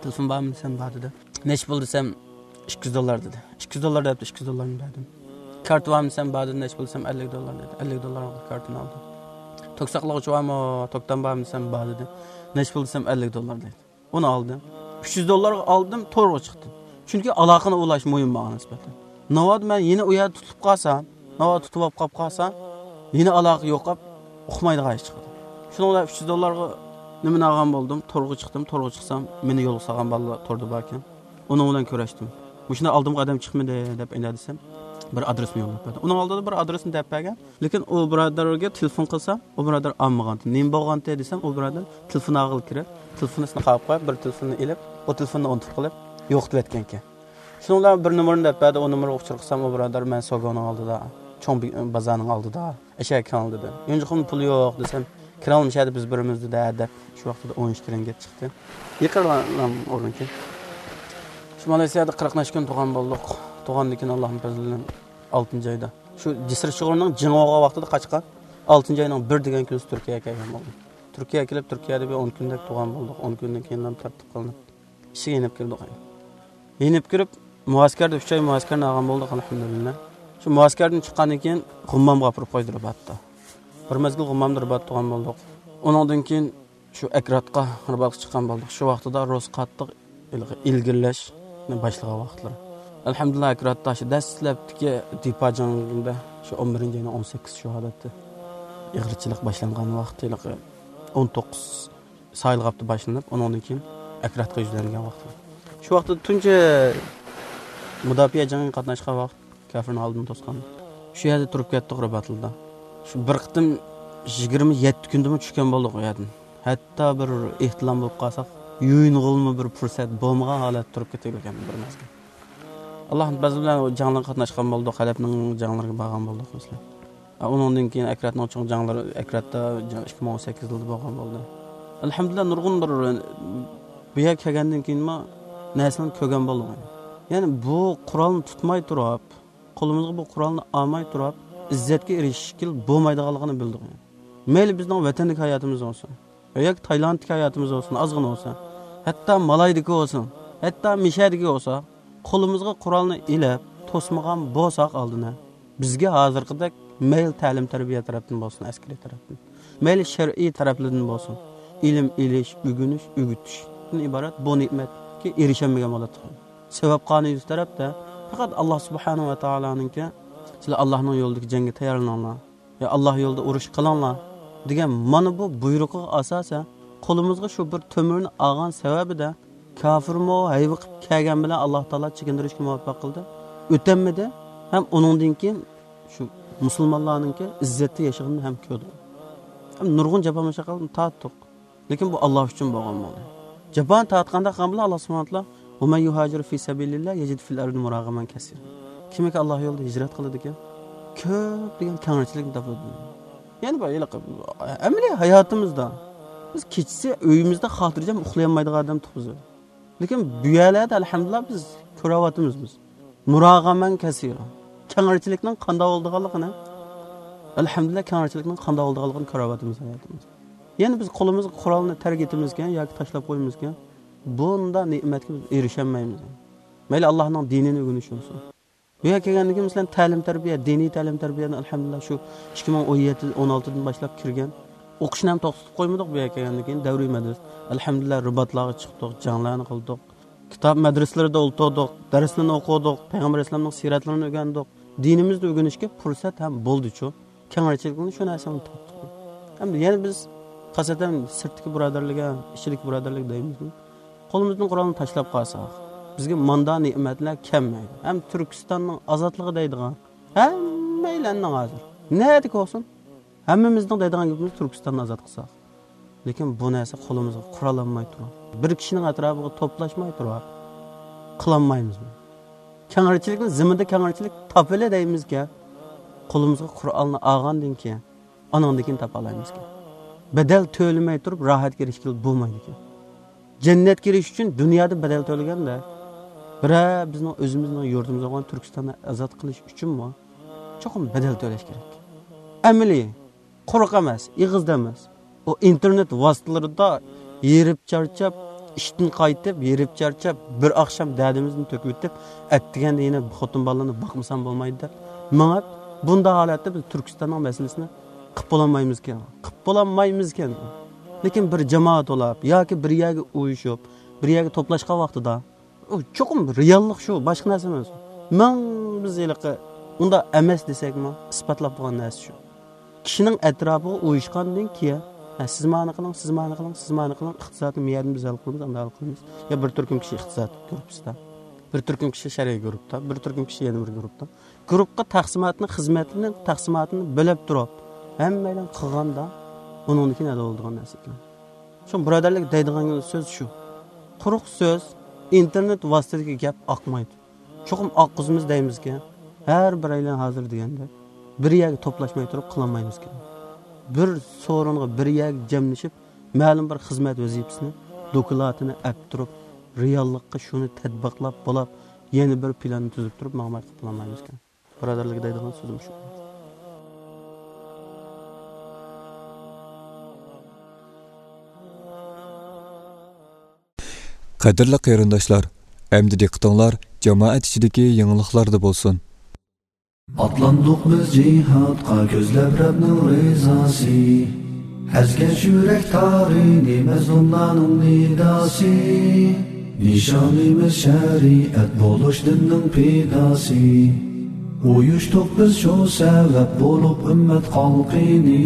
تېلېفون بارمۇ دېسەم، بار دېدى. نەچچە پۇل دېسەم، ئىككى يۈز دوللار دېدى. ئىككى يۈز دوللار دەپتۇ، ئىككى يۈز دوللارنى بەردىم. كارتا بارمۇ دېسەم، بار دېدى. نەچچە پۇل دېسەم، ئەللىك دوللار دېدى. ئەللىك دوللارغا كارتىنى ئالدىم. توك ساقلىغۇچى بارمۇ، توكتام بارمۇ دېسەم، بار دېدى. نەچچە پۇل دېسەم، ئەللىك دوللار دېدى. ئۇنى ئالدىم. ئۈچ يۈز دوللارغا ئالدىم، تورغا چىقتىم. چۈنكى ئالاقىنى ئۇلاش مۇھىم ماڭا نىسبەتەن. ناۋادا مەن يەنە ئۇ يەردە تۇتۇلۇپ قالسام، ناۋادا تۇتۇپ ئاپ قاپ قالسام، يەنە ئالاقە يوقاپ، ئۇقمايدىغان ئىش چىقىدۇ. شۇنىڭ بىلەن ئۈچ يۈز دوللارغا نېمىنى ئالغان بولدۇم، تورغا چىقتىم، تورغا چىقسام، مېنى يولغا سالغان بالىلار توردا باركەن. ئۇنىڭ بىلەن كۆرۈشتۈم. مۇشۇنداق ئالدىمغا ئادەم چىقمىدى دەپ ئەينە دېسەم، بىر ئادرېسنى يوللاپ بەردى. ئۇنىڭ ئالدىدا بىر ئادرېسنى دەپ بەرگەن. لېكىن ئۇ بۇرادەرگە تېلېفون قىلسام، ئۇ بۇرادەر ئالمىغانتى. نېمە بولغانتى دېسەم، ئۇ بۇرادەر تېلېفون ئالغىلى كىرىپ، تېلېفونىسىنى قاغىپ قويۇپ، بىر تېلېفوننى ئېلىپ، ئۇ تېلېفوننى ئۇنتۇپ قېلىپ، يوقىتىۋەتكەنكەن. شۇنىڭ بىلەن بىر نومۇرنى دەپ بەردى، ئۇ نومۇرغا ئۇچۇر قىلسام، ئۇ بۇرادەر، مەن سوگونىڭ ئالدىدا، چوڭ بازارنىڭ ئالدىدا، ئەشەگە كېلىڭ دېدى. يونجۇقۇم پۇل يوق دېسەم، كىرەڭلار مۇشۇ يەردە بىز بىرىمىز دېدى، ھە دەپ، شۇ ۋاقىتتا ئون ئىككى رىڭگىت چىقتى. يېقىنلام ئورنىكى. شۇ مالايسىيادا قىرىق نەچچە كۈن تۇرغان بولدۇق. تۇرغاندىن كېيىن ئاللاھنىڭ پەزلى بىلەن ئالتىنچى ئايدا. شۇ جىسىر شىغۇرنىڭ جىڭ بولغان ۋاقتىدا قاچقان. ئالتىنچى ئاينىڭ بىر دېگەن كۈنىسى تۈركىيەگە كەلگەن بولدۇم. تۈركىيەگە كېلىپ، تۈركىيەدە بىر ئون كۈندەك تۇرغان بولدۇق. ئون كۈندىن كېيىن تارتىپ قىلىنىپ، ئىشىككە يېنىپ كىردۇق. يېنىپ كىرىپ، مۇئەسكەردە ئۈچ ئاي مۇئەسكەرنى ئالغان بولدۇق، ئەلھەمدۇلىللا. شۇ مۇئەسكەردىن چىققاندىن كېيىن غۇممامغا ئاپىرىپ قويدى رىباتتا. بىر مەزگىل غۇممامدا رىبات تۇرغان بولدۇق. ئۇنىڭدىن كېيىن شۇ ئەكراتقا رىباتقا چىققان بولدۇق. شۇ ۋاقتىدا روس قاتتىق ھېلىقى ئىلگىرىلەشنى باشلىغان ۋاقىتلىرى. ئەلھەمدۇلىللا، ئەكراتتا شۇ دەسلەپتىكى دىپا جەڭگىدە شۇ ئون بىرىنچى ئاينىڭ ئون سەككىزى شۇ ھالەتتە ئېغىرچىلىق باشلانغان ۋاقىت، ھېلىقى ئون توققۇز ساھىل غاپتا باشلىنىپ، ئۇنىڭدىن كېيىن ئەكراتقا يۈزلەنگەن ۋاقىت. شۇ ۋاقىتتا تۇنجى مۇداپىئە جەڭگىگە قاتناشقان ۋاقىت، كافىرنىڭ ئالدىنى توسقان. شۇ يەردە تۇرۇپ كەتتۇق رىباتلىدا. شۇ بىر قېتىم يىگىرمە يەتتە كۈندىمۇ چۈشكەن بولدۇق ئۇ يەردىن. ھەتتا بىر ئېھتىلام بولۇپ قالساق، يۇيۇنغىلىمۇ بىر پۇرسەت بولمىغان ھالەتتە تۇرۇپ كېتىۋالغان بىر مەزگىل. ئاللاھنىڭ پەزلى بىلەن ئۇ جەڭلەرگە قاتناشقان بولدۇق، ھەلەبنىڭ جەڭلىرىگە بارغان بولدۇق مەسىلەن. ئۇنىڭدىن كېيىن ئەكراتنىڭ چوڭ جەڭلىرى، ئەكراتتا ئىككى مىڭ ئون سەككىز يىلدا بولغان بولدى. ئەلھەمدۇلىللا، نۇرغۇن بىر بۇ يەرگە كەلگەندىن كېيىنمۇ نەرسىلەرنى كۆرگەن بولدۇم. يەنى بۇ قورالنى تۇتماي تۇرۇپ، قولىمىزغا بۇ قورالنى ئالماي تۇرۇپ، ئىززەتكە ئېرىشىشكە بولمايدىغانلىقىنى بىلدۇق. مەيلى بىزنىڭ ۋەتەندىكى ھاياتىمىز بولسۇن، ياكى تايلاندتىكى ھاياتىمىز بولسۇن، ئازغىنە بولسا، ھەتتا مالايدىكى بولسۇن، ھەتتا مىشەدىكى بولسا، قولىمىزغا قورالنى ئېلىپ، توسمىغان بولساق ئالدىنى، بىزگە ھازىرقىدەك مەيلى تەلىم-تەربىيە تەرەپتىن بولسۇن، ئەسكىرىي تەرەپتىن، مەيلى شەرئىي تەرەپلىرىدىن بولسۇن، ئىلىم ئېلىش، ئۆگىنىش، ئۆگىتىشتىن ئىبارەت بۇ نېمەتكە ئېرىشەلمىگەن بولاتتۇق. سەۋەب قانۇنى يۈز تەرەپتە، پەقەت ئاللا سۇبھانەھۇ ۋە تائالانىڭكى، سىلەر ئاللانىڭ يولىدىكى جەڭگە تەييارلىنىڭلار، يا ئاللا يولىدا ئۇرۇش قىلىڭلار دېگەن مانا بۇ بۇيرۇقىغا ئاساسەن، قولىمىزغا شۇ بىر تۆمۈرنى ئالغان سەۋەبىدە، كاپىرمۇ ھەيۋە قىلىپ كەلگەن بىلەن ئاللا تائالا چېكىندۈرۈشكە مۇۋەپپەق قىلدى. ئۆتەلمىدى. ھەم ئۇنىڭدىن كېيىن شۇ مۇسۇلمانلارنىڭكى ئىززەتتە ياشىغىنىنى ھەم كۆردۇق. ھەم نۇرغۇن جاپا مۇشەققەتنى تارتتۇق. لېكىن بۇ ئاللا ئۈچۈن بولغان بولدى. جاپانى تارتقاندا قىلغان بىلەن ئاللا سۇبھانەھۇ ۋە تائالا، «ۋە مەن يۇھاجىر فى سەبىلىللا يەجىد فىل ئەردى مۇراغەمەن كەسىرا.» كىمكى ئاللا يولىدا ھىجرەت قىلىدىكەن، كۆپ دېگەن كەڭرىچىلىكنى تاپىدۇ. يەنى بۇ ھېلىقى ئەمەلىي ھاياتىمىزدا بىز كېچىسى ئۆيىمىزدە خاتىرجەم ئۇخلىيالمايدىغان ئادەم تۇرۇپسىز. لېكىن بۇ يەرلەردە ئەلھەمدۇلىللا بىز كۆرۈۋاتىمىز بىز. مۇراغەمەن كەسىرا. كەڭرىچىلىكنىڭ قانداق بولىدىغانلىقىنى، ئەلھەمدۇلىللا، كەڭرىچىلىكنىڭ قانداق بولىدىغانلىقىنى كۆرۈۋاتىمىز ھاياتىمىزدا. يەنى بىز قولىمىزغا قورالنى تەرك ئېتىمىزكەن ياكى تاشلاپ قويىمىزكەن، بۇنداق نېمەتكە بىز ئېرىشەلمەيمىز. مەيلى ئاللانىڭ دىنىنى ئۆگىنىش بولسۇن. بۇ يەرگە كەلگەندىن كېيىن، مەسىلەن، تەلىم-تەربىيە، دىنىي تەلىم-تەربىيەنى، ئەلھەمدۇلىللا، شۇ ئىككى مىڭ ئون يەتتە، ئون ئالتىدىن باشلاپ كىرگەن. ئوقۇشنى ھەم توختىتىپ قويمىدۇق بۇ يەرگە كەلگەندىن كېيىن، دەۋرىي مەدرىسە. ئەلھەمدۇلىللا، رىباتلارغا چىقتۇق، جەڭلەرنى قىلدۇق. كىتاب مەدرىسىلىرىدە ئولتۇردۇق، دەرسلىرىنى ئوقۇدۇق، پەيغەمبەر ئەلەيھىسسالامنىڭ سىرەتلىرىنى ئۆگەندۇق. دىنىمىزنى ئۆگىنىشكە پۇرسەت ھەم بولدىچۇ. كەڭرىچىلىكنى شۇ نەرسىنى تاپتۇق. ئەمدى يەنە بىز خاسەتەن سىرتتىكى بۇرادەرلىككە، ئىچىدىكى بۇرادەرلىك دەيمىزمۇ؟ قولىمىزدىن قورالنى تاشلاپ قالساق، بىزگە ماندا نېمەتلەر كەلمەيدۇ. ھەم تۈركىستاننىڭ ئازادلىقى دەيدىغان ھەممەيلەننىڭ ھازىر نەدىكى بولسۇن، ھەممىمىزنىڭ دەيدىغان گېپىمىز تۈركىستاننى ئازاد قىلساق. لېكىن بۇ نەرسە قولىمىزغا قورال ئالماي تۇرۇپ، بىر كىشىنىڭ ئەتراپىغا توپلاشماي تۇرۇپ قىلالمايمىزمۇ؟ كەڭرىچىلىكنى زېمىندا كەڭرىچىلىك تاپىلى دەيمىزكەن، قولىمىزغا قورالنى ئالغاندىن كېيىن ئانىڭدىن كېيىن تاپالايمىزكەن. بەدەل تۆلىمەي تۇرۇپ راھەتكە ئېرىشكىلى بولمايدىكەن. جەننەتكە ئېرىشىش ئۈچۈن دۇنيادا بەدەل تۆلىگەندە، بىرەر بىزنىڭ ئۆزىمىزنىڭ يۇرتىمىز بولغان تۈركىستاننى ئازاد قىلىش ئۈچۈنمۇ چوقۇم بەدەل تۆلەش كېرەك. ئەمەلىي، قۇرۇق ئەمەس، ئېغىزدا ئەمەس. ئۇ ئىنتېرنېت ۋاسىتىلىرىدا ھېرىپ چارچاپ، ئىشتىن قايتىپ، ھېرىپ چارچاپ، بىر ئاخشام دەردىمىزنى تۆكۈۋېتىپ، ئەتىگەندە يەنە خوتۇن بالىلارنى باقمىسام بولمايدۇ دەپ مېڭىپ، بۇنداق ھالەتتە بىز تۈركىستاننىڭ مەسىلىسىنى قىلىپ بولالمايمىزكەن. قىلىپ بولالمايمىزكەن. لېكىن بىر جامائەت بولاپ ياكى بىر يەرگە ئۇيۇشۇپ، بىر يەرگە توپلاشقان ۋاقتىدا، ئۇ چوقۇم رېئاللىق شۇ، باشقا نەرسە ئەمەس. مىڭ بىز ھېلىقى ئۇنداق ئەمەس دېسەكمۇ، ئىسپاتلاپ بولغان نەرسە شۇ. كىشىنىڭ ئەتراپىغا ئۇيۇشقاندىن كېيىن، ھە، سىز مانا قىلىڭ، سىز مانا قىلىڭ، سىز مانا قىلىڭ، ئىقتىسادنى مۇيەردىن بىز ھەل قىلىمىز، ئانداق ھەل قىلىمىز. يا بىر تۈركۈم كىشى ئىقتىساد گۇرۇپپىسىدا، بىر تۈركۈم كىشى شەرئىي گۇرۇپپىدا، بىر تۈركۈم كىشى يەنە بىر گۇرۇپپىدا. گۇرۇپپىغا تەقسىماتنى، خىزمەتنىڭ تەقسىماتىنى بۆلۈپ تۇرۇپ، ھەممەيلەن قىلغاندا، ئۇنىڭدىن كېيىن ھەل بولىدىغان نەرسە ئىكەن. شۇ بۇرادەرلىك دەيدىغان سۆز شۇ. قۇرۇق سۆز، ئىنتېرنېت ۋاسىتىدىكى گەپ ئاقمايدۇ. چوقۇم ئاققۇزىمىز دەيمىزكەن، ھەر بىرەيلەن ھازىر دېگەندەك، بىر يەرگە توپلاشماي تۇرۇپ قىلالمايمىزكەن. بىر سورۇنغا، بىر يەرگە جەملىشىپ، مەلۇم بىر خىزمەت ۋەزىپىسىنى، دوكلاتىنى ئەپ تۇرۇپ، رېئاللىققا شۇنى تەتبىقلاپ بولاپ، يەنە بىر پىلاننى تۈزۈپ تۇرۇپ ماڭماي قىلىپ بولالمايمىزكەن. بۇرادەرلىككە دەيدىغان سۆزۈم شۇ. قەدىرلىك قېرىنداشلار، ئەمدى دىققىتىڭلار جامائەت ئىچىدىكى يېڭىلىقلاردا بولسۇن. ئاتلاندۇق بىز جىھادقا كۆزلەپ رەبنىڭ رىزاسى. ئەزگەن يۈرەك تارىنى مەزلۇملارنىڭ نىداسى. نىشانىمىز شەرىئەت بولۇش دىننىڭ پىداسى. ئۇيۇشتۇق بىز شۇ سەۋەب بولۇپ ئۈممەت خەلقىنى.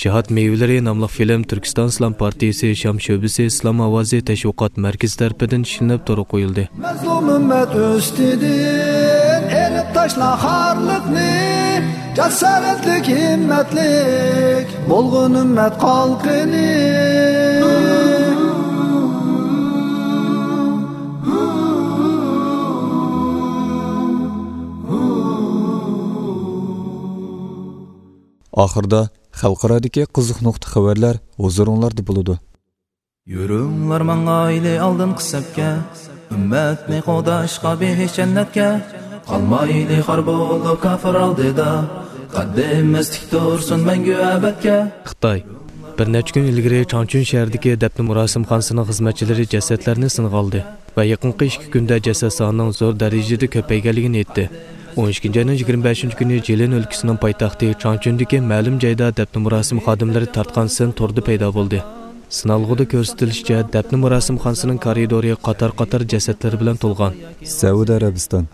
جىھاد مېۋىلىرى ناملىق فىلىم تۈركىستان ئىسلام پارتىيىسى شام شۆبىسى ئىسلام ئاۋازى تەشۋىقات مەركىزى تەرىپىدىن ئىشلىنىپ تورغا قويۇلدى. مەزلۇم ئۈممەت ئۈستىدىن ئېلىپ تاشلا خارلىقنى، جاسارەتلىك، ھىممەتلىك بولغىن ئۈممەت خەلقىنى. ئاخىرىدا خەلقئارادىكى قىزىق نۇقتا خەۋەرلەر ھۇزۇرۇڭلاردا بولىدۇ. يۈرۈڭلار ماڭايلى ئالدىنقى سەپكە، ئۈممەتنى قوغداشقا بېھىش جەننەتكە. قالمايلى خار بولۇپ كاپىر ئالدىدا، قەددىمىز تىك تۇرسۇن مەڭگۈ ئەبەدكە. خىتاي. بىر نەچچە كۈن ئىلگىرى چاڭچۈن شەھىرىدىكى دەپنە مۇراسىمخانىسىنىڭ خىزمەتچىلىرى جەسەتلەرنى سىنغا ئالدى ۋە يېقىنقى ئىككى كۈندە جەسەت سانىنىڭ زور دەرىجىدە كۆپەيگەنلىكىنى ئېيتتى. ئون ئىككىنچى ئاينىڭ يىگىرمە بەشىنچى كۈنى جىلىن ئۆلكىسىنىڭ پايتەختى چاڭچۈندىكى مەلۇم جايدا دەپنە مۇراسىم خادىملىرى تارتقان سىن توردا پەيدا بولدى. سىنالغۇدا كۆرسىتىلىشىچە، دەپنە مۇراسىمخانىسىنىڭ كارىدورى قاتار-قاتار جەسەتلەر بىلەن تولغان. سەئۇدى ئەرەبىستان.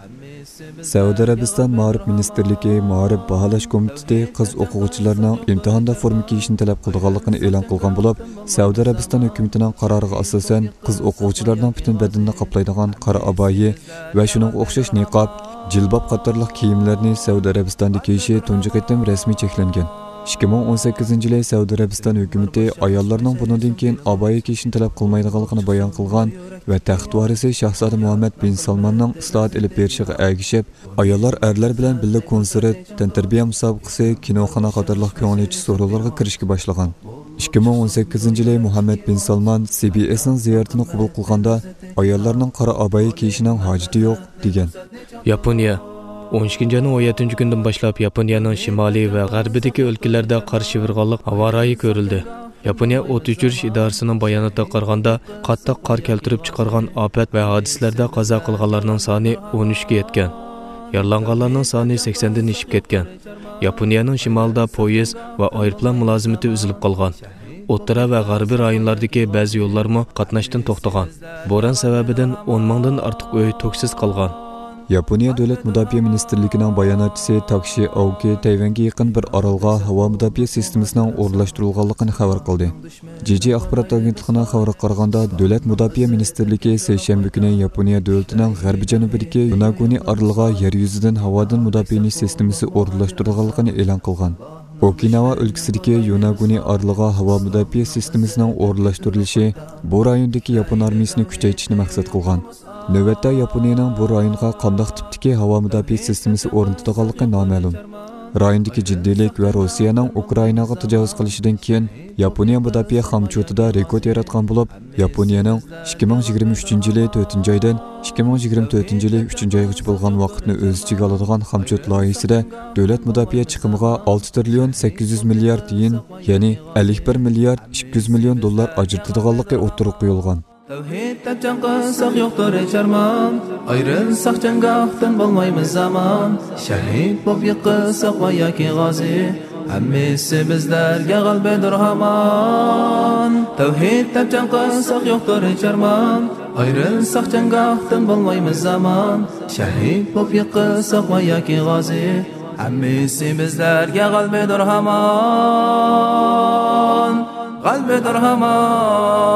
سەئۇدى ئەرەبىستان مائارىپ مىنىستىرلىكى مائارىپ باھالاش كومىتېتى قىز ئوقۇغۇچىلارنىڭ ئىمتىھاندا فورما كىيىشنى تەلەپ قىلىدىغانلىقىنى ئېلان قىلغان بولۇپ، سەئۇدى ئەرەبىستان ھۆكۈمىتىنىڭ قارارىغا ئاساسەن، قىز ئوقۇغۇچىلارنىڭ پۈتۈن بەدىنىنى قاپلايدىغان قارا ئابايە ۋە شۇنىڭغا ئوخشاش نىقاب، جىلباب قاتارلىق كىيىملەرنى سەئۇدى ئەرەبىستاندا كىيىشى تۇنجى قېتىم رەسمىي چەكلەنگەن. ئىككى مىڭ ئون سەككىزىنچى يىلى سەئۇدى ئەرەبىستان ھۆكۈمىتى ئاياللارنىڭ بۇنىڭدىن كېيىن ئابايە كىيىشنى تەلەپ قىلمايدىغانلىقىنى بايان قىلغان ۋە تەخت ۋارىسى شاھزادە مۇھەممەد بىن سالماننىڭ ئىسلاھات ئېلىپ بېرىشىغا ئەگىشىپ، ئاياللار ئەرلەر بىلەن بىللە كونسېرت، تەنتەربىيە مۇسابىقىسى، كىنوخانا قاتارلىق كۆڭۈل ئېچىش سورۇنلىرىغا كىرىشكە باشلىغان. ئىككى مىڭ ئون سەككىزىنچى يىلى مۇھەممەد بىن سالمان سى بى ئېسنىڭ زىيارىتىنى قوبۇل قىلغاندا، ئاياللارنىڭ قارا ئابايە كىيىشىنىڭ ھاجىتى يوق، دېگەن. ياپونىيە. ئون ئىككىنچى ئاينىڭ ئون يەتتىنچى كۈنىدىن باشلاپ ياپونىيەنىڭ شىمالى ۋە غەربىدىكى ئۆلكىلەردە قار شىۋىرغانلىق ھاۋا رايى كۆرۈلدى. ياپونىيە ئوت ئۆچۈرۈش ئىدارىسىنىڭ باياناتىغا قارىغاندا، قاتتىق قار كەلتۈرۈپ چىقارغان ئاپەت ۋە ھادىسىلەردە قازا قىلغانلارنىڭ سانى ئون ئۈچكە يەتكەن. يارىلانغانلارنىڭ سانى سەكسەندىن ئېشىپ كەتكەن. ياپونىيەنىڭ شىمالىدا پويىز ۋە ئايروپىلان مۇلازىمىتى ئۈزۈلۈپ قالغان. ئوتتۇرا ۋە غەربىي رايونلاردىكى بەزى يوللارمۇ قاتناشتىن توختىغان. بوران سەۋەبىدىن ئون مىڭدىن ئارتۇق ئۆي توكسىز قالغان. ياپونىيە دۆلەت مۇداپىئە مىنىستىرلىكىنىڭ باياناتچىسى تاكشى ئاۋكى تەيۋەنگە يېقىن بىر ئارالغا ھاۋا مۇداپىئە سىستېمىسىنىڭ ئورۇنلاشتۇرۇلغانلىقىنى خەۋەر قىلدى. جىجى ئاخبارات ئاگېنتلىقىنىڭ خەۋىرىگە قارىغاندا، دۆلەت مۇداپىئە مىنىستىرلىكى سەيشەنبە كۈنى ياپونىيە دۆلىتىنىڭ غەربىي جەنۇبىدىكى يوناگونى ئارىلىغا يەر يۈزىدىن ھاۋادىن مۇداپىئە ئېلىش سىستېمىسى ئورۇنلاشتۇرۇلغانلىقىنى ئېلان قىلغان. ئوكىناۋا ئۆلكىسىدىكى يوناگونى ئارىلىغا ھاۋا مۇداپىئە سىستېمىسىنىڭ ئورۇنلاشتۇرۇلۇشى بۇ رايوندىكى ياپون ئارمىيىسىنى كۈچەيتىشنى مەقسەت قىلغان. نۆۋەتتە ياپونىيەنىڭ بۇ رايونغا قانداق تىپتىكى ھاۋا مۇداپىئە سىستېمىسى ئورنىتىدىغانلىقى نامەلۇم. رايوندىكى جىددىيلىك ۋە روسىيەنىڭ ئۇكرائىناغا تاجاۋۇز قىلىشىدىن كېيىن، ياپونىيە مۇداپىئە خامچوتىدا رېكورت ياراتقان بولۇپ، ياپونىيەنىڭ ئىككى مىڭ يىگىرمە ئۈچىنچى يىلى تۆتىنچى ئايدىن ئىككى مىڭ يىگىرمە تۆتىنچى يىلى ئۈچىنچى ئايغىچە بولغان ۋاقىتنى ئۆز ئىچىگە ئالىدىغان خامچوت لايىھىسىدە دۆلەت مۇداپىئە چىقىمىغا ئالتە تىرىليون سەككىز يۈز مىليارد يېن، يەنى ئەللىك بىر مىليارد ئىككى يۈز مىليون دوللار ئاجرىتىدىغانلىقى ئوتتۇرىغا قويۇلغان. تەۋھىد دەپ جەڭ قىلساق يوقتۇر ھېچ ئارمان، ئايرىلساق جەڭگاھتىن بولمايمىز ئامان، شەھىد بولۇپ يىقىلساق ۋە ياكى غازى، ھەممىسى بىزلەرگە غەلىبىدۇر ھامان. تەۋھىد دەپ جەڭ قىلساق يوقتۇر ھېچ ئارمان، ئايرىلساق جەڭگاھتىن بولمايمىز ئامان، شەھىد بولۇپ يىقىلساق ۋە ياكى غازى، ھەممىسى بىزلەرگە غەلىبىدۇر ھامان، غەلىبىدۇر ھامان.